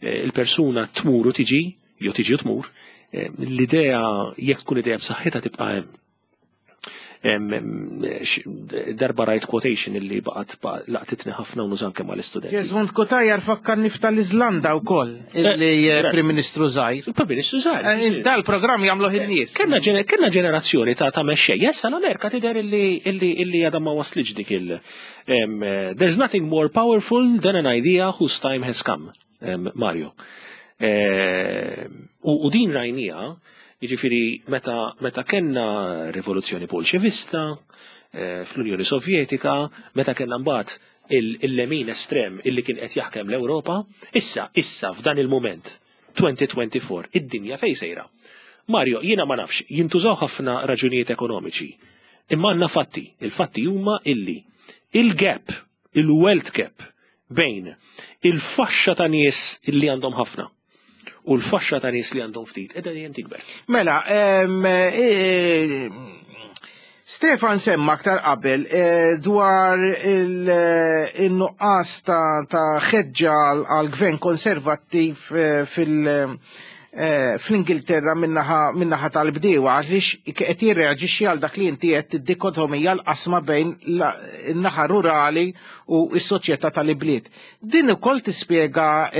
[SPEAKER 12] Eh, il-persuna tmur u tiġi, jew tiġi u tmur, eh, l-idea jekk tkun idea b'saħħitha tibqa' hemm. Darba rajt quotation illi baqgħet laqtitni ħafna u nużan kemm għall-istudenti.
[SPEAKER 2] Jesmond Cutajar fakkarni f'tal-Iżlanda wkoll illi eh, Prim Ministru żgħir.
[SPEAKER 12] Il-Prim Ministru żgħir.
[SPEAKER 2] Dal-programm jagħmluh in-nies.
[SPEAKER 12] Kellna ġenerazzjoni ta' ta' mexxej. Issa l-Amerika tidher illi għadha ma waslitx dik il- There's nothing more powerful than an idea whose time has come, Mario. U din rajnija, jiġifieri meta, meta kellna rivoluzzjoni bolxevista eh, fl-Unjoni Sovjetika, meta kellna mbagħad il-lemin estrem illi kien qed jaħkem l-Ewropa, issa, issa f'dan il-moment, 2024, id-dinja fejn sejra. Mario, jiena ma nafx, jintużaw ħafna raġunijiet ekonomiċi. Imma għandna fatti, il-fatti huma illi il-gap, il-wealth gap bejn il-faxxa ta' nies illi għandhom ħafna u l-faxxa ta' nies li għandhom ftit qiegħda dejjem tikber.
[SPEAKER 2] Mela, e, Stefan semma aktar qabel e, dwar il-nuqqas ta' ħeġġa għal-gvern konservattiv e, fil- fl-Ingilterra min-naħa tal-bdiewa għaliex qed jirreaġixxi għal dak li inti qed id-dikotomija l-qasma bejn in-naħa rurali u s-soċjetà tal-ibliet. Din ukoll tispjega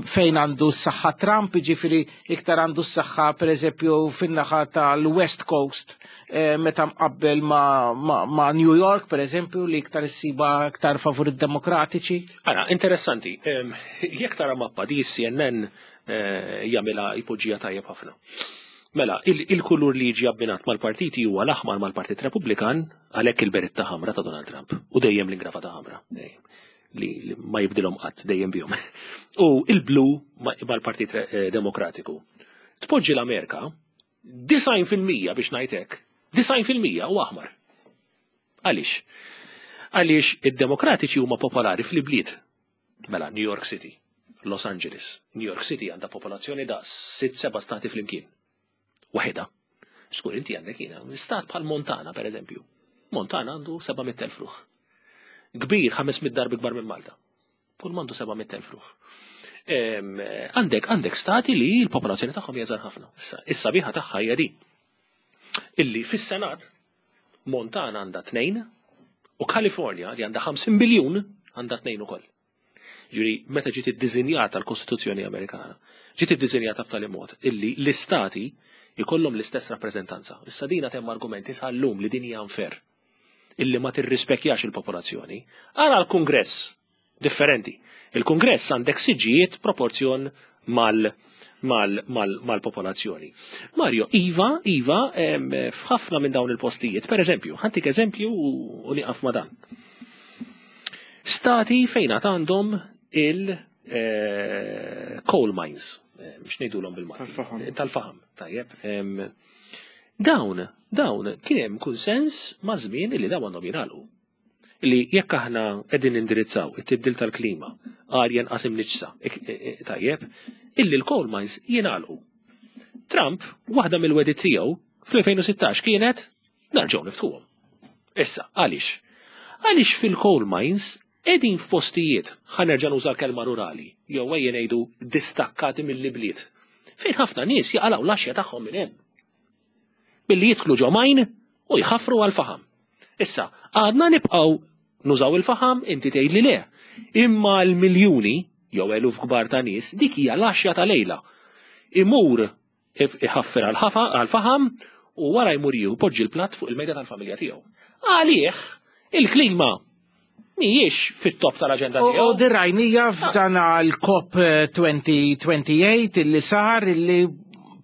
[SPEAKER 2] fejn għandu s-saħħa Trump, jiġifieri iktar għandu s-saħħa pereżempju fin-naħa tal-West Coast meta mqabbel ma' New York pereżempju li iktar issiba iktar favur id-Demokratiċi.
[SPEAKER 12] Ara, interessanti, jekk tara mappa di CNN jagħmilha jpoġġiha tajjeb ħafna. Mela, il-kulur li jiġi abbinat mal-partiti huwa l-aħmar mal-Partit Repubblikan għalhekk il-beritta ħamra ta' Donald Trump u dejjem l-ingravata ħamra li ma jibdilhom qatt dejjem bihom. U il-blu mal-Partit Demokratiku. Tpoġġi l-Amerika 90% biex ngħid hekk, 90% huwa aħmar. Għaliex? Għaliex id-Demokratiċi huma popolari fl-ibliet. Mela, New York City, Los Angeles. New York City għandha popolazzjoni da' 6-7 stati flimkien. Waħda. Skur inti għandek jiena, stat bħal Montana, per eżempju. Montana għandu 700,000 ruħ. Kbir, 500 darbi kbar minn Malta. Kull m'għandu 700,000 ruħ. Għandek stati li l-popolazzjoni tagħhom hija żgħar ħafna. Issa biħa tagħha hija di. Illi fis-Senat Montana għandha 2 u California li għandha 50 biljun għandha 2 ukoll. Ġifieri, meta ġiet iddiżinjata l-Kostituzzjoni Amerikana, ġiet iddiżinjata b'tali mod illi l-istati jkollhom l-istess rappreżentanza. Issa dina temm argumenti sal-lum li din hija unfair, illi ma tirrispekjax il-popolazzjoni. Ara l-Kungress differenti. Il-Kungress għandek siġġijiet proporzjon mal-popolazzjoni. Mario, Iva, Iva, f'ħafna minn dawn il-postijiet, per eżempju, ħa ntik eżempju u nieqaf ma' dan. Stati fejn għandhom il-coal mines, biex ngħidulhom bil-Malti.
[SPEAKER 11] Tal-faħam.
[SPEAKER 12] Tal-faħam, tajjeb. Dawn kien hemm kunsens ma' żmien li dawn għandhom jingħalqu. Li jekk aħna qegħdin indirizzaw it-tibdil tal-klima, arja nqas imniġġsa, tajjeb, illi l-coal mines jingħalqu. Trump, waħda mill-wegħdiet tiegħu fl-2016 kienet nerġgħu niftħuhom. Issa, għaliex? Għaliex fil-coal mines qegħdin f'postijiet, ħa nerġa' nuża l-kelma rurali, jew ejja ngħidu distakkati mill-ibliet, fejn ħafna nies jaqalgħu l-għaxja tagħhom minn hemm. Billi jidħlu ġo mine u jħaffru għal-faħam. Issa, għadna nibqgħu nużaw il-faħam, inti tgħid li le. Imma l-miljuni, jew eluf kbar ta' nies, dik hija l-għaxja ta' lejla. Imur iħaffer għal-faħam u wara jmur jieħu poġġi l-platt fuq il-mejda tal-familja tiegħu. Għalih, il-klima mhijiex fit-top tal-aġenda tiegħu.
[SPEAKER 2] U dirajnija f'dan l-COP 2028 illi sar illi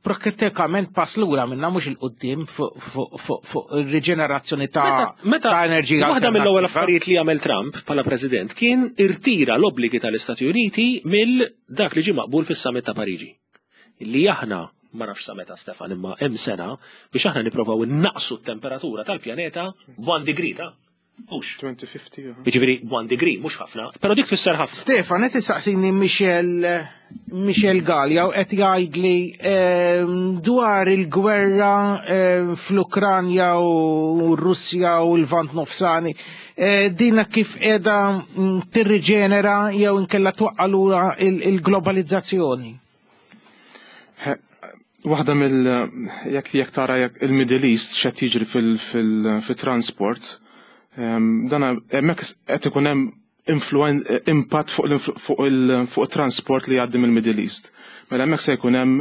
[SPEAKER 2] pratikament pass lura minna mhux il-qoddim fuq ir-riġenerazzjoni ta' enerġija.
[SPEAKER 12] Waħda mill-ewwel affarijiet li għamel Trump bħala president kien irtira l-obbligi tal-Istati Uniti mill dak li ġie maqbul fis-summit ta' Pariġi. Li aħna ma nafx sa meta Stefan imma hemm sena biex aħna nipprovaw innaqsu t-temperatura tal-pjaneta 1 degree ta' Mhux.
[SPEAKER 11] 2050.
[SPEAKER 12] Jiġifieri 1 degree mhux ħafna, però dik tfisser ħafna.
[SPEAKER 2] Stefan, qed isaqsini Michel Gallia u qed jgħidli dwar il-gwerra fl-Ukranja u r-Russja u l-Lvant Nofsani. Dina kif qiegħda tirriġenera jew inkella twaqqa' lura il-globalizzazzjoni?
[SPEAKER 11] Waħda mill jekk tara jekk il-Middle East x'qed jiġri fil-transport, dan hemmhekk qed ikun hemm impatt fuq it-transport li jgħaddi mill-Middle East. Mela hemmhekk se jkun hemm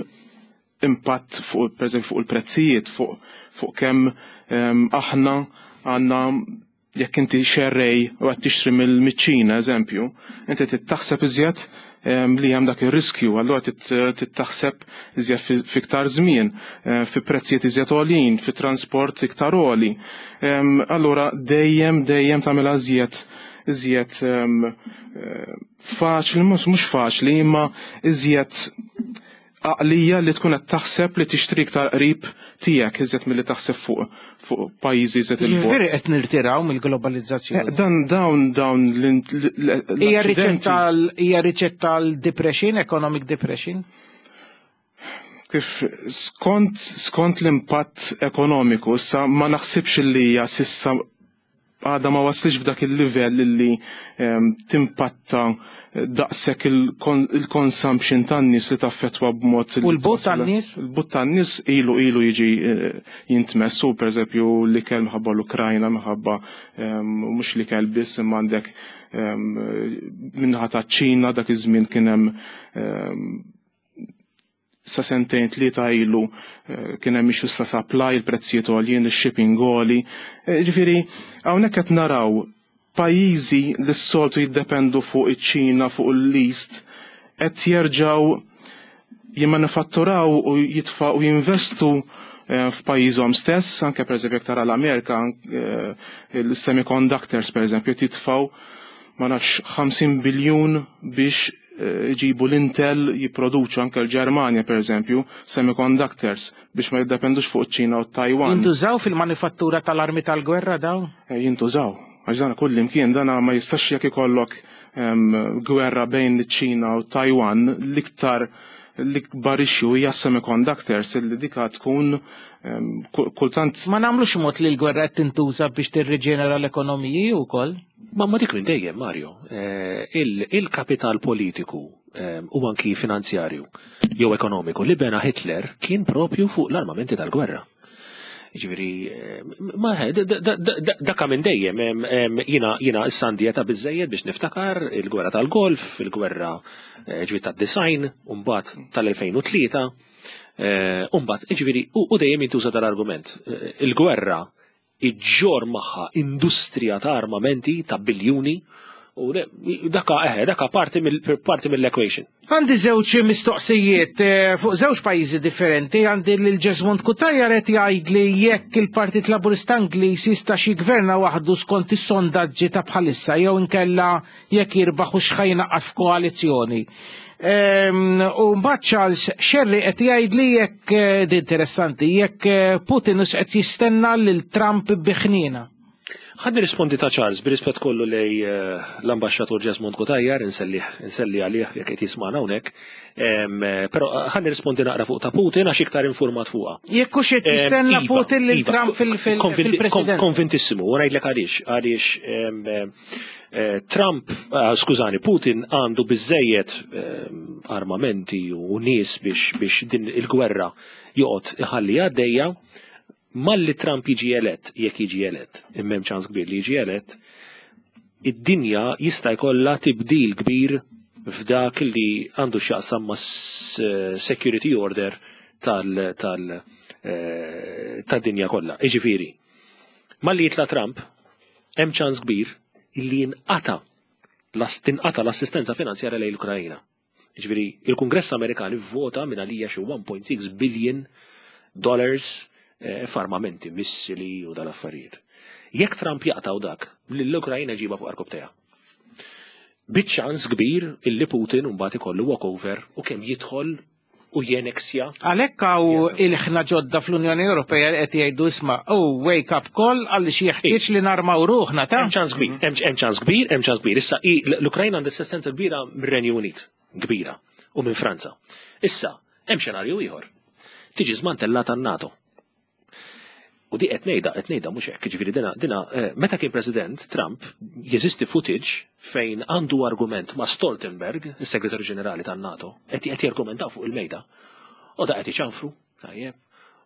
[SPEAKER 11] impatt fuq, pereżempju, fuq il-prezzijiet, fuq kemm aħna għandna jekk inti xerrej u qed tixtri mill-Ċina, eżempju, inti trid taħseb iżjed li hemm dak ir-riskju, allura trid taħseb iżjed fiktar żmien, fi prezzijiet iżjed għolin, fi transport iktar għoli. Allura dejjem tagħmilha iżjed faċli, mhux faċli, imma iżjed għaqlija li tkun qed taħseb li tixtri iktar qrib tiegħek iżjed milli taħseb fuq pajjiżi iżjed il bogħod.
[SPEAKER 2] Jiġifieri qed nirtiraw mill-globalizzazzjoni.
[SPEAKER 11] Dan dawn
[SPEAKER 2] Hija
[SPEAKER 11] l-accidenti.
[SPEAKER 2] Riċetta għal depression, economic depression?
[SPEAKER 11] Kif skont l-impatt ekonomiku, issa ma naħsibx li hija sissa għadha ma waslitx f'dak il-livell li timpatta daqshekk il-consumption tan-nies li taffettwa b'mod.
[SPEAKER 2] U l-but tan-nies?
[SPEAKER 11] Il-but tan-nies ilu ilu jiġi jintmess u pereżempju l-ikel minħabba l-Ukrajna minħabba mhux l-ikel biss imma għandek min-naħa taċ-Ċina dak iż-żmien kien hemm sa sentejn tlieta ilu eh, kien hemm issues ta' supply, il-prezzijiet għoljien, ix-shipping għoli. Eh, ġifieri hawnhekk qed naraw pajjiżi li s-soltu jiddependu fuq iċ-Ċina, fuq l-East, qed jerġgħu jimmanifatturaw u jitfa' u jinvestu eh, f'pajjiżhom stess, anke pereżempju jekk tara l-Amerika, il-semiconductors pereżempju jitfgħu ma nafx 50 biljun biex iġibu l-Intel jipproduċu anke l-Ġermanja pereżempju semiconductors biex ma jiddependux fuq iċ-Ċina u t-Taiwan.
[SPEAKER 2] Jintużaw fil-manifattura tal-armi tal-gwerra dawn?
[SPEAKER 11] Eh, jintużaw. Għax dan kull imkien dan ma jistax jekk ikollok gwerra bejn iċ-Ċina u Taiwan l-iktar l-ikbar issue hija semiconductors illi dika tkun kultant.
[SPEAKER 2] Ma nagħmlux mod li l-gwerra qed tintuża biex tirriġenera l-ekonomiji wkoll?
[SPEAKER 12] Ma ma dik minn dejjem, Mario. Eh, il-kapital politiku eh, u anki finanzjarju jew ekonomiku li bena Hitler kien propju fuq l-armamenti tal-gwerra. Ġifieri, eh, ma daka minn dejjem jiena jiena issa għandi età biżejjed biex niftakar il-gwerra tal-Golf, il-gwerra ġifieri tad-design, u mbagħad tal-2003, u mbagħad ġifieri u dejjem jintuża dal-argument. Il-gwerra iġġorr magħha industrija ta' armamenti ta' biljuni u daka eħe, daka parti mill-equation.
[SPEAKER 2] Għandi żewġ mistoqsijiet eh, fuq żewġ pajjiżi differenti, għandi lil Jesmond Cutajar qed jgħidli jekk il-Partit Laburista Ingliż jista' xi jgverna waħdu skont is-sondaġġi ta' bħalissa jew inkella jekk jirbaħ u x'ħa jingħaqad f'koalizzjoni. Ehm, u mbagħad Charles Sherry qed jgħidli jekk eh, di interessanti, jekk eh, Putin hux qed jistenna lil Trump bi ħniena.
[SPEAKER 12] Ħa nirrispondi ta' Charles, bir-rispett kollu lej eh, l-ambaxxatur Jesmond Cutajar, inselli inselli għalih jekk qed jismagħna hawnhekk. Però ħa nirrispondi naqra fuq ta' Putin għax iktar informat fuqha.
[SPEAKER 2] Jekk hux qed jistenna
[SPEAKER 12] Iva,
[SPEAKER 2] Putin lil
[SPEAKER 12] iva,
[SPEAKER 2] Trump fil-President.
[SPEAKER 12] Konvintissimu, u ngħidlek għaliex, għaliex Trump, skużani, Putin għandu biżejjed armamenti u nies biex biex din il-gwerra joqgħod iħalli għaddejja. Malli Trump jiġi elett, jekk jiġi elett, imma hemm ċans kbir li jiġi elett, id-dinja jista' jkollha tibdil kbir f'dak li għandu x'jaqsam ma' security order tal tal tad-dinja kollha. Jiġifieri, malli jitla' Trump, hemm ċans kbir li jinqata' tinqata' l-assistenza finanzjarja lejn l-Ukraina. Jiġifieri, il-Kungress Amerikan ivvota minn għalija xi 1.6 billion dollars eh, f'armamenti, missili u dal-affarijiet. Jekk Trump jaqtgħu dak, l-Ukraina ġiba fuq arkobteja. Biċ-ċans kbir illi Putin mbagħad ikollu walkover u kemm jidħol u jeneksja.
[SPEAKER 2] Għalhekk hawn il-ħna ġodda fl-Unjoni Ewropea li qed jgħidu isma' oh wake up call għaliex jeħtieġ li narmaw ruħna ta'
[SPEAKER 12] Hemm ċans kbir, hemm ċans kbir, hemm ċans kbir. Issa l-Ukrajna għandha assistenza kbira mir-Renju Unit, kbira, u minn Franza. Issa, hemm xenarju ieħor. Tiġi żmantellata n-NATO. U di qed ngħidha, qed ngħidha mhux hekk, jiġifieri dina, dina eh, meta kien President Trump jeżisti footage fejn għandu argument ma' Stoltenberg, is-Segretarju Ġenerali tan-NATO, qed qed jargumentaw fuq il-mejda. U da qed iċanfru, tajjeb.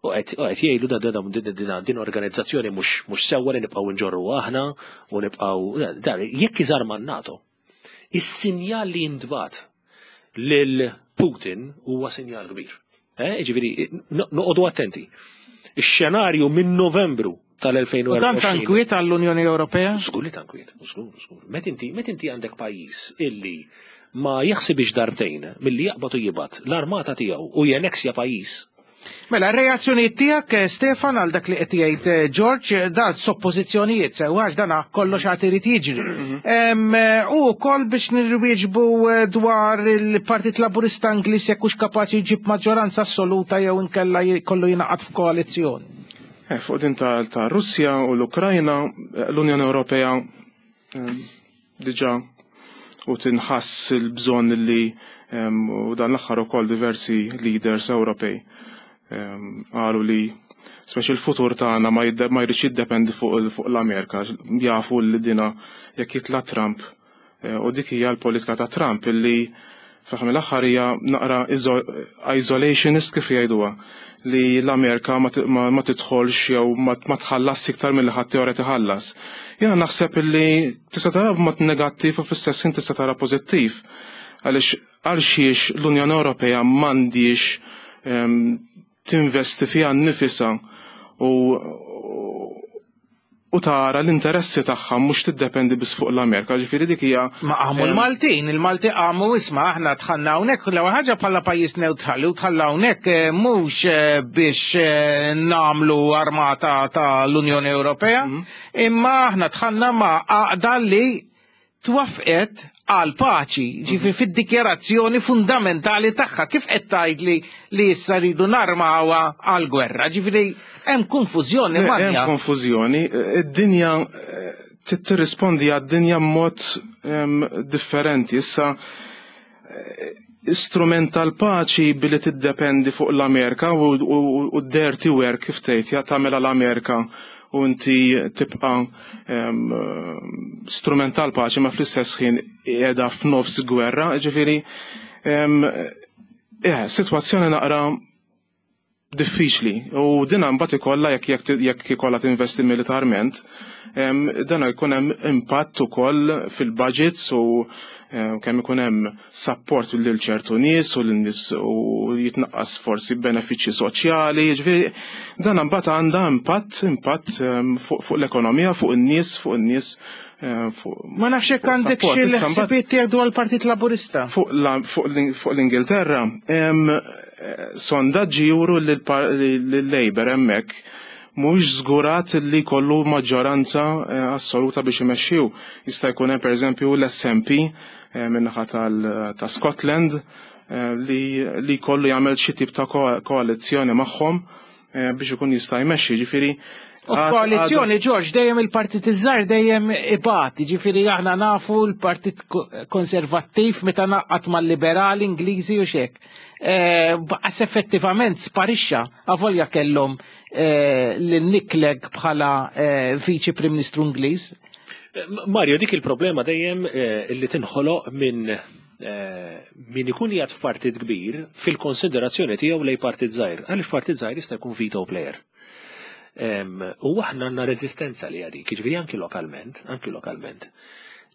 [SPEAKER 12] U qed jgħidu da da din din organizzazzjoni mhux mhux sewwa li nibqgħu nġorru aħna u nibqgħu jekk iżarma n-NATO. Is-sinjal li jintbagħat lil Putin huwa sinjal kbir. Eh, ġifieri, noqogħdu attenti. Ix-xenarju minn Novembru tal-2024.
[SPEAKER 2] U dan tankwiet għall-Unjoni Ewropea?
[SPEAKER 12] Żgur li tankwiet, żgur, żgur. Met inti, met inti għandek pajjiż illi ma jaħsibx darbtejn milli jaqbad u jibgħat l-armata tiegħu u jeneksja pajjiż.
[SPEAKER 2] Mela, r-reazzjonijiet tiegħek, eh, Stefan, għal dak li qed jgħid eh, George, eh, dan soppożizzjonijiet sew għax dan kollox għad irid jiġri. Mhm. U wkoll biex nirwieġbu dwar il-Partit Laburista Ingliż jekk hux kapaċi jġib maġġoranza assoluta jew inkella kollu jingħaqad f'koalizzjoni.
[SPEAKER 11] Fuq din ta' Russja u l-Ukrajna, l-Unjoni Ewropea diġà u tinħass il-bżonn li u dan l-aħħar ukoll diversi leaders Ewropej qalu li Speċi l-futur tagħna ma jridx jiddependi fuq l-Amerika, jafu li dina jekk jitla' Trump eh, u dik hija l-politika ta' Trump illi fl-aħħar mill-aħħar hija naqra isolationist kif jgħiduha li l-Amerika ma tidħolx jew ma tħallas iktar milli ħadd teoret iħallas. Jiena naħseb illi tista' tara b'mod negattiv u fl-istess ħin tista' tara pożittiv. Għaliex għal xiex l-Unjoni Ewropea m'għandix ehm, tinvesti fiha nnifisha u u tara l-interessi tagħha mhux tiddependi biss fuq l-Amerika, ġifieri dik hija.
[SPEAKER 2] Ma qamu l-Maltin, il-Malti qamu isma' aħna dħalna hawnhekk l-ewwel ħaġa bħala pajjiż newtrali u dħalna hawnhekk eh, mhux eh, biex eh, nagħmlu armata tal-Unjoni Ewropea, mhm. imma aħna dħalna ma' għaqda li twaffqet għal paċi, ġifi mhm. fid-dikjarazzjoni fundamentali tagħha kif qed tgħidli li issa rridu narmawha għal gwerra. Ġifieri hemm konfużjoni
[SPEAKER 11] manja. Hemm konfużjoni, id-dinja eh, tirrispondi għad-dinja mod ehm, differenti. Issa eh, strument tal-paċi billi tiddependi fuq l-Amerika u d-dirty work kif tgħid ja tagħmilha l-Amerika u inti tibqa' strument tal-paċi ma fl-istess ħin qiegħda f'nofs gwerra, ġifieri eh, sitwazzjoni naqra diffiċli u din mbagħad ikollha jekk jekk ikollha tinvesti militarment, dan jkun hemm impatt ukoll fil-budgets u kemm ikun hemm support lil ċertu nies u lin-nies u jitnaqqas forsi benefiċċji soċjali, jiġifieri dan imbagħad għandha impatt impatt fuq l-ekonomija, fuq in-nies, fuq in-nies
[SPEAKER 2] Ma nafx jekk għandek xi ħsibijiet tiegħek dwar il-Partit Laburista.
[SPEAKER 11] Fuq l-Ingilterra, sondaġġi juru li l-Labour hemmhekk mhuwiex żgurat li jkollu maġġoranza eh, assoluta biex imexxiw. Jista' jkun hemm pereżempju l-SNP eh, min-naħa ta' Scotland eh, li jkollu jagħmel xi tip ta' koalizzjoni magħhom biex ikun jista' jmexxi, ġifieri.
[SPEAKER 2] U f'koalizzjoni Ġorġ dejjem il-partit iż-żgħar dejjem ibati, ġifieri aħna nafu l-Partit Konservattiv meta naqqat mal-liberali Ingliżi u xek. Eh, Baqas effettivament sparixxa avolja kellhom eh, lil Nick Clegg bħala eh, Viċi Prim Ministru Ingliż.
[SPEAKER 12] Mario, dik il-problema dejjem li tinħoloq minn min ikun qiegħed f'partit kbir fil-konsiderazzjoni tiegħu lej partit żgħir. Għaliex partit żgħir jista' jkun veto player. U aħna għandna reżistenza li għadik, jiġifieri anki lokalment, anki lokalment.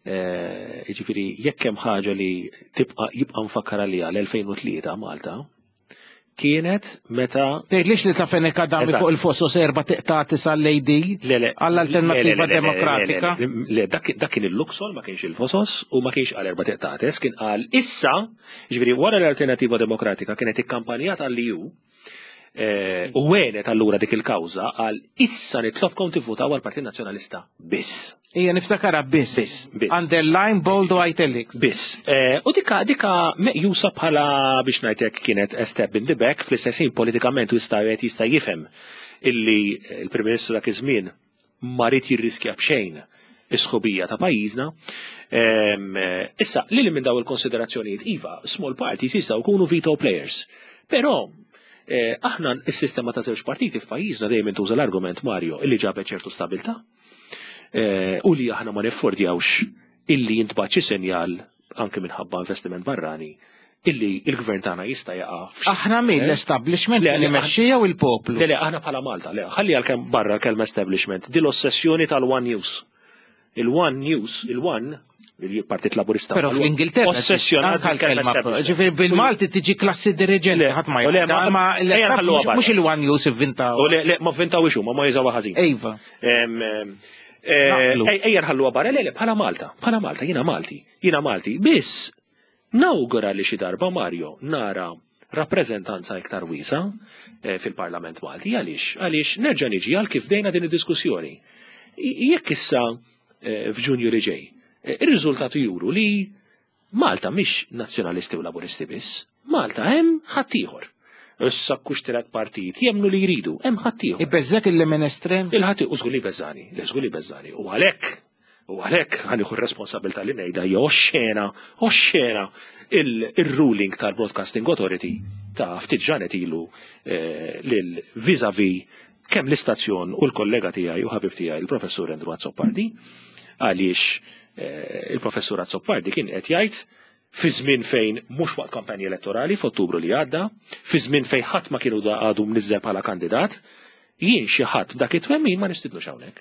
[SPEAKER 12] Eh, jiġifieri jekk hemm ħaġa li tibqa' jibqa' mfakkar għalija l-2003 Malta, kienet meta.
[SPEAKER 2] Tgħidlix li ta' Fenek Adami fuq il-Fosos erba' tiqtati sal-AD għall-Alternattiva Demokratika.
[SPEAKER 12] Le, dak kien il-Luxol ma kienx il-Fosos u ma kienx għal erba' tiqtates, kien qal issa, ġifieri wara l-Alternattiva Demokratika kienet ikkampanjata għall-EU eh, u għenet allura dik il-kawża għal issa nitlobkom tivvutaw għall-Partit Nazzjonalista biss.
[SPEAKER 2] Ija niftakarha biss.
[SPEAKER 12] Biss, biss.
[SPEAKER 2] Underline, bold u italics.
[SPEAKER 12] Biss. Eh, u dika dika meqjusa bħala biex ngħidlek kienet a step in the back fl-istess ħin politikament u jista' wieħed jista' jifhem illi l-Prim Ministru dak iż-żmien ma ried jirriskja b'xejn is-sħubija ta' pajjiżna. Ehm, issa, li minn daw il-konsiderazzjonijiet iva, small parties jistgħu jkunu veto players. Però eh, aħna s-sistema ta' żewġ partiti f'pajjiżna dejjem intuża l-argument Mario illi ġabet ċertu stabilta. Eh, u li aħna ma neffordjawx illi jintbagħat xi sinjal anke minħabba investiment barrani illi il-gvern tagħna jista' jaqa'
[SPEAKER 2] Aħna min eh? l-establishment li mexxi jew il-poplu?
[SPEAKER 12] Le, le, aħna bħala Malta, le, ħalli għalkemm barra l-kelma establishment, di l-ossessjoni tal-One News. Il-One News, il-One, il-Partit Laburista.
[SPEAKER 2] Però fl-Ingilterra
[SPEAKER 12] ossessjonat
[SPEAKER 2] bil-kelma. Ġifieri bil-Malti tiġi klassi dirigenti ħadd ma ma mhux il-One News ivvintaw.
[SPEAKER 12] Le, le, ma vvintaw ixu, ma ma jużawha ħażin.
[SPEAKER 2] Iva.
[SPEAKER 12] Eh, ejja nħalluha barra, le, le, bħala Malta, bħala Malta, jiena Malti, jiena Malti. Biss nawgura li xi darba Mario nara rappreżentanza iktar wiesa eh, fil-Parlament Malti. Għaliex? Għaliex nerġa' niġi għal kif dejna din id-diskussjoni. Jekk issa eh, f'Ġunju li ġej, ir-riżultati juru li Malta mhix Nazzjonalisti u Laburisti biss, Malta hemm ħaddieħor. Issa kux tielet partit, jemmnu li jridu, hemm ħaddieħor.
[SPEAKER 2] Ibeżżek il-lemin estrem?
[SPEAKER 12] Il-ħadd u żgur li jbeżżani, le żgur li jbeżżani. U għalhekk, u għalhekk ħa nieħu r-responsabilità li ngħidha hija oxxena, oxxena il-ruling tal-Broadcasting Authority ta' ftit ġranet ilu eh, lil vis-a-vis kemm l-istazzjon u l-kollega tiegħi u ħabib tiegħi il-Professur Andrew Azzopardi għaliex eh, il-Professur Azzopardi kien qed jgħid fi żmien fejn mhux waqt kampanja elettorali f'Ottubru li għadda, fi żmien fejn ħadd ma kienu għadu mniżżel bħala kandidat, jien xi ħadd b'dak it-twemmin ma nistidnux hawnhekk.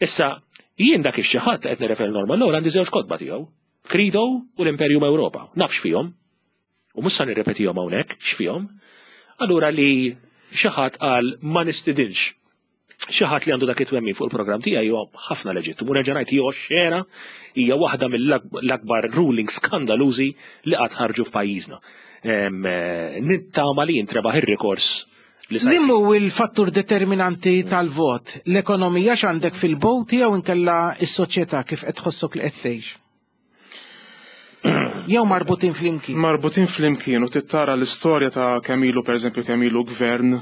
[SPEAKER 12] Issa, jien dak ix-xi ħadd qed nirreferi Norman Lowell għandi żewġ kotba tiegħu, Credo u l-Imperium Europa. Naf x'fihom. U mhux sa nirrepetihom hawnhekk x'fihom. Allura li xi ħadd qal ma nistidinx xi ħadd li għandu dak it-twemmin fuq il-programm tiegħi huwa ħafna leġittimu. Nerġa' ngħid hija xena hija waħda mill-akbar ruling skandalużi li qatt ħarġu f'pajjiżna. Eh, nittama li jintrebaħ ir-rikors
[SPEAKER 2] li sa Limu il-fattur determinanti tal-vot? L-ekonomija x'għandek fil-bot jew inkella s-soċjetà kif qed tħossok li qed tgħix? Jew marbutin flimkien?
[SPEAKER 11] Marbutin flimkien u tittara l-istorja ta' kemm ilu pereżempju kemm ilu gvern,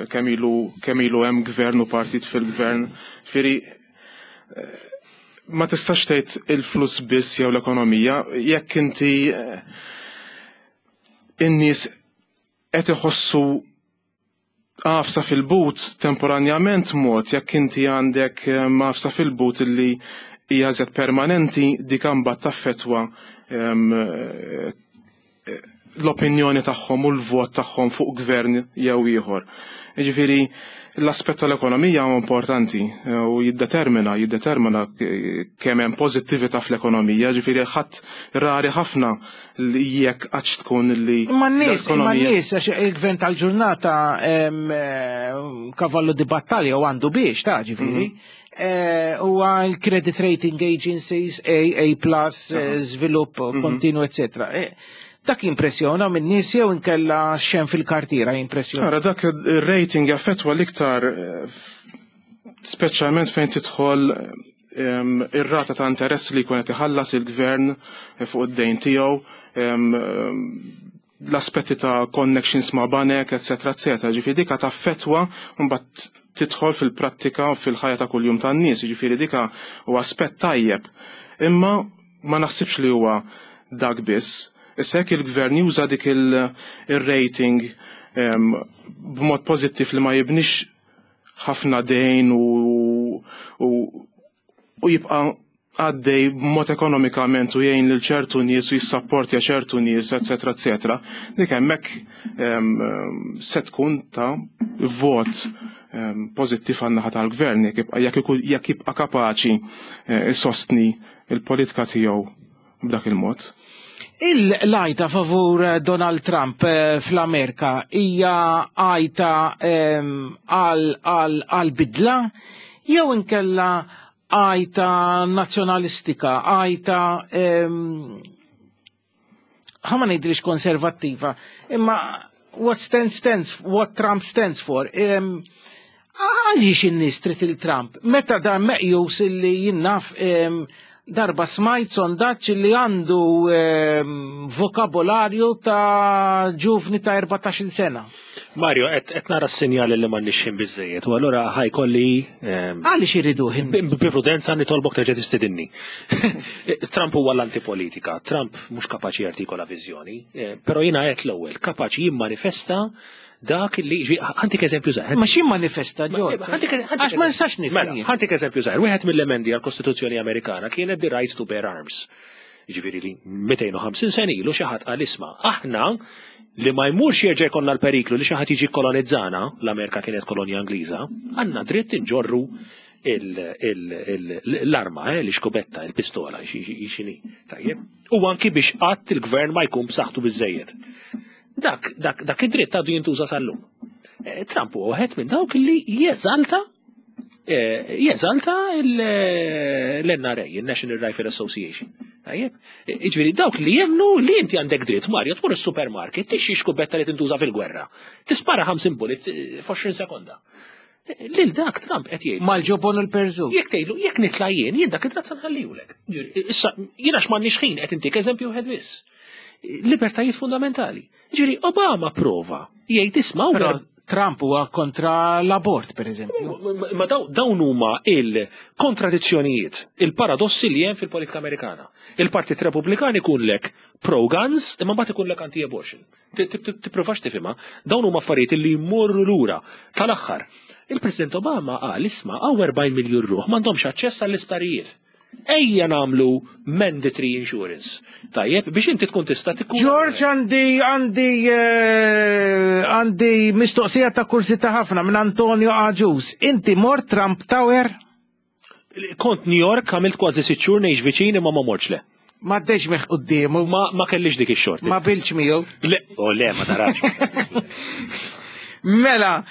[SPEAKER 11] kemm ilu kemm ilu hemm gvern u partit fil-gvern. Fieri eh, ma tistax tgħid il-flus biss jew l-ekonomija, jekk inti eh, in-nies qed iħossu għafsa fil-but temporanjament mod jekk inti għandek ehm, għafsa fil-but illi hija żed permanenti dik imbagħad taffettwa ehm, eh, l-opinjoni tagħhom u l-vot tagħhom fuq gvern jew ieħor. Jiġifieri l-aspett tal-ekonomija huwa importanti eh, u jiddetermina jiddetermina kemm hemm pożittività fl-ekonomija, ġifieri ħadd rari ħafna li jekk għadx tkun li.
[SPEAKER 2] Imma n-nies, imma n-nies għax il-gvern tal-ġurnata eh, kavallu di battalja u għandu biex ta' ġifieri. Mhm. Eh, huwa l-credit rating agencies, A, A+, żvilupp mhm. kontinu, eccetera. Dak jimpressjona minn nies jew inkella xemm fil-kartiera jimpressjona?
[SPEAKER 11] Ara dak ir-rating jaffettwa l-iktar eh, speċjalment fejn tidħol ehm, ir-rata ta' interess li jkun qed iħallas il-gvern eh, fuq id-dejn tiegħu, ehm, l-aspetti ta' connections ma' banek, eccetera, eccetera. Ġifieri dika taffettwa mbagħad tidħol fil-prattika u fil-ħajja ta' kuljum tan-nies, ġifieri dika huwa aspett tajjeb. Imma Ma naħsibx li huwa dak biss. Issa jekk il-gvern juża dik ir-rating ehm, b'mod pożittiv li ma jibnix ħafna dejn u, u, u jibqa' għaddej b'mod ekonomikament u jgħin lil ċertu nies u jissapportja ċertu nies, eċetera, eċetera, dik hemmhekk ehm, se tkun ta' vot ehm, pożittiv għan-naħa tal-gvern jekk jibqa' kapaċi eh, isostni il-politika tiegħu b'dak il-mod.
[SPEAKER 2] Il-lajta favur Donald Trump eh, fl-Amerika hija għajta ehm, għal bidla jew inkella għajta nazzjonalistika, għajta ehm, ħa ma ngħidlix konservattiva, imma what stands stands, what Trump stands for. Għaliex in-nies trid il-Trump? Meta dan meqjus illi jinnaf darba smajt sondaġġ li għandu vokabolarju ta' ġuvni ta' 14 sena.
[SPEAKER 12] Mario, qed nara s-sinjali li m'għandniex ħin biżejjed, u allura ħajkolli.
[SPEAKER 2] Għaliex iridu ħin?
[SPEAKER 12] Bi prudenza nitolbok terġa' tistidinni. Trump huwa l-antipolitika, Trump mhux kapaċi jartikola viżjoni, eh, però jiena qed l-ewwel kapaċi jimmanifesta dak li ħantik eżempju żgħir.
[SPEAKER 2] Ma xi manifesta ġol? Għax ma nistax nifhem.
[SPEAKER 12] Mela, ħantik eżempju żgħir. Wieħed mill-emendi għall-Kostituzzjoni Amerikana kienet the right to bear arms. Ġifieri li 250 sen ilu xi ħadd qal isma' aħna li ma jmurx jerġa' jkollna l-periklu li xi ħadd jiġi kolonizzana, l-Amerika kienet kolonja Ingliża, għandna dritt inġorru l-arma, eh, l-iskubetta, il-pistola, xini. Tajjeb. U anki biex qatt il-gvern ma jkun b'saħħtu biżejjed. Dak, dak, dak id-dritt għadu jintuża sal-lum. Eh, Trump huwa wieħed minn dawk li jeżalta eh, jeżalta l-NRA, il-National Rifle Association. Tajjeb? Iġviri, dawk li jemnu li inti għandek dritt, Mario, tmur il-supermarket, tixxi xkubetta li tintuża fil-gwerra. Tispara 50 bullet f'20 sekonda. Lil dak Trump qed jgħid.
[SPEAKER 2] Mal-ġobon u l-perżu.
[SPEAKER 12] Jekk tgħidlu, jekk nitla' jien, jien dak id-drazza nħallihulek. Issa, jien għax m'għandniex ħin qed intik eżempju wieħed biss. Libertajiet fundamentali. Ġifieri Obama prova jgħid isma'
[SPEAKER 2] Però Trump huwa kontra l-abort, per eżempju.
[SPEAKER 12] Ma dawn huma il-kontradizzjonijiet, il-paradossi li hemm fil-politika Amerikana. Il-Partit Repubblikan ikunlek pro-guns, imma mbagħad ikunlek anti-abortion. Tipprovax tifhimha, dawn huma affarijiet li jmorru lura. Tal-aħħar, il-President Obama qal isma' hawn 40 miljun ruħ m'għandhomx aċċess għall-isptarijiet. Ejja nagħmlu mandatory insurance. Tajjeb, biex inti tkun tista'
[SPEAKER 2] tkun. George għandi għandi eh, għandi mistoqsija ta' kursita ħafna minn Antonio Aġus. Inti mort Trump Tower?
[SPEAKER 12] Kont New York, għamilt kważi sitt xhur ngħix viċin imma ma mortx le.
[SPEAKER 2] Ma ddex meħ quddiemu.
[SPEAKER 12] Ma, ma kellix dik ix-xorti.
[SPEAKER 2] Ma bilx miegħu.
[SPEAKER 12] Le, o le, ma tarax.
[SPEAKER 2] Mela,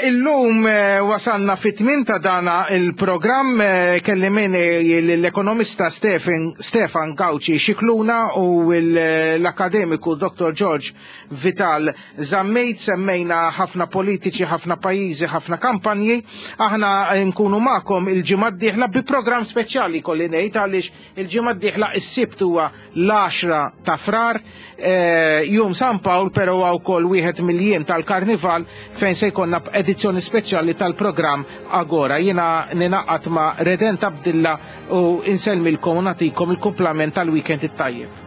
[SPEAKER 2] illum eh, wasalna fit-tmien ta' dana il-programm eh, kelli minni l-ekonomista Stefan Gauci Xikluna u l-akademiku Dr. George Vital Zammit, semmejna ħafna politiċi, ħafna pajjiżi, ħafna kampanji. Aħna nkunu magħkom il-ġimgħa d-dieħla bi programm speċjali kolli ngħid għaliex il-ġimgħa d-dieħla is-Sibt huwa l-10 ta' Frar, eh, jum San Pawl, però huwa wkoll wieħed mill-jiem tal-Karnival fejn se jkollna edizzjoni speċjali tal-programm Agora. Jiena ninaqat ma' Redent Abdilla u insellmilkom u nagħtikom il-kumplament tal-weekend it-tajjeb.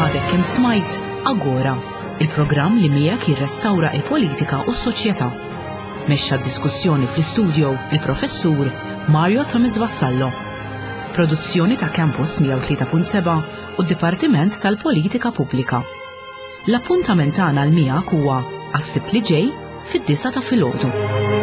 [SPEAKER 1] Għadek kemm smajt Agora, il-programm li miegħek jirrestawra il-politika u s-soċjetà. Mexxa d-diskussjoni fl-istudio il-professur Mario Thomas Vassallo. Produzzjoni ta' Campus 103.7 u d-Dipartiment tal-Politika Pubblika. L-appuntament tagħna l miegħek huwa għas-Sibt li ġej fid-disgħa ta' filgħodu.